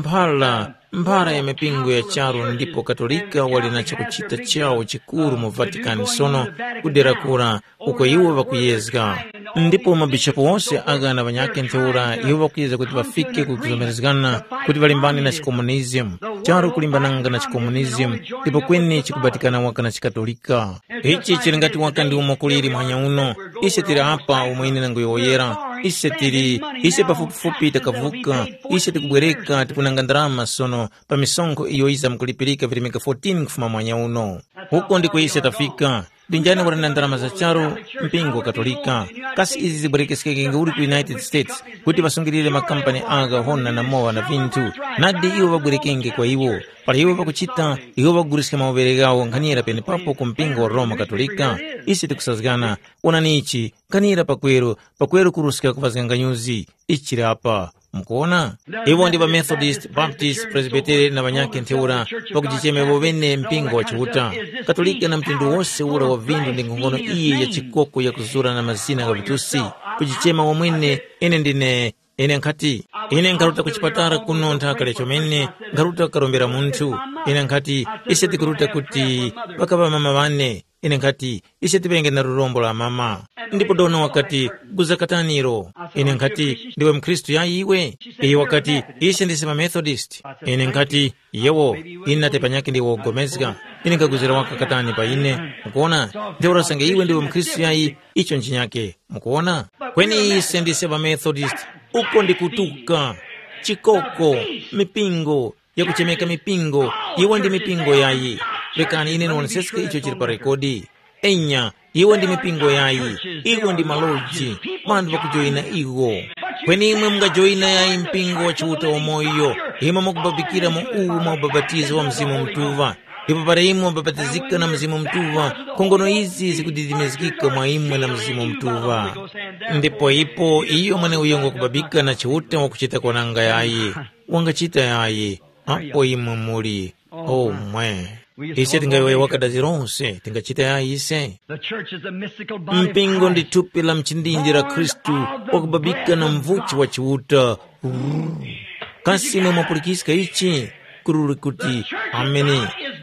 Mphara, mphara ya mipingo ya charu ndipo Katolika wali na chakuchita chawo chikuru mu Vatican sono, kudera kura, uko iwo ŵakuyezga. Ndipo mabishopu wose aghana ŵanyakhe ntheura iwo ŵakuyezga kuti ŵafike ku kuzomerezgana kuti ŵalimbane na chikomunizimu, charu kulimbananga na chikomunizimu, ndipo kweni chikubatikana waka na chikatolika. Ichi chili ngati waka ndi umo kuliri muhanya uno. Ise tili apa umo ine nanguyowoyera. Ise tili, ise pafupifupi takavuka. Ise tikubwereka tikunanga ndarama sono pa misonkho iyo yiza mukulipirika virimika fourteen kufuma muhanya uno. Uko ndiko ise tafika. Ndi njani wali na ndalama za charu? Mpingo wa Katolika. Kasi izi zibwerekeskenge uli ku United States kuti ŵasungilire makampani agha hona na mowa na vinthu? Nadi iwo ŵabwerekenge kwa iwo. Para iwo ŵakuchita, iwo ŵaguliska mawuŵere ghawo nkhanira penepapo ku mpingo wa Roma Katolika. Ise tikusazgana. Wonani ichi, nkhanira pakweru, pakweru kuruska kuvazganga nyuzi. Ichi chili apa. Mukuwona? Iwo ndi ŵamethodist, baptist, presbiteri na ŵanyakhe ntheura, pakujichema iwo ŵene mpingo wa Chiuta. Katolika na mtundu wose ura wa vindu ndi nkhongono iyi ya chikoko yakuzura na mazina gha vitusi, kujichema wamwene, ine ndine, ine nkhati, ine nkharuta ku chipatala kuno nthaka lya chomene, nkharuta kukarombera munthu. Ine nkhati, ise tikuruta kuti ŵakaŵa mama ŵane. Ine nkhati, ise tiŵenge na lurombo la mama. Ndipo dona wakati, guza kataniro. Ine nkhati, ndiwe mkhristu yayi iwe? Iyo wakati, ise ndise ŵamethodist. Ine nkhati, yewo, ine nate panyakhe ndiwe wogomezga. Ine nkhaguzira waka katani pa ine? Mukuona? Ntheura sange iwe ndiwe mkhristu yayi, icho nchinyakhe. Mukuona? Kweni ise ndise ŵamethodist. Uko ndi kutuka, chikoko, mipingo, yakuchemeka mipingo. Iwo ndi mipingo yayi. Rekani ine niwoneseske icho chili pa rekodi. Enya, iwo ndi mipingo yayi. Iwo ndi maloji. Ŵanthu ŵakujoyina iwo. Kweni imwe mungajoyina yayi mpingo wa Chiuta wamoyo. Imwe mukubabikira mu uwu mwa ubapatizo wa Mzimu Mutuŵa. Ndipo para imwe mubapatizika na Mzimu Mutuŵa, nkhongono izi zikudidimizgika mwa imwe na Mzimu Mutuŵa. Ndipo ipo iyo mweneuyo ngwakubabika na Chiuta wakuchita kwananga yayi. Wangachita yayi, apo imwe muli. Oh, mwe. Ise tingayowoye wakadazi lonse, tingachita yayi ise. The church is a mystical body of Mpingo ndi Christ. Thupi la mchindindi la Khristu, wakubabika na mvuchi wa Chiuta. Kasi imwe mwapulikiska ichi? Kuruli kuti, ameni.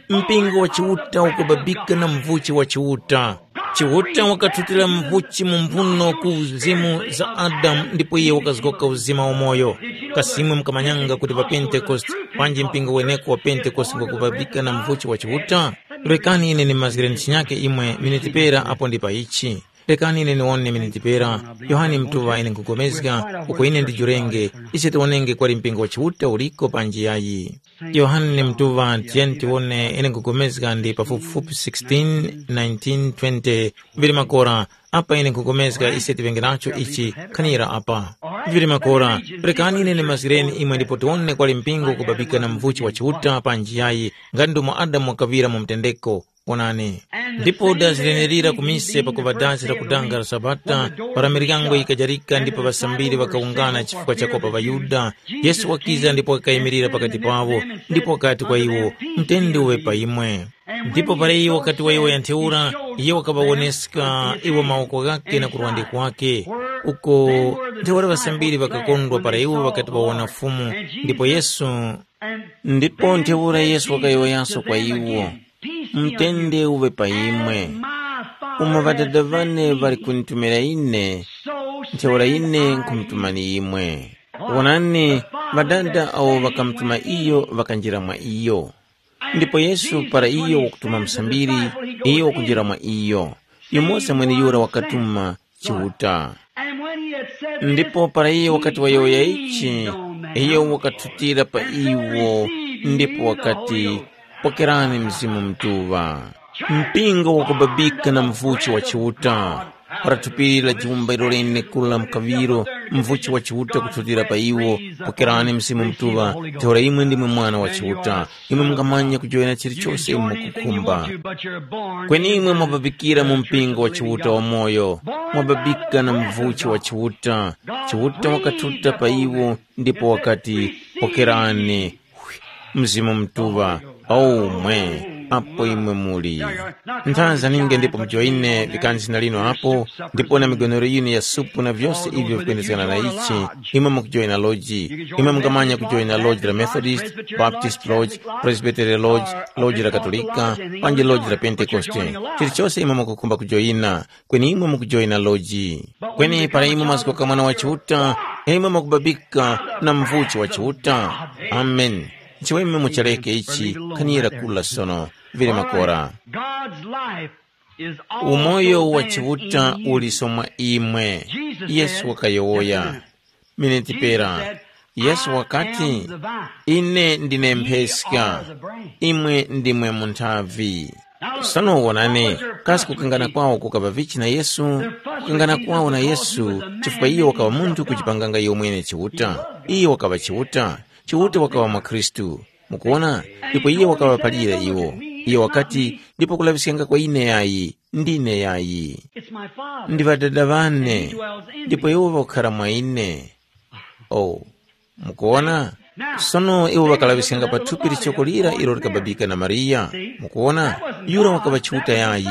Mpingo wa Chiuta ukubabika na mvuchi wa Chiuta. Chiuta wakathutira mvuchi mu mphuno ku uzimu za Adamu ndipo iye wakazgoka uzima wamoyo. Kasi imwe mukamanyanga kuti pa Pentekoste, panji mpingo weneko wa Pentekoste ngwakubabika na mvuchi wa Chiuta? Rekani ine nimazgireni chinyake imwe miniti pera apo ndi pa ichi. Rekani ine niwone miniti pera. Yohane Mtuŵa ine nkhugomezga, uko ine ndijurenge, ise tiwonenge kwali mpingo wa Chiuta uliko panji yayi. Yohane Mtuŵa tiyeni tiwone ine nkhugomezga ndi pafupifupi sixteen, nineteen, twenty, vili makora, apa ine nkhugomezga ise tiŵenge nacho ichi khanira apa. Vili makora, rekani ine nimazgireni imwe ndipo tiwone kwali mpingo kubabika na mvuchi wa Chiuta panji yayi, ngati ndomo Adamu wakaŵira mu mtendeko. Onani, ndipo dazi lenerira ku mise pakuŵa dazi la kudanga la Sabata, para miryango yikajarika ndipo ŵasambiri ŵakawungana chifukwa chakopa ŵaYuda. Yesu wakiza ndipo wakayimirira pakati pawo, ndipo wakati kwa iwo, “Mtende uŵe pa imwe.” Ndipo para iwo wakati wayowoya ntheura, iye wakaŵawoneska iwo mawoko ghakhe na kurwande kwakhe, uko ntheura ŵasambiri ŵakakondwa para iwo ŵakati ŵawona Fumu. Ndipo Yesu ndipo ntheura Yesu wakayowoyanso kwa iwo, “Mtende uŵe pa imwe. Umo Ŵadada ŵane ŵali kunditumira ine, ntheura ine nkhumutumani imwe. Wonani, Ŵadada awo ŵakamutuma iyo ŵakanjira mwa iyo. Ndipo Yesu para iyo wakutuma musambiri, iyo wakunjira mwa iyo. Yumoza mweneyura wakatuma Chiuta.” Ndipo para iyo wakati wayowoya ichi, iyo wakathutira pa iwo ndipo wakati, “Pokerani Mzimu Mutuŵa.” Mpingo wakubabika na mvuchi wa Chiuta. Para thupi la jumba ilo lenekuru la mkaŵiro, mvuchi wa Chiuta kuthutira pa iwo, “Pokerani Mzimu Mutuŵa, ntheura imwe ndimwe mwana wa Chiuta, imwe mungamanya kujowoyana chilichose imwe mukukhumba.” Kweni imwe mwababikira mu mpingo wa Chiuta wamoyo, mwababika na mvuchi wa Chiuta. Chiuta wakathuta pa iwo ndipo wakati, “Pokerani Mzimu Mutuŵa, aumwe apo imwe muli.” Nthanza ninge ndipo mujoyine vikani zina lino apo, ndipo na migonero yinu ya supu na vyose ivyo vikwendezgana na ichi, imwe mukujoyina loji. Imwe mungamanya kujoyina loji la Methodist, Baptist Lodge, Presbytery Lodge, loji la Katolika, panji loji la Pentekoste. Chilichose imwe mukukhumba kujoyina, kweni imwe mukujoyina loji. Kweni para imwe mazgoka Mwana wa Chiuta, imwe mukubabika na mvuchi wa Chiuta. Amen. Chiweme muchareke ichi, khanira kula sono, vile makora. God's life is all Umoyo wa Chiuta uliso mwa imwe. Yesu wakayowoya. Miniti pera, Yesu wakati, "Ine ndine mpheska, imwe ndimwe munthavi." Sono wonani, kasi kukangana kwawo kukaŵa vichi na Yesu? Kukangana kwawo na Yesu, chifukwa iyo wakaŵa munthu kujipanganga iyo mwene Chiuta. Iyo wakaŵa Chiuta. Chiuta wakaŵa mwa Khristu. Mukuwona? Ndipo iye wakaŵaphalira iwo. Iye wakati, "Ndipo kulaŵiskanga kwa ine yayi, ndine yayi. Ndi Ŵadada ŵane, ndipo iwo ŵakukhara mwa ine." Oh, mukuwona? Sono iwo ŵakalaŵiskanga pa thupi lichoko lira ilo likababika na Mariya. Mukuwona? Yura wakaŵa Chiuta yayi.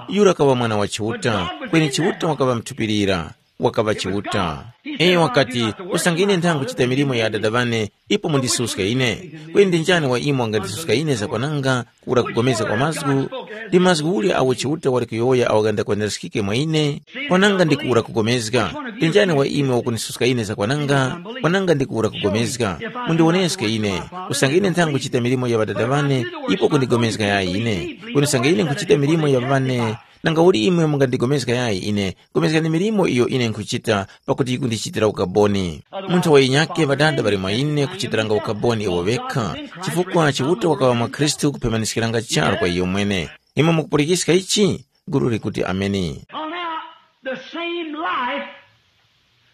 Yura wakaŵa Mwana wa Chiuta, kweni Chiuta wakaŵa mthupi lira. Wakaŵa Chiuta. Iyo wakati, "Usange ine nthangu kuchita milimo ya Adada ŵane, ipo mundisuska ine. Kweni ndi njani wa imwe wangandisuska ine zakwananga kuwura kugomezga kwa mazgu? Ndi mazgu uli agho Chiuta wali kuyowoya agho ghandakwaniraskike mwa ine? Kwananga ndi kuwura kugomezga. Ndi njani wa imwe wakundisuska ine zakwananga? Kwananga ndi kuwura kugomezga. Mundiwoneske ine. Usange ine nthangu kuchita milimo ya Ŵadada ŵane, ipo kundigomezga yayi ine. Kweni usange ine nkhuchita milimo ya ŵane, nanga uli imwe mungandigomezga yayi ine? Pulikana milimo iyo ine nkhuchita, pakuti yikundichitira ukaboni. Munthu wa yinyakhe Ŵadada ŵali mwa ine kuchitiranga ukaboni iwo ŵekha, chifukwa Chiuta wakaŵa mwa Khristu kuphemaniskiranga charu kwa iyo mwene. Imwe mukupulikiska ichi? Gulu likuti, "Ameni." Well, now, the same life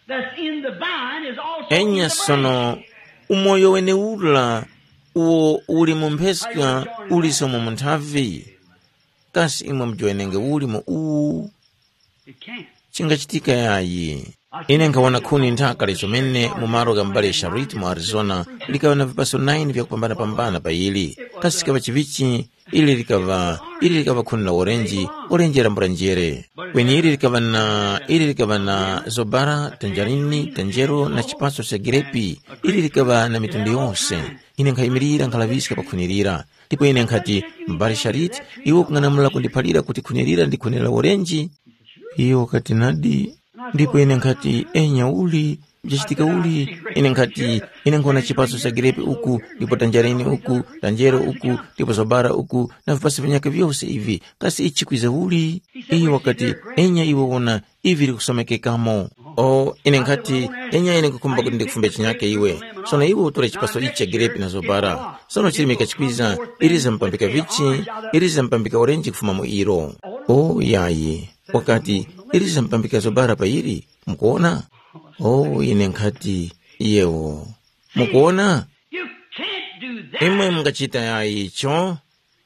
that's in the vine is also in Enya the branch. Sono, umoyo weneura uwo uli mu mpheska uliso mu munthavi. Kasi imwe mujowenenge uli mu uwu? It can't. Chingachitika yayi. Ine nkhawona khuni nthaka lizomene mu malo gha m'bale Sharit mu Arizona likaŵa na vipaso nine vyakupambana-pambana pa ili. Kasi chikaŵa chivichi? Ili likaŵa, ili likaŵa khuni la orenji, orenji la mbulanjere. Kweni ili likaŵa na, ili likaŵa na zobara, tanjarini, tanjero na chipaso cha girepi. Ili likaŵa na mitundu yose. Ine nkhayimirira nkhalaŵiska pa khuni lira. Ndipo ine nkhati, "M'bale Sharit, iwe ukung'anamula kundiphalira kuti khuni lira ndi khuni la orenji?" Iyo wakati, "Nadi." Ndipo ine nkhati, "Enya uli, vyachitika uli?" Ine nkhati, "Ine nkhona chipaso cha girepi uku, ndipo tanjarini uku, tanjero uku, ndipo zobara uku, na vipaso vinyakhe vyose ivi, kasi ichi kwiza uli?" Iyo wakati, "Enya iwe wona, ivi likusomekekamo." O, ine nkhati, "Enya ine nkukhumba kuti ndikufumbe chinyakhe iwe. Sono iwe utore chipaso ichi cha girepi na zobara. Sono chirimika chikwiza, iliza mpambika vichi, iliza mpambika orenji kufuma mu ilo." O, yayi. Wakati, "Iliza mpambika zobara pa ili, mukuona?" O, ine nkhati, "Yewo." Mukuona? You can't do that. Imwe mungachita yayi icho.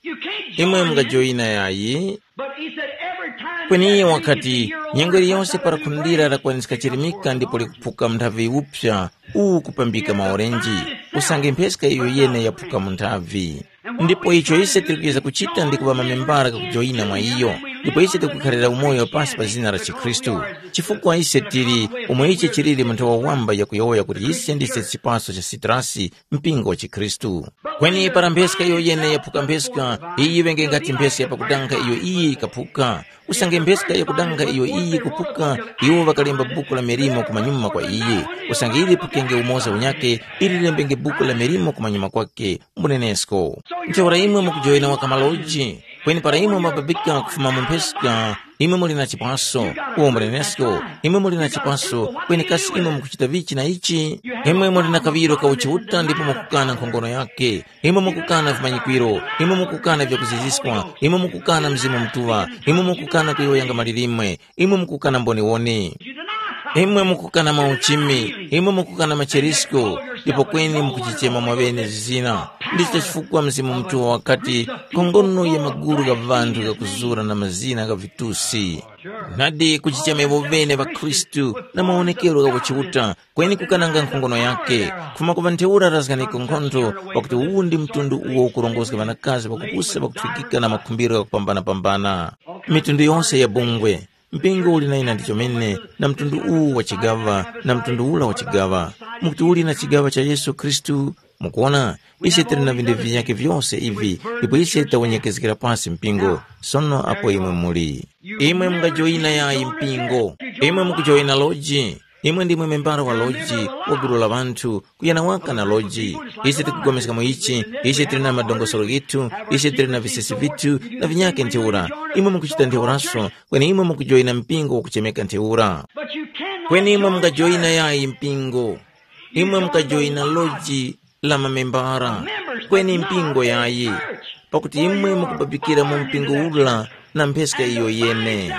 You can't Imwe mungajoyina yayi. But he said, every time Kweni iye wakati, nyengo iliyonse para khundira lakwaniska chirimika ndipo likuphuka mnthavi upsa, uwu kupambika maorenji, usange mpheska iyo yene yaphuka mu nthavi. Ndipo icho ise tili kuyeza kuchita ndi kuŵa mamembara kakujoyina mwa iyo, ndipo ise tikukhalira umoyo pasi pa zina la chikhristu. Chifukwa ise tili umo ichi chilili mu nthawi wamba yakuyowoya kuti ise ndise chipaso cha sitrasi, mpingo wa chikhristu. Kweni para mpheska iyo yene yaphuka mpheska, iyi yiŵenge ngati mpheska ya pakudanga iyo iyi yikaphuka. Usange mpheska yakudanga iyo iyi kuphuka, iwo ŵakalemba buku la milimo kumanyuma kwa iyi. Usange ili phukenge umoza unyake, ili lilembenge buku la milimo kumanyuma kwake. Mbunenesko. Ntheura imwe mukujoyina waka maloji, kweni para imwe mwababika kufuma mu mpheska, imwe muli na chipwaso. Uwo mbunenesko, imwe muli na chipwaso, kweni kasi imwe mukuchita vichi na ichi? Imwe muli na kaŵiro ka uchiuta ndipo mukukana nkhongono yake. Imwe mukukana vimanyikwiro, imwe mukukana vyakuziziskwa, imwe mukukana Mzimu Mutuŵa, imwe mukukana kuyowoyanga malirimwe, imwe mukukana mboniwoni. Imwe mukukana mauchimi, imwe mukukana macherisko, ndipo kweni mukuchichema mwaŵene zizina. Ndicho chifukwa Mzimu Mutuŵa wakati, nkhongono ya magulu gha ŵanthu ghakuzura na mazina gha vitusi. Nadi kuchichema iwo ŵene ŵakhristu na mawonekero gha kuchiuta, kweni kukananga nkhongono yake. Kufuma ku ŵa ntheura razganiko nkhontho, pakuti uwu ndi mtundu uwo ukurongozga ŵanakazi ŵakupusa ŵakuthwikika na makhumbiro ghakupambana-pambana. Mitundu yonse ya bungwe, mpingo uli na ina ndi chomene, na mtundu uwu wa chigaŵa, na mtundu ula wa chigaŵa. Mukuti uli na chigaŵa cha Yesu Khristu? Mukuona, ise tili na vinthu vinyakhe vyose ivi, ndipo ise tawenyekezgera pasi mpingo. Sono apo imwe muli, imwe mungajoyina yayi mpingo? Imwe mukujoyina loji? Imwe ndimwe membala wa loji, wa gulu la ŵanthu, kuyana waka na loji. Ise tikupulikana mu ichi, ise tili na madongosolo ghithu, ise tili na visesi vithu, na vinyakhe ntheura. Imwe mukuchita ntheuraso, kweni imwe mukujoyina mpingo wakuchemeka ntheura. Kweni imwe mungajoyina yayi mpingo? Imwe mukajoyina loji la mamembara, kweni mpingo yayi, pakuti imwe mukubabikira mu mpingo ula na mpheska iyo yene.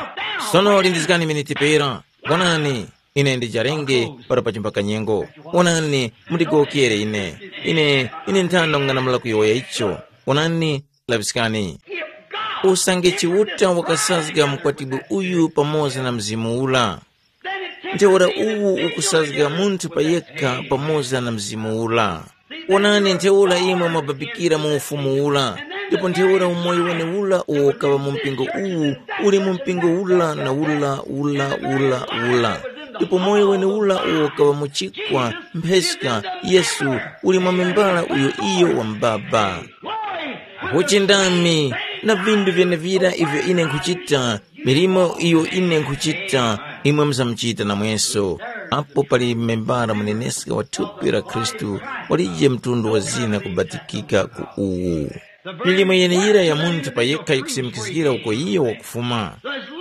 Sono lindizgani miniti pera. Wonani, ine ndijarenge para pa chimbakanyengo. Wonani, mundigowokere ine. Ine, ine nthano ng'anamula kuyowoya icho. Wonani, laŵiskani. Usange Chiuta wakasazga mukwatibwi uyu pamoza na Mzimu ula, ntheura uwu ukusazga munthu pa yekha pamoza na Mzimu ula. Wonani, ntheura imwe mwababikira mu Ufumu ula, ndipo ntheura umoyo wenewura uwo ukaŵa mu mpingo uwu uli mu mpingo ula na ula ula ula ula, ndipo moyo wenewura uwo ukaŵa mu chikwa, mpheska, Yesu, uli mwa membala uyo iyo wa mbaba. Uchindami na vindu vyenevira ivyo ine nkhuchita, milimo iyo ine nkhuchita, imwe muzamuchita namweso. Apo pali membala muneneska wa thupi la Khristu, walije mtundu wa zina kubatikika ku uwu. Milimo yeneyira ya munthu pa yekha yikusimikizgira uko iyo wakufuma.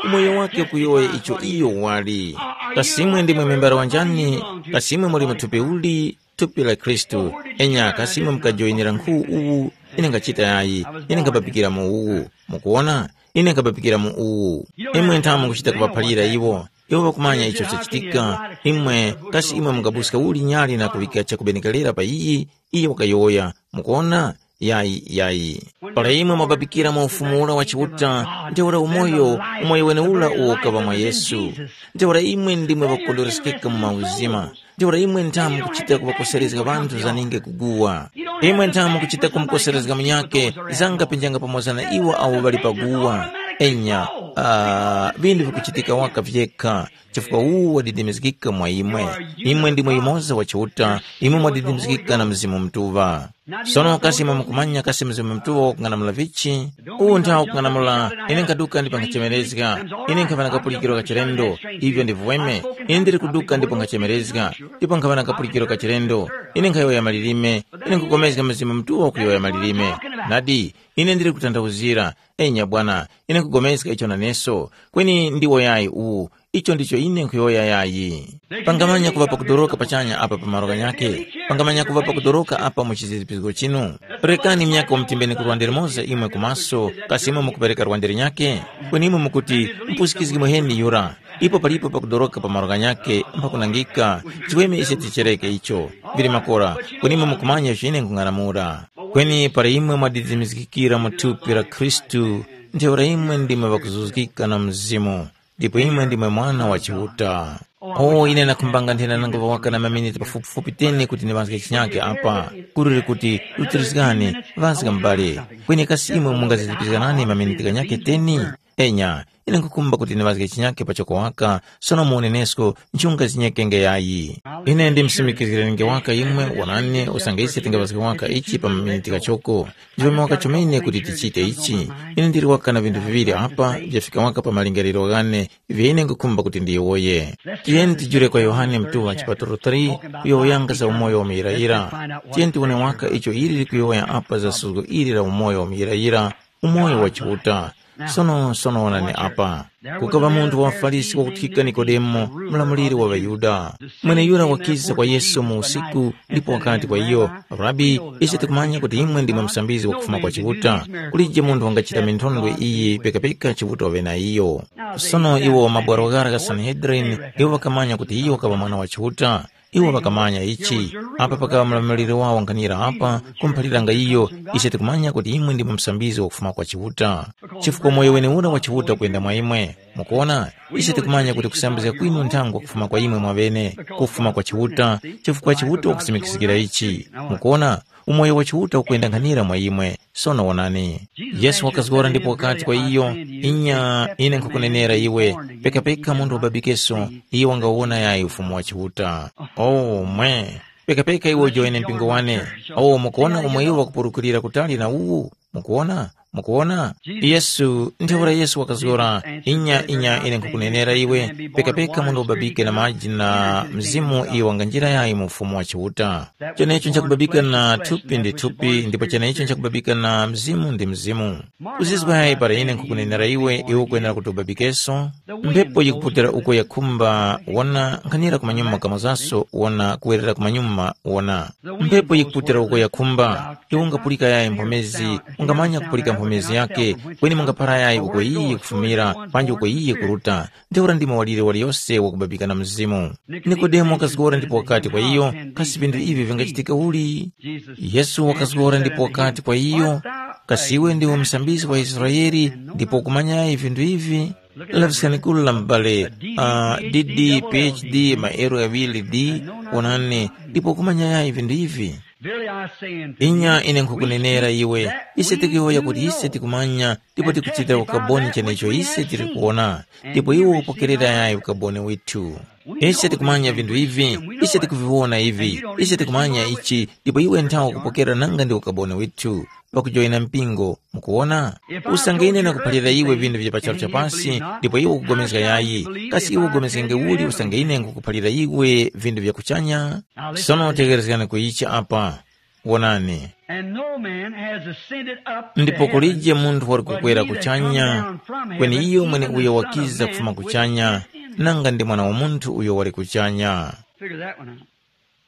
Umoyo wake ukuyowoya icho iyo wali. Kasimwe ndimwe membala wanjani? Kasimwe muli mu thupi uli? Thupi la Khristu. Enya kasi imwe mukajoyinira nkhu uwu, ine ngachita yayi, ine nkabapikira mu uwu. Mukuwona? Ine nkabapikira mu uwu. Imwe nthamu mukuchita kuŵaphalira iwo. Iwo ŵakumanya icho chachitika. Imwe, kasi imwe mungabuska uli nyali na kuŵika chakubenekerera pa iyi? Iye wakayowoya. Mukuwona? Yayi, yayi. Para imwe mwabapikira mu ufumu ura wa Chiuta, ntheura umoyo, umoyo wenewura uwo ukaŵa mwa Yesu. Ntheura imwe ndimwe ŵakukondweresekeka mu mauzima. Ntheura imwe nthamu kuchita kuŵakoserezga ŵanthu zaninge kuguwa. Imwe nthamu kuchita kumukoserezga munyakhe zanga penjanga pamoza na iwo awo ŵali paguwa. Enya, ah, vinthu vikuchitika waka vyekha, chifukwa uwu wadidimizgika mwa imwe. Imwe ndimwe yumoza wa Chiuta, imwe mwadidimizgika na Mzimu Mutuŵa. Sono kasi imwe mukumanya kasi Mzimu Mutuŵa wakung'anamula vichi? Uwu nthawi wakung'anamula, ine nkhaduka ndipo nkhachemerezga. Ine nkhava na kapulikiro ka chilendo, ivyo ndi vuweme. Ine ndili kuduka ndipo nkhachemerezga, ndipo nkhava na kapulikiro ka chilendo. Ine nkhayowoya malilime, ine nkhupulikana Mzimu Mutuŵa wakuyowoya malilime. Nadi, ine ndili kutanthauzira. Enya bwana, ine nkhupulikana icho naneso. Kweni ndiwo yayi uwu, icho ndicho ine nkhuyowoya yayi. Pangamanya kuŵa pakudoroka pachanya apa pa malo ghanyakhe. Pangamanya kuŵa pakudoroka apa mu chizizipizgo chinu. Rekani myaka umutimbeni ku lwande limoza imwe kumaso, kasi imwe mukupereka lwande linyakhe? Kweni imwe mukuti, mpusikizgi muheni yura. Ipo palipo pakudoroka pa malo ghanyakhe mphakunangika. Chiweme ise tichereke icho. Vili makora, kweni imwe mukumanya icho ine nkhung'anamula. Kweni para imwe mwadidimizgikira mu thupi la Khristu, ntheura imwe ndimwe ŵakuzuzgika na Mzimu, ndipo imwe ndimwe mwana wa Chiuta. O, ine nakhumbanga nthena nangu waka na maminiti pafupifupi teni kuti ndiŵazge chinyake apa, kuliri kuti, rutirizgani, ŵazga m'bale. Kweni kasi imwe mungazilipizganani maminiti ghanyake teni? Enya, ine nkhukhumba kuti ndiŵazge chinyake pachoko waka, sono muonenesko nchunga zinyekenge yayi. Ine ndimsimikizgirenenge waka imwe, wonani, usange ise tingaŵazge waka ichi pa maminiti ghachoko. Ndichome waka chomene kuti tichite ichi. Ine ndili waka na vinthu viŵiri apa vyafika waka pa malingaliro ghane, ivyo ine nkhukhumba kuti ndiyowoye. Tiyeni tijule kwa Yohane mtuŵa chipatulo three, kuyowoyanga za umoyo wa muyirayira. Tiyeni tiwone waka icho ili likuyowoya apa za suzgo ili la umoyo wa muyirayira, umoyo wa Chiuta. Sono sono wonani apa. Kukaŵa munthu wa Farisi wakuthika Nikodemo, mlamuliri wa ŵaYuda. Mweneyura wakiza kwa Yesu mu usiku, ndipo wakati kwa iyo, Rabi, ise tikumanya kuti imwe ndimwe msambizi wakufuma kwa Chiuta. Kulije munthu wangachita minthondwe iyi pekapeka Chiuta waŵe na iyo. Sono iwo mabwaro ghara gha Sanhedrin, iwo ŵakamanya kuti iyo wakaŵa mwana wa Chiuta. Iwo ŵakamanya ichi, apa pakaŵa mulamaliri wawo nkhanira apa, kumuphaliranga iyo, ise tikumanya kuti imwe ndimwe msambizi wakufuma kwa Chiuta. Chifukwa moyo wenewura wa Chiuta ukuyenda mwa imwe. Mukuona, ise tikumanya kuti kusambizga kwinu nthango kufuma kwa imwe mwaŵene, kufuma kwa Chiuta, chifukwa Chiuta wakusimikizgira ichi. Mukuona, umoyo wa Chiuta ukuyenda nkhanira mwa imwe. Sono wonani, Yesu wakazgora ndipo wakati kwa iyo, inya, ine nkhukunenera iwe, pekapeka munthu wababikeso, iye wangawona yayi ufumu wa Chiuta. Oh mwe, pekapeka iwe ujoine mpingo wane. Oh, mukuona umo iwo wakupurukurira kutali na uwu? Mukuona? Mukuona? Yesu, ntheura Yesu wakazgora, inya, inya, ine nkhukunenera iwe, pekapeka munthu wababike na maji na Mzimu, iyo wanganjira yayi mu ufumu wa Chiuta. Chenecho nchakubabika na thupi ndi thupi, ndipo chenecho nchakubabika na mzimu ndi mzimu. Kuzizwa yayi para ine nkhukunenera iwe, iwe ukwenera kuti ubabikenso. Mphepo yikuputira uko yakhumba, wona, nkhanira kumanyuma kamozaso, wona, kuwerera kumanyuma, wona. Mphepo yikuputira uko yakhumba, iwe ungapulika yayi mphomezi, ungamanya kupulika mphomezi yake, kweni mungaphara yayi uko iyi kufumira, panji uko iyi kuruta. Ntheura ndimo walire waliyose wakubabika na Mzimu. Nikodemo wakazgora ndipo wakati kwa iyo, kasi vinthu ivi vingachitika uli? Yesu wakazgora ndipo wakati kwa iyo, kasi iwe ndiwe msambizgi wa Israele ndipo ukumanyayi vinthu ivi? Laviskani kula m'bale, uh, D D, P H D, maero ghaŵiri D, onani, ndipo ukumanyayi vinthu ivi? Verily I say unto you, inya ine nkhukunenera iwe, ise tikuyowoya kuti ise tikumanya ndipo tikuchitira ukaboni chenecho ise tiri kuwona, ndipo iwe ukupokerera yayi ukaboni withu. Ise tikumanya vinthu ivi, ise tikuviwona ivi, ise tikumanya ichi, ndipo iwe nthawa ukupokera nanga ndi ukaboni withu, pakujoyina mpingo. Mukuwona? Usange ine nakuphalira iwe vinthu vya pa charu cha pasi, ndipo iwe ukupulikana yayi, kasi iwe upulikenge uli usange ine nkukuphalira iwe vinthu vya kuchanya? Sono tegherezgani ku ichi apa. Wonani. And no man has ascended up to ndipo heaven, kulije munthu wali kukwera kuchanya, kweni iyo mwene uyo wakiza kufuma kuchanya, nanga ndi Mwana wa Munthu uyo wali kuchanya. Figure that one out.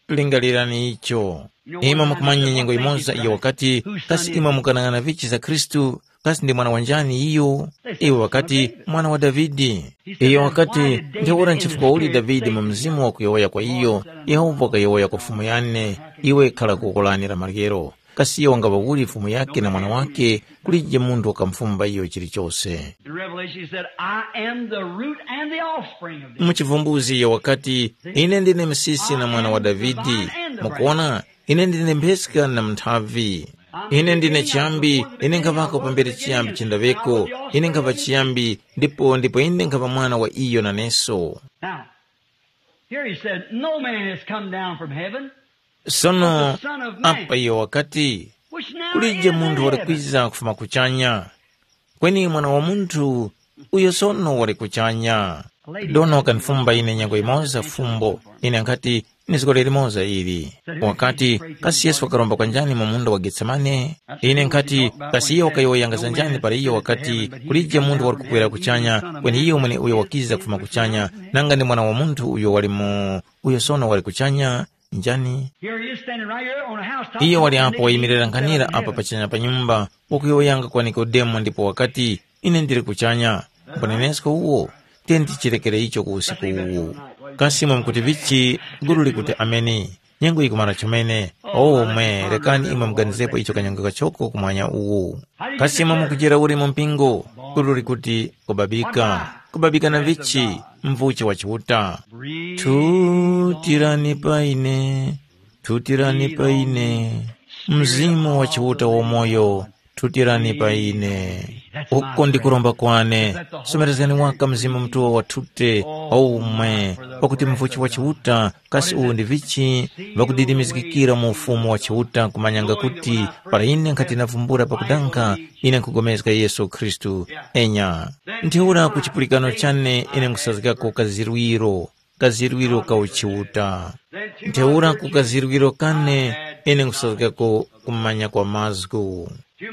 Lingalirani icho. Imwe mukumanya nyengo imoza iyo wakati, kasi imwe mukanang'ana vichi za Khristu, kasi ndi mwana wa njani iyo? Iwo wakati, mwana wa Davide. Iyo wakati, ntheura nchifukwa uli Davide mu mzimu wakuyowoya kwa iyo, Yehova wakayowoya kwa Fumu yane, iwe khala kuko lani la maryero. Kasi iyo wangaŵa uli Fumu yake na Mwana wake, kulije munthu wakamufumba iyo chilichose. In Revelation he said, I am the root and the offspring of David. Mu chivumbuzi iyo wakati, ine ndine msisi na mwana wa Davide. Mukuona, ine ndine mpheska na mnthavi. Ine ndine chiyambi, ine nkhavako pambere chiyambi chindaŵeko, ine nkhava chiyambi, ndipo ndipo ine nkhava mwana wa iyo naneso. Now, here he said, no man has come down from heaven, sono apa iyo wakati, kulije munthu wali kwiza kufuma kuchanya, kweni Mwana wa Munthu uyo sono wali kuchanya. Dona wakanifumba ine nyengo imoza fumbo, ine nkhati, ni zgore limoza ili. Wakati, kasi Yesu wakaromba kwa njani mu munda wa Getsemane? Ine nkhati, kasi iyo wakayowoyanga za njani para iyo wakati, kulije munthu wali kukwera kuchanya, kweni iyo mwene uyo wakiza kufuma kuchanya, nanga ndi Mwana wa Munthu uyo wali mu, uyo sono wali kuchanya? Njani? Here he is standing right here on a housetop. Iyo wali apo wayimirira nkhanira apa pachanya pa nyumba, wakuyowoyanga kwa Nikodemo ndipo wakati, ine ndili kuchanya. Mbonenesko uwo? Tiyeni tichirekere icho ku usiku uwu. Kasi imwe mukuti vichi? Gulu likuti ameni. Nyengo yikumara chomene. O mwe, rekani imwe muganizepo icho kanyengo kachoko kumwanya uwu. Kasi imwe mukujera uli mu mpingo? Ulu likuti kubabika. Kubabika na vichi? Mvuchi wa Chiuta. Thutirani pa ine, thutirani pa ine. Mzimu wa Chiuta wamoyo, thutirani pa ine. Uko ndi kuromba kwane. Somerezgani waka Mzimu Mutuŵa wathute, o umwe, pakuti mvuchi wa Chiuta kasi uwu ndi vichi, ŵakudidimizgikira mu Ufumu wa Chiuta kumanyanga kuti para ine nkhati navumbula pakudanga, ine nkhupulikana Yesu Khristu. Enya. Ntheura ku chipulikano chane ine nkhusazgako kazirwiro, kazirwiro ka uchiuta. Ntheura ku kazirwiro kane ine nkhusazgako kumanya kwa mazgu.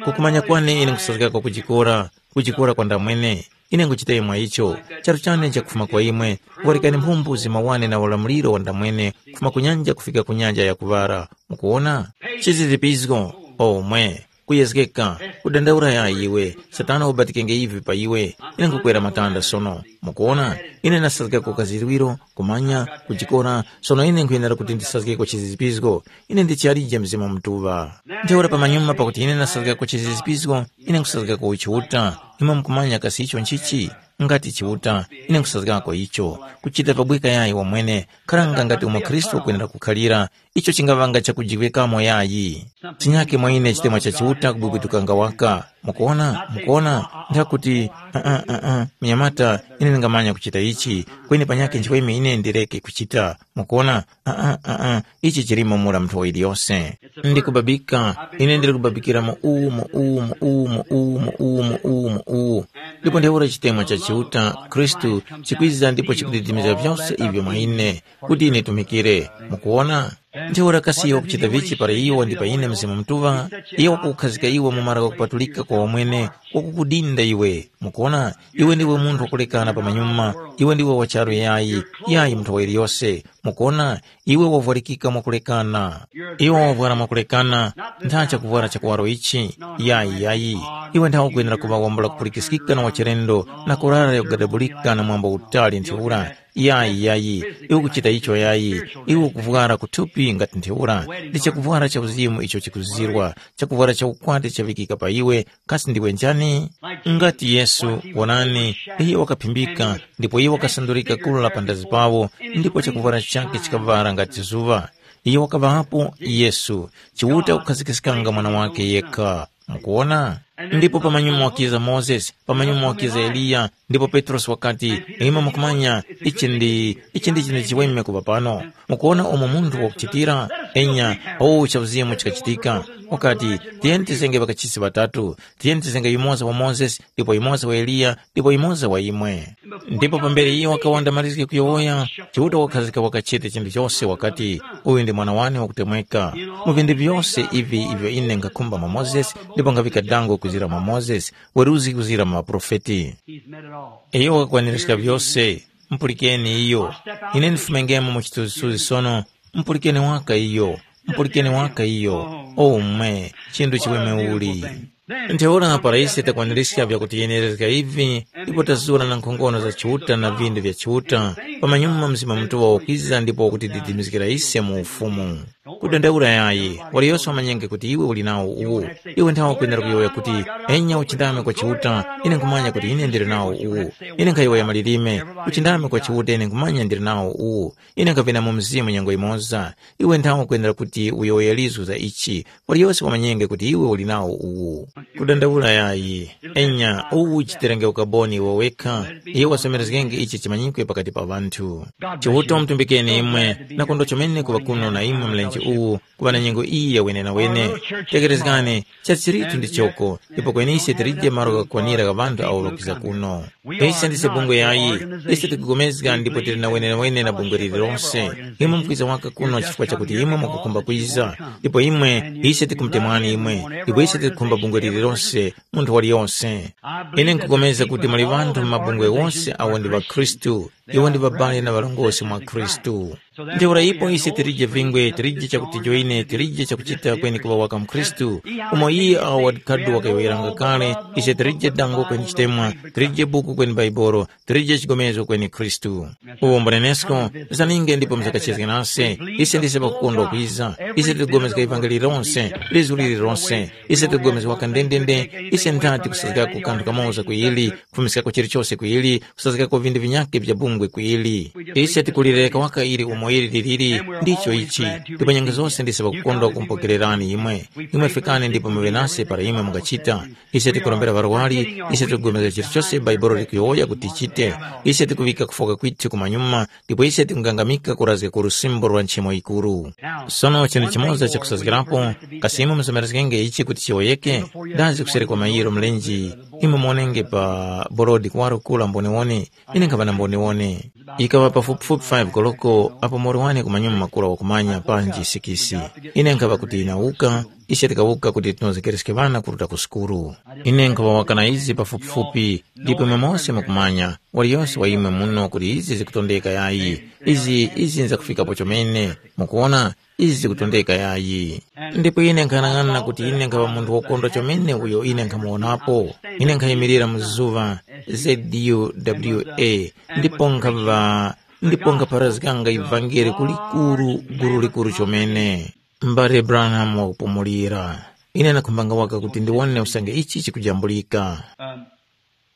Kukumanya kwane ine nkhusazgako kujikora, kujikora kwa ndamwene. Ine nguchitaye mwa icho, charu chane chakufuma kwa imwe, kuŵalikani mphumbu zimawane na ulamuliro wa ndamwene, kufuma ku nyanja kufika ku nyanja ya kuŵala. Mukuwona? Chizizipizgo, omwe, kuyezgeka, kudandaula ya iwe, Satana ubatikenge ivi pa iwe, ine nkukwera matanda sono. Mukuwona? Ine ndasazgako kazirwiro, kumanya, kujikora, sono ine nkhuyenera kuti ndisazgeko chizizipizgo. Ine ndichalije Mzimu Mutuŵa. Ntheura pamanyuma pakuti ine ndasazgako chizizipizgo, ine nkusazgako Chiuta. Imwe mukumanya kasi icho nchichi? Ngati Chiuta, ine nkusazgako icho. Kuchita pabweka yayi wamwene, kharanga ngati umo Khristu wakwenera kukhalira, icho chingaŵanga chakujiŵikamo yayi. Chinyake mwa ine chitemwa cha Chiuta kubwibwitukanga waka. Mukuona? Mukuona? Nthakuti, uh, uh, uh, uh, munyamata, ine ndingamanya kuchita ichi, kweni panyakhe nchiweme ine ndireke kuchita. Mukuona? Uh, uh, uh, uh, ichi chilimo mura munthu wa iliyose. Ndikubabika, ine ndiri kubabikira mu uwu, mu uwu, mu uwu, mu uwu, mu uwu, mu uwu, mu uwu, mu uwu. Ndipo ntheura chitemwa cha Chiuta, Khristu, chikwiza ndipo chikudidimiza vyose ivyo mwa ine, kuti ine tumikire. Mukuona? Ntheura kasi iwe wakuchita vichi para iwe ndi pa ine Mzimu Mutuŵa? Iye wakukhazika iwe mu mara ghakupatulika kwa wamwene, wakukudinda iwe. Mukuona? Iwe ndiwe munthu wakulekana pamanyuma, iwe ndiwe wa charu yayi, yayi munthu wa iliyose. Mukuona? Iwe wavwarikika mwakulekana. Iwe wavwara mwakulekana, ntha chakuvwara cha kuwaro ichi. Yayi, yayi. Iwe nthawe ukwenera kuŵa wambula kupulikiskika na wachilendo na kurara yakugadabulika na mwambo utali ntheura. Yayi, yayi. Iwe ukuchita icho yayi. Iwe ukuvwara kuthupi ngati ntheura. Ndi chakuvwara cha uzimu icho chikuzirwa, chakuvwara cha ukwati chavikika pa iwe, kasi ndiwe njani? Ngati Yesu, wonani, iyo wakaphimbika, ndipo iyo wakasandurika kula la pandazi pawo, ndipo chakuvwara chakhe chikavwara ngati zuŵa. Iyo wakaŵapo Yesu, Chiuta kukhazikiskanga mwana wake yekha. Mukuona? Ndipo pamanyuma wakiza Mozesi, pamanyuma wakiza Eliya, ndipo Petrosi wakati, imwe mukumanya, ichi ndi, ichi ndi chinthu chiweme kuŵa pano. Mukuona umo munthu wakuchitira? Enya, o cha uzimu chikachitika. Wakati, tiyeni tizenge ŵakachisi ŵatatu, tiyeni tizenge yumoza wa Mozesi, ndipo yumoza wa Eliya, ndipo yumoza wa imwe. Ndipo pambere iye wakawanda malizge kuyowoya, Chiuta wakhazika wakachete chinthu chose wakati, uyu ndi mwana wane wakutemweka. Mu vinthu vyose ivi ivyo ine nkhakhumba mwa Mozesi, ndipo ngavika dango kuzira mwa Mozesi, weruzi kuzira mwa maprofeti. Iyo wakakwanirizga vyose, mpulikeni iyo. Ine ndifumengemo mu chithunzithunzi sono, mpulikeni waka iyo, mpulikeni waka iyo. O mwe, chinthu chiweme uli. Ntheura para ise takwanirizga vyakutiyenerezga ivi, ndipo tazura na nkhongono za Chiuta na vindu vya Chiuta, pamanyuma Mzimu Mutuŵa wakwiza ndipo wakutididimizgira ise mu Ufumu. Kudandaula yayi, waliyose wamanyenge kuti iwe uli nawo uwu. Iwe nthawe ukwenera kuyowoya kuti, enya uchindame kwa Chiuta, ine nkhumanya kuti ine ndili nawo uwu. Ine nkhayowoya malilime, uchindame kwa Chiuta ine nkhumanya ndili nawo uwu. Ine nkhavina mu Mzimu nyengo yimoza. Iwe nthawe ukwenera kuti uyowoye lizgu za ichi, waliyose wamanyenge kuti iwe uli nawo uwu. Kudandaula yayi. Enya, uwu uchiterenge ukaboni iwe wekha, iye wasomerezgenge ichi chimanyikwe pakati pa ŵanthu. Chiuta umutumbikeni imwe, na kondwa chomene kuŵa kuno na imwe mlenje uwu, kuŵa na nyengo iyi ya wenenawene. Tekerezgani, chachichiritu ndi choko, ndipo kwenise tilije malo ghakukwanira gha ŵanthu awo ŵakwiza kuno. Ise ndise bungwe yayi, ise tikugomezga ndipo tili na wenenawene na bungwe lililonse. Imwe mukwiza waka kuno chifukwa chakuti imwe mukukhumba kwiza, ndipo imwe, ise tikumutemwani imwe, ndipo ise tikukhumba bungwe lililonse, munthu waliyonse. Ine nkugomeza kuti muli ŵanthu mu mabungwe wonse awo ndi ŵakhristu, Iwo ndi ŵabale na ŵarongozgi mwa Khristu. Ntheura ipo ise tilije vingwe, tilije chakuti joine, tilije chakuchita kweni kuŵa waka mkhristu, umo iye awo wadikadu wakayowoyeranga kale, ise tilije dango kweni chitemwa, tilije buku kweni Baibolo, tilije chigomezgo kweni Khristu. Uwo mbunenesko, zaninge ndipo mzakachezge nase, ise ndise pakukondwa kwiza, ise tiligomezga ivangeli lonse, lizu lili lonse, ise tiligomezga waka ndendende, ise nthati kusazgako kanthu kamoza ku ili, kufumiskako chilichose ku ili, kusazgako vindu vinyakhe vya bungwe ku ili. Ise tikulireka waka ili umo ili liliri, ndicho ichi, ndipo nyengo zose ndise pakukondwa kumpokererani imwe. Imwe fikani ndipo muŵe nase para imwe mungachita. Ise tikurombera ŵarwari, ise tikupulikana chilichose Bhaibuli likuyowoya kuti tichite. Ise tikuŵika kufoka kwithu kumanyuma, ndipo ise tikungangamika kurazga ku lusimbo lwa nchemo yikuru. Sono chinthu chimoza chakusazgirapo, kasi imwe musamerezgenge ichi kuti chiwoyeke? Dazi kuseri kwa mayiro mlenje, imwe muonenge pa borodi kuwaro kura mboniwone, ine nkhaŵa na mboniwone. Ikaŵa pafupifupi five koloko apo mori wane kumanyuma makula wakumanya panji sikisi. Ine nkhaŵa kuti inawuka, ise tikawuka kuti tinozgereske ŵana kuruta ku sukulu. Ine nkhaŵa waka na izi pafupifupi, ndipo imwe mose mukumanya, waliyose wa imwe muno kuti izi zikutondeka yayi. Izi, izi nzakufikapo chomene. Mukuwona, izi zikutondeka yayi. Ndipo ine nkhanang'ana kuti ine nkhaŵa munthu wokondwa chomene uyo ine nkhamuwonapo. Ine nkhayimirira mu zuŵa, Z U W A, ndipo nkhaŵa, ndipo nkhaparazganga ivangeli kulikuru, gulu likuru chomene. Mbale Branham wakupumulira. Ine nakhumbanga waka kuti ndiwone usange ichi chikujambulika.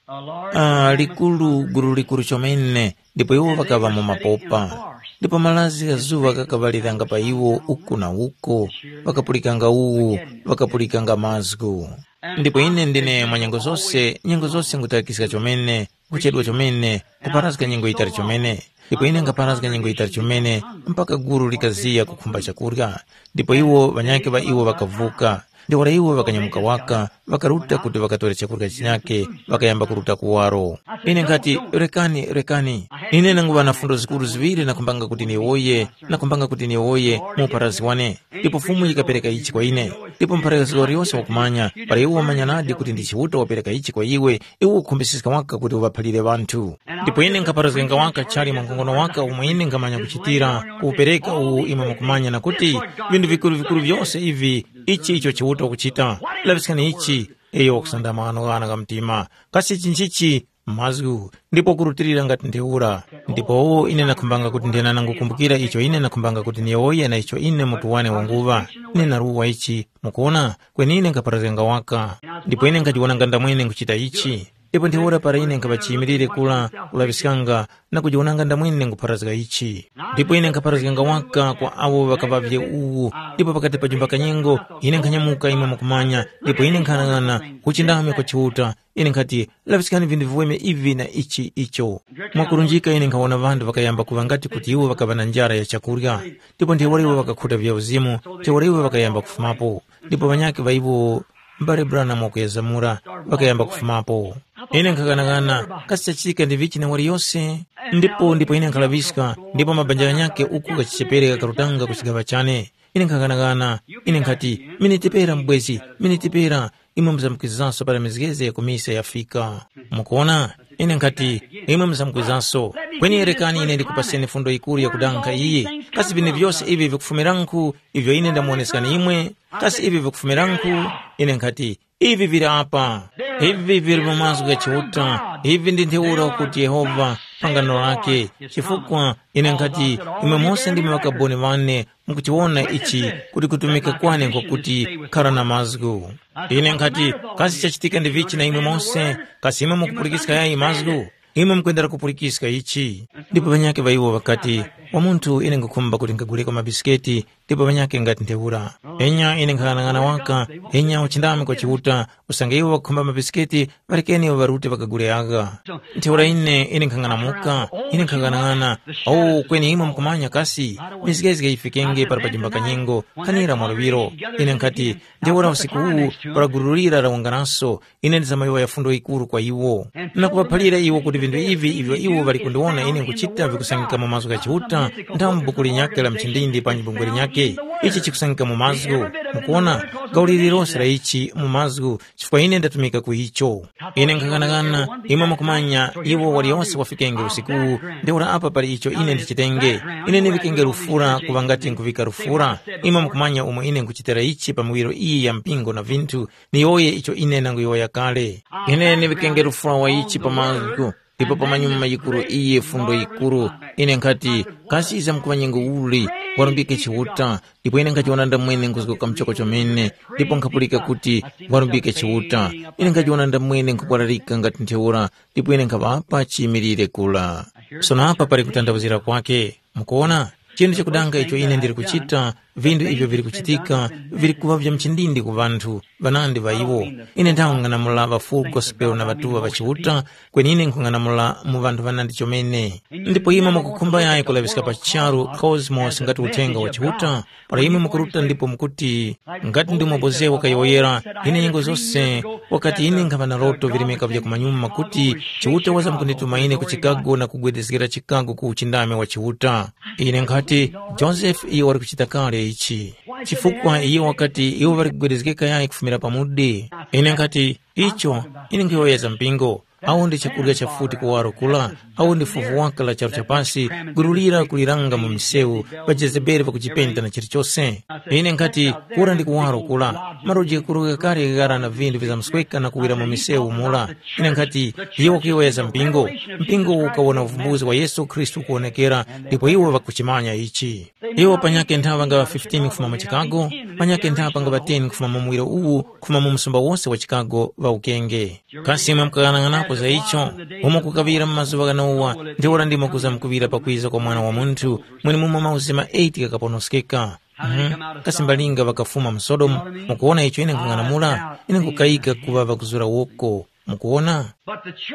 Ah, likuru, gulu likuru chomene, ndipo iwo ŵakaŵa mu mapopa. Ndipo malazi gha zuŵa ghakaŵaliranga pa iwo uku na uko, ŵakapulikanga uwu, ŵakapulikanga mazgu. Ndipo ine ndine mwa nyengo zose, nyengo zose nkutakiska chomene, kuchedwa chomene, kuparazga nyengo yitali chomene. Ndipo ine nkhaparazga nyengo yitali chomene, mpaka gulu likaziya kukhumba chakurya. Ndipo iwo ŵanyakhe ŵa iwo ŵakavuka. Ntheura iwo ŵakanyamuka waka, ŵakaruta kuti ŵakatore chakurya chinyakhe, ŵakayamba kuruta kuwaro. Ine nkhati, rekani, rekani. Ine nanguŵa na fundo zikuru ziŵiri nakhumbanga kuti niwoye, nakhumbanga kuti niwoye mu upharazi wane. Ndipo Fumu yikapereka ichi kwa ine. Ndipo mpharazgi waliyose wakumanya, para iwo wamanya nadi kuti ndi Chiuta wapereka ichi kwa iwe, iwe ukukhumbisiska waka kuti uŵaphalire ŵanthu. Ndipo ine nkhaparazganga waka chali mwa nkhongono waka umo ine nkhamanya kuchitira, kuwupereka uwu imwe mukumanya na kuti vinthu vikuru-vikuru vyose ivi, ichi icho Chiuta wakuchita. Laŵiskani ichi, iyo wakusandama ghano ghana gha mtima. Kasi ichi nchichi? Mazgu, ndipo kurutilira ngati ntheura. Ndipo ine nakhumbanga kuti ndinanangukumbukira icho ine nakhumbanga kuti niyowoye na icho ine mutu wane wanguŵa. Ine naruwa ichi, mukuwona, kweni ine nkhaparazganga waka. Ndipo ine nkhajiwonanga ndamwene nkuchita ichi. Ndipo ntheura para ine nkhaŵa chiyimilire kula kulaŵiskanga na kujiwonanga ndamwene nkupharazga ichi. Ndipo ine nkhaparazganga waka kwa awo ŵakaŵavye uwu, ndipo pakati pa jumba kanyengo, ine nkhanyamuka imwe mukumanya, ndipo ine nkhanang'ana uchindami kwa Chiuta, ine nkhati, laŵiskani vinthu viweme ivi na ichi icho. Mwakurunjika ine nkhawona ŵanthu ŵakayamba kuŵa ngati kuti iwo ŵakaŵa na njara ya chakurya, ndipo ntheura iwo ŵakakhuta vyauzimu, ntheura iwo ŵakayamba kufumapo. Ndipo ŵanyakhe ŵa iwo, m'bale Branham wakuyezamura, ŵakayamba kufumapo. Ine nkhaghanaghana, kasi chachitika ndi vichi na waliyose? Ndipo ndipo ine nkhalaŵiska, ndipo mabanja ghanyakhe uku ghachichepere ghakarutanga ku chigaŵa chane. Ine nkhaghanaghana, ine nkhati, miniti pera mubwezi, miniti pera, imwe muzamkwizanso para mizgezi ya ku misa yafika. Mukuona? Ine nkhati, imwe muzamkwizanso. Kweni rekani ine ndikupaseni fundo yikuru yakudankha iyi. Kasi vine vyose ivi vikufumiranku ivyo ine ndamuwoneskani imwe? Kasi ivi vikufumiranku? Ine nkhati, ivi vili apa. Ivi vili mu mazgu gha Chiuta. Ivi ndi ntheura ukuti Yehova, pangano lake. Chifukwa ine nkhati, imwe mose ndimwe ŵakaboni ŵane, mukuchiwona ichi kuti kutumika kwane nkwakuti khara na mazgu. Ine nkhati, kasi chachitika ndi vichi na imwe mose? Kasi imwe mukupulikiska yayi mazgu? Imwe mukwendera kupulikiska ichi. Ndipo ŵanyakhe ŵa iwo ŵakati, wa munthu ine nkhukhumba kuti nkaguleko mabisiketi, ndipo ŵanyakhe ngati ntheura. Enya ine nkhang'anang'ana waka, enya uchindami kwa Chiuta, usange iwo ŵakukhumba mabisiketi, ŵarekeni iwo ŵarute ŵakagule agha. Ntheura ine, ine nkhang'anamuka, ine nkhang'anang'ana, o, kweni imwe mukumanya kasi, mizgezge yifikenge para pajimba kanyengo, khanira mwa luŵiro. Ine nkhati, ntheura usiku uwu, para gulu lira lawunganaso, ine ndizamayowoya fundo yikuru kwa iwo. Na kuŵaphalira iwo kuti vinthu ivi ivyo iwo ŵali kundiwona ine nkuchita vikusangika mu mazgu gha Chiuta, nthamu buku linyakhe la mchindindi panji bungwe linyakhe. Ichi chikusangika mu mazgu. Mukuona, gauli lililonse la ichi mu mazgu, chifukwa ine ndatumika ku icho. Ine nkhaghanaghana, imwe mukumanya, iwo waliyonse wafikenge usikuwu, ntheura apa pali icho ine ndichitenge. Ine ndiŵikenge lufura kuŵa ngati nkuvika lufura. Imwe mukumanya umo ine nkuchitira ichi pa miwiro iyi ya mpingo na vinthu, niyowoye icho ine nanguyowoya kale. Ine ndiŵikenge lufura wa ichi pa mazgu, ndipo pamanyuma yikuru iyi fundo yikuru, ine nkhati, kasi iza mkuŵa nyengo uli, warumbike Chiuta, ndipo ine nkhachiwona ndamwene nkuzgoka mchoko chomene, ndipo nkhapulika kuti, warumbike Chiuta. Ine nkhachiwona ndamwene nkhukwararika ngati ntheura, ndipo ine nkhaŵapa chiyimilire kula. Sono apa pali kutanthauzira kwake. Mukuona, chinthu chakudanga icho ine ndili kuchita, vinthu ivyo vili kuchitika, vili kuŵa vya mchindindi ku ŵanthu, ŵanandi ŵa iwo. Ine nthang'anamula ŵa Full Gospel na ŵatuŵa ŵa Chiuta, kweni ine nkhung'anamula mu ŵanthu ŵanandi chomene. Ndipo imwe mukukhumba yayi kulaŵiska pa charu cosmos ngati uthenga wa Chiuta, para imwe mukuruta ndipo mukuti, ngati ndi umo Boze wakayowoyera, ine nyengo zose, wakati ine nkhaŵa na loto virimika vya kumanyuma kuti Chiuta wazamkundituma ine ku Chicago na kugwedezgera Chicago ku uchindami wa Chiuta. Ine nkhati, Joseph iyo wali kuchita kale ichi. Chifukwa iye wakati iwo ŵali kugwedezgeka yayi kufumira pamudi. Ine nkhati, icho, ine nkhuyowoya za mpingo. Awo ndi chakurya cha futi kuwaro kula, awo ndi fuvu waka la charu cha pasi, gulu lira kuliranga mu misewu, ŵa Jezebeli ŵakujipenda na chilichose. Ine nkhati, kura ndi kuwaro kula, maroji ghakuru ghakale ghara na vinthu vizamsweka na kuwira mu misewu mura. Ine nkhati, iye wakuyowoya za mpingo, mpingo ukawona uvumbuzi wa Yesu Khristu kuwonekera, ndipo iwo ŵakuchimanya ichi. Iwo panyakhe nthaŵa ngaŵa fifteen kufuma mu Chicago, panyakhe nthaŵa ngaŵa ten kufuma mu muwiro uwu, kufuma mu msumba wose wa Chicago ŵa ukenge. Kasi imwe mukaghanaghanako za icho? Umo kukaŵira mu mazuŵa gha Nowa, ntheura ndimo kuzamkuŵira pakwiza kwa Mwana wa Munthu, mwenemumo mauzima eight ghakaponoskeka. Mhm. Kasi mbalinga ŵakafuma mu Sodomu? Mukuwona icho ine nkhung'anamula? Ine nkukayika kuŵa ŵakuzura woko. Mukuwona?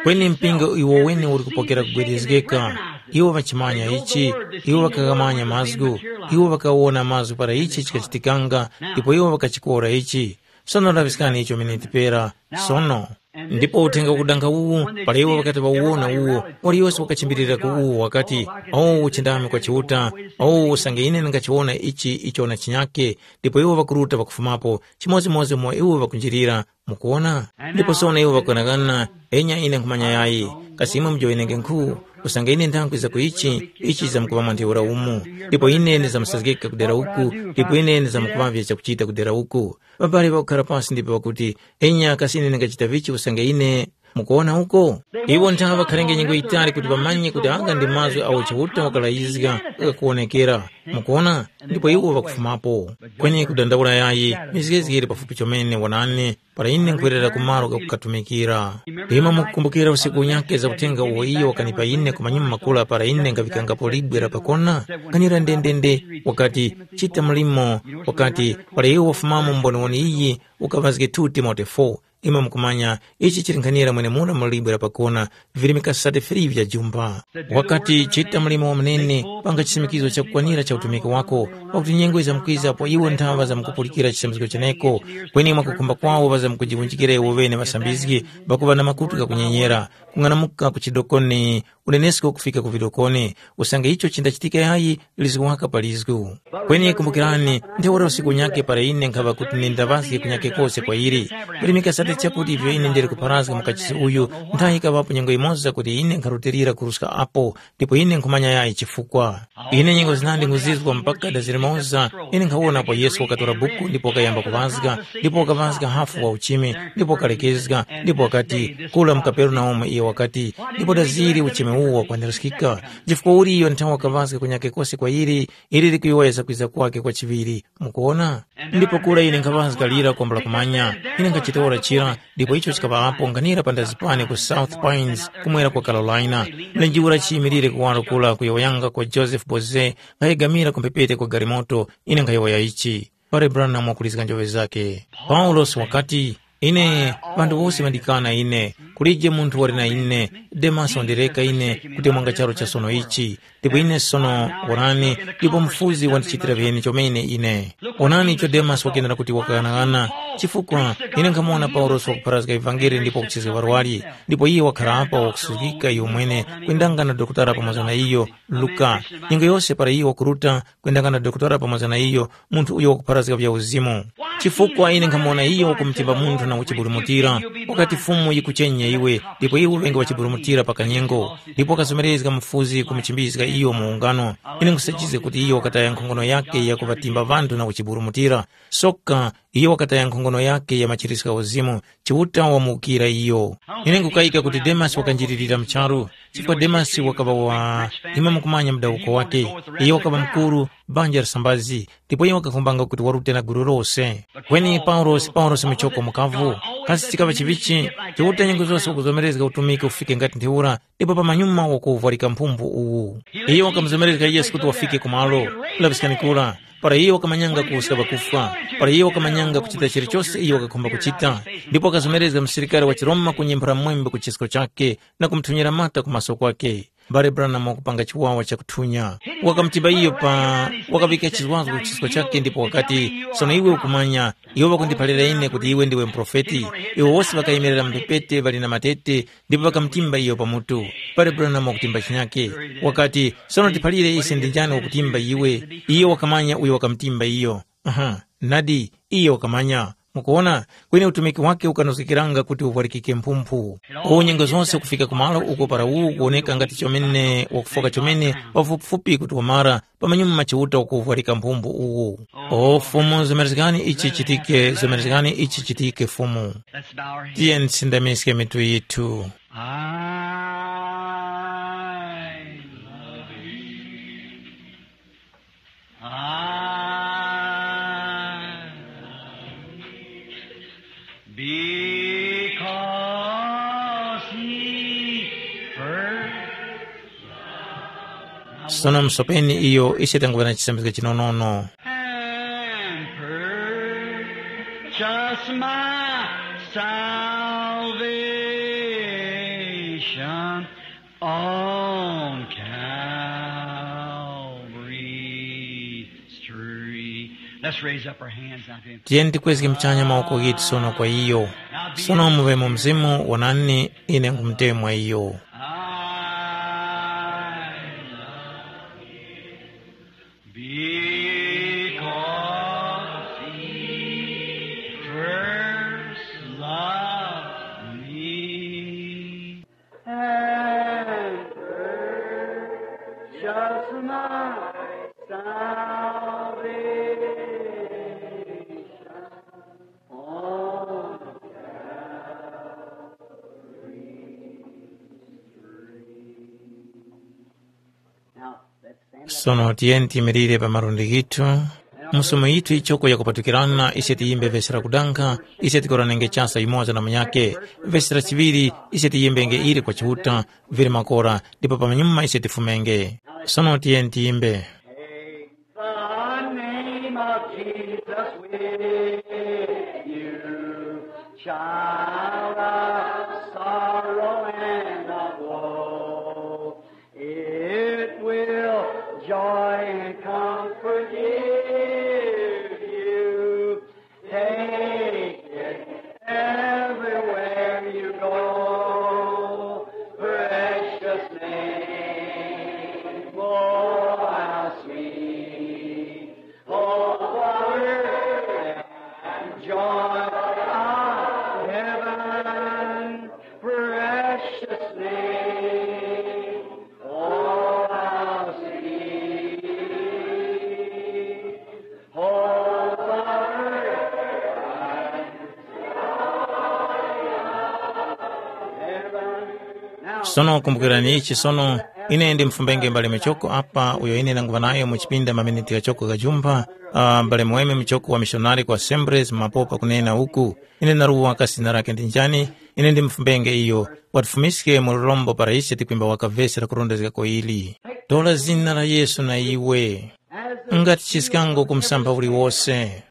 Kweni mpingo iwo wene uli kupokera kugwedezgeka. Iwo ŵachimanya ichi, iwo ŵakaghamanya mazgu, iwo ŵakawona mazgu para ichi chikachitikanga, ndipo iwo ŵakachikora ichi. Sono laŵiskani icho miniti pera. Sono. Ndipo uthenga ukudanga uwu, para iwo ŵakati ŵawuwona uwo, waliyose wakachimbirira ku uwo wakati, “Owu uchindami kwa Chiuta, owu usange ine ndingachiwona ichi icho na chinyake,” ndipo iwo ŵakuruta ŵakufumapo, chimodzimodzi umo iwo ŵakunjirira. Mukuwona? Ndipo sono iwo ŵakughanagana, enya ine nkhumanya yayi, kasi imwe mujowenenge nkhu, usange ine nthangwiza ku ichi, ichi chizamkuŵa mwa ntheura umu, ndipo ine ndizamsazgika ku dera uku, ndipo ine ndizamkuŵavye chakuchita ku dera uku. Ŵabali ŵakukhara pasi ndipo ŵakuti, enya kasi ine ndingachita vichi usange ine, mukuwona uko? Iwo nthawe ŵakhalenge nyengo yitali kuti ŵamanye kuti agha ndi mazgu agho Chiuta wakalayizga ghakuwonekera. Mukuwona? Ndipo iwo ŵakufumapo. Kweni kudandaula yayi, mizgezge yili pafupi chomene wanani, para ine nkhwerera ku malo ghakukatumikira. Imwe mukukumbukira usiku unyakhe za uthenga uwo iyo wakanipa ine ku manyuma makula para ine nkhaŵikangapo libwe la pakona? Kanira ndendende, wakati, chita mlimo, wakati, para iwe wafumamo mboniwoni iyi, ukaŵazge two Timote four. Imwe mukumanya, ichi chili nkhanira mwenemura mu libwe la pakona, virimika sate three vya jumba. Wakati, chita mlimo wa munene, panga chisimikizo chakukwanira cha utumiki wako, pakuti nyengo izamkwiza apo iwo nthaŵa zamkupulikira chisambizgo cheneko, kweni mwakukhumba kwawo ŵazamkujiwunjikira iwo ŵene ŵasambizgi, pakuŵa na makutu ghakunyenyera, kung'anamuka ku chidokoni, unenesko kufika ku vidokoni, usange icho chindachitika yayi, lizgu waka pa lizgu. Kweni kumbukirani, ntheura usiku unyakhe para ine nkhaŵa kuti nindaŵazge kunyakhe kose kwa ili. Virimika sate chakuti ivyo ine ndili kupharazga mu kachisi uyu, nthayi yikaŵapo nyengo yimoza kuti ine nkharutilira kuruska apo, ndipo ine nkhumanya yayi chifukwa. Ine nyengo zinandi nguzizwa mpaka da zilimoza, ine nkhawona apo Yesu wakatora buku ndipo wakayamba kuŵazga, ndipo wakaŵazga hafu wa uchime, ndipo wakalekezga, ndipo wakati, kula mu Kaperenaumu iyo wakati, ndipo da zili uchime uwo wakwaniraskika. Chifukwa uli iyo nthawi wakaŵazga kunyakhe kose kwa ili, ili likuyowoya za kwiza kwake kwa chiŵiri. Mukuwona? Ndipo kura ine nkhaŵazga lira kwambula kumanya, ine nkhachitora chira, ndipo icho chikaŵa apo nganira pandazi pane ku South Pines, kumwera kwa Carolina. Mlenje ura chiyimilire kuwaro kura kuyowoyanga kwa Joseph Boze, nkhayegamira ku mphepete kwa galimoto, ine nkhayowoya ichi. Pare Branham wakulizga njoŵe zakhe. Paulosi wakati, ine, ŵanthu wose ŵandikana ine, Kulije munthu wali na ine, Demasi wandireka ine kutemwanga charu cha sono ichi, ndipo ine sono, wonani, ndipo Mufuzi wandichitira viheni chomene ine. Wonani icho Demasi wakenera kuti wakaghanagana, chifukwa ine nkhamuwona Paulosi wakupharazga ivangeli ndipo wakuchizga ŵarwari, ndipo iye wakhara apa wakusuzgika iyo mwene, kwendanga na dokotala pamoza na iyo, Luka. Nyengo yose para iyo wakuruta, kwendanga na dokotala pamoza na iyo, munthu uyo wakupharazga vya uzimu. Chifukwa ine nkhamuwona iyo wakumutimba munthu na kuchiburumutira, wakati Fumu yikuchenya iwe, ndipo iwe ŵenge wachiburumutira pa kanyengo, ndipo wakazomerezga mufuzi kumuchimbizga iyo mu ungano. Ine nkhusachizga kuti iyo wakataya nkhongono yakhe yakuŵatimba ŵanthu na kuchiburumutira. Soka iyo wakataya nkhongono yakhe ya machiriska uzimu, Chiuta wamuwukira iyo. Ine nkukayika kuti Demasi wakanjilirira mu charu, chifukwa Demasi wakaŵa wa, imwe mukumanya mudawuko wake. Iyo wakaŵa mukuru, banja la sambazi, ndipo iyo wakakhumbanga kuti warute na gulu lose. Kweni Paulosi, Paulosi muchoko mukavu, kasi chikaŵa chivichi? Chiuta nyengo zose wakuzomerezga utumiki ufike ngati ntheura, ndipo pamanyuma wakuvwarika mphumphu uwu. Iyo wakamuzomerezga Yesu kuti wafike kumalo, laŵiskani kura, para iyo wakamanyanga kuwuska ŵakufwa, para iyo wakamanyanga kuchita chilichose iyo wakakhumba kuchita, ndipo wakazomerezga msilikari wa chiRoma kunyemphera mwembe ku chisko chakhe na kumuthunyira mata ku maso kwakhe. Mbale Branham wakupanga chiwawa chakuthunya. Wakamutimba iyo pa, wakaŵika chizwazgo ku chisko chakhe ndipo wakati, sono iwe ukumanya, iwo ŵakundiphalira ine kuti iwe ndiwe muprofeti. Iwo wose ŵakayemerera mphepete ŵali na matete, ndipo ŵakamutimba iyo pa mutu. Mbale Branham wakutimba chinyakhe. Wakati, sono tiphalire ise ndi njani wakutimba iwe? Iyo wakamanya uyo wakamutimba iyo. Aha, nadi, iyo wakamanya. Mukuwona, kweni utumiki wake ukanozgekeranga kuti uvwarikike mphumphu. Uwu nyengo zose kufika kumalo uko para uwu kuwoneka ngati chomene wakufoka chomene pafupifupi kuti wamara, pamanyuma Chiuta wakuvwarika mphumphu uwu. O Fumu, zomerezgani ichi chitike, zomerezgani ichi chitike Fumu. Let's bow our heads. Tiye tisindamiske mitu yithu. I love you. I love you. Because he first Sono musopeni iyo ise tanguŵa na chisambizgo chinonono. And purchase my salvation on Calvary's tree. Let's raise up our hands now to him. Tiyeni tikwezge mchanya mawoko ghitu sono kwa iyo. Sono muŵe mu mzimu, wonani, ine nkumutemwa iyo. I love you because he first loved me. And purchase my salvation. Sono tiyeni tiyimirire pa malundi ghithu. Mu somo yithu yichoko yakupatukirana, ise tiyimbe vesi la kudankha, ise tikoranenge chasa yumoza na munyakhe. Vesi la chiŵiri, ise tiyimbenge ili kwa Chiuta, vili makora, ndipo pamanyuma ise tifumenge. Sono tiyeni tiyimbe. The name of Jesus with you, child of sorrow and of woe. It will joy and comfort give you. Take it everywhere you go. Precious name, oh, how sweet. Oh, power and joy of heaven, precious name. Oh, how sweet. Oh, power and joy of heaven. Now, sono kumbukirani ichi sono, ine ndi mfumbenge mbale Michoko apa, uyo ine ndanguŵa nayo mu chipinda maminiti ghachoko ghajumpha, uh, mbale Muweme Michoko wa mishonari ku Assemblies mapopa kunena uku. Ine ndaruwa kasi zina lakhe ndi njani? Ine ndi mfumbenge iyo. Watifumiske mu lurombo para ise tikwimba waka vesi la kurondezgako ili. Tora zina la Yesu na iwe. Ngati chiskango ku msampha uliwose.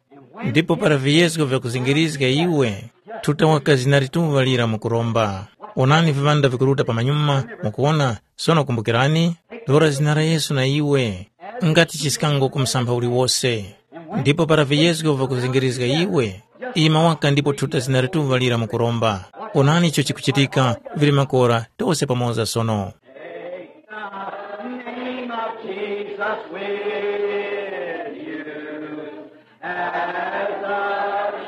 Ndipo para viyezgo vyakuzingirizga iwe, thuta waka zina lituŵa lira mu kuromba. Onani viŵanda vikuruta pamanyuma, mukuwona? Sono kumbukirani, tora zina la Yesu na iwe, ngati chiskango ku msampha uliwose. Ndipo para viyezgo vakuzingirizga iwe, ima waka ndipo thuta zina lituŵa lira mukuromba. Onani icho chikuchitika, vili makora, tose pamoza sono. Name of Jesus with you, as a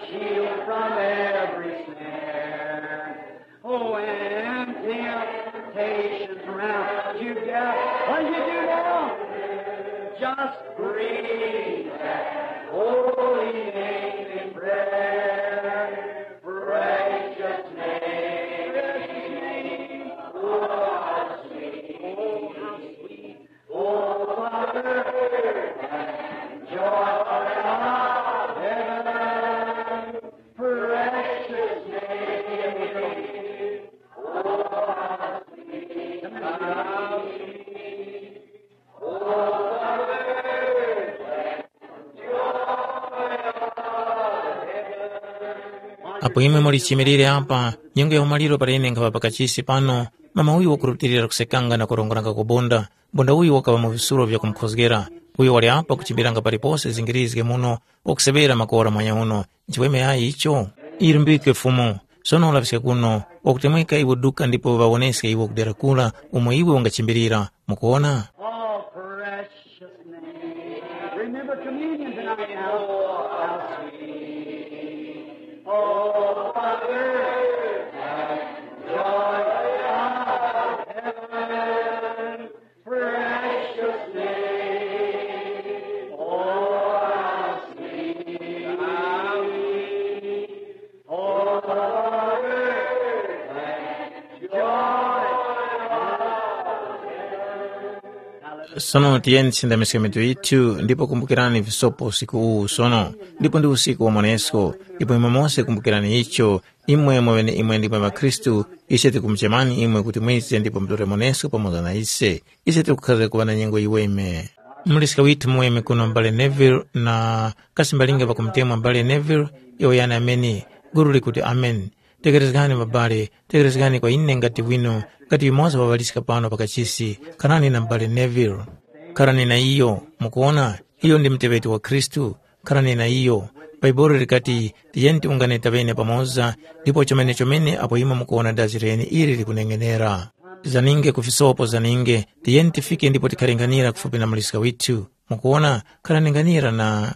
shield from every snare. When temptations round you gather, what do you do now? Just breathe that holy name in prayer. Precious name, oh, how sweet, oh, how sweet. Oh, Father, and joy of heaven, precious name. Oh, how sweet, how sweet. Oh, Father, and joy of heaven. Apo imwe muli chimirire apa, nyengo ya umaliro para ine nkhaŵa pakachisi pano, mama uyu wakurutilira kusekanga na kurongoranga kubunda. Mbunda uyu wakaŵa mu visulo vya kumkhozgera. Uyo wali apa kuchimbiranga palipose zingirizge muno, wakuseŵera makora mwanyauno. Nchiweme yayi icho? Irumbike Fumu. Sono ulaŵiske kuno, wakutemweka iwe duka ndipo ŵawoneske iwe kudera kura umo iwe ungachimbirira. Mukuwona? Oh, precious name. Remember communion tonight now. How sweet. Oh, Father, and joy of heaven. Precious name, oh, how sweet, how sweet, oh, the word and joy of heaven. Sono tiyeni tisindamiske mitu yithu ndipo kumbukirani visopo usiku uwu sono, ndipo ndi usiku wa mwanesko, ndipo imwe mose kumbukirani icho, imwe mwaŵene imwe ndimwe ŵakhristu, ise tikumuchemani imwe kuti mwize ndipo mutore mwanesko pamoza na ise. Ise tikukhazga kuŵa na nyengo yiweme. Muliska withu muweme kuno m'bale Neville na kasi mbalinga pakumutemwa m'bale Neville, yowoyani ameni. Guru likuti amen. Tekerezgani mabale, tekerezgani kwa ine ngati wino, ngati yumoza wa ŵaliska pano pakachisi, kharani na m'bale Neville. Kharani na iyo, mukuwona, iyo ndi muteŵeti wa Khristu. Kharani na iyo. Bhaibuli likati, tiyeni tiwungane taŵene pamoza, ndipo chomene-chomene apo imwe mukuwona dazi leni ili likuneng'enera. Zaninge ku visopo zaninge, tiyeni tifike ndipo tikhalinganira kufupi na muliska withu. Mukuwona, khalaninganyira na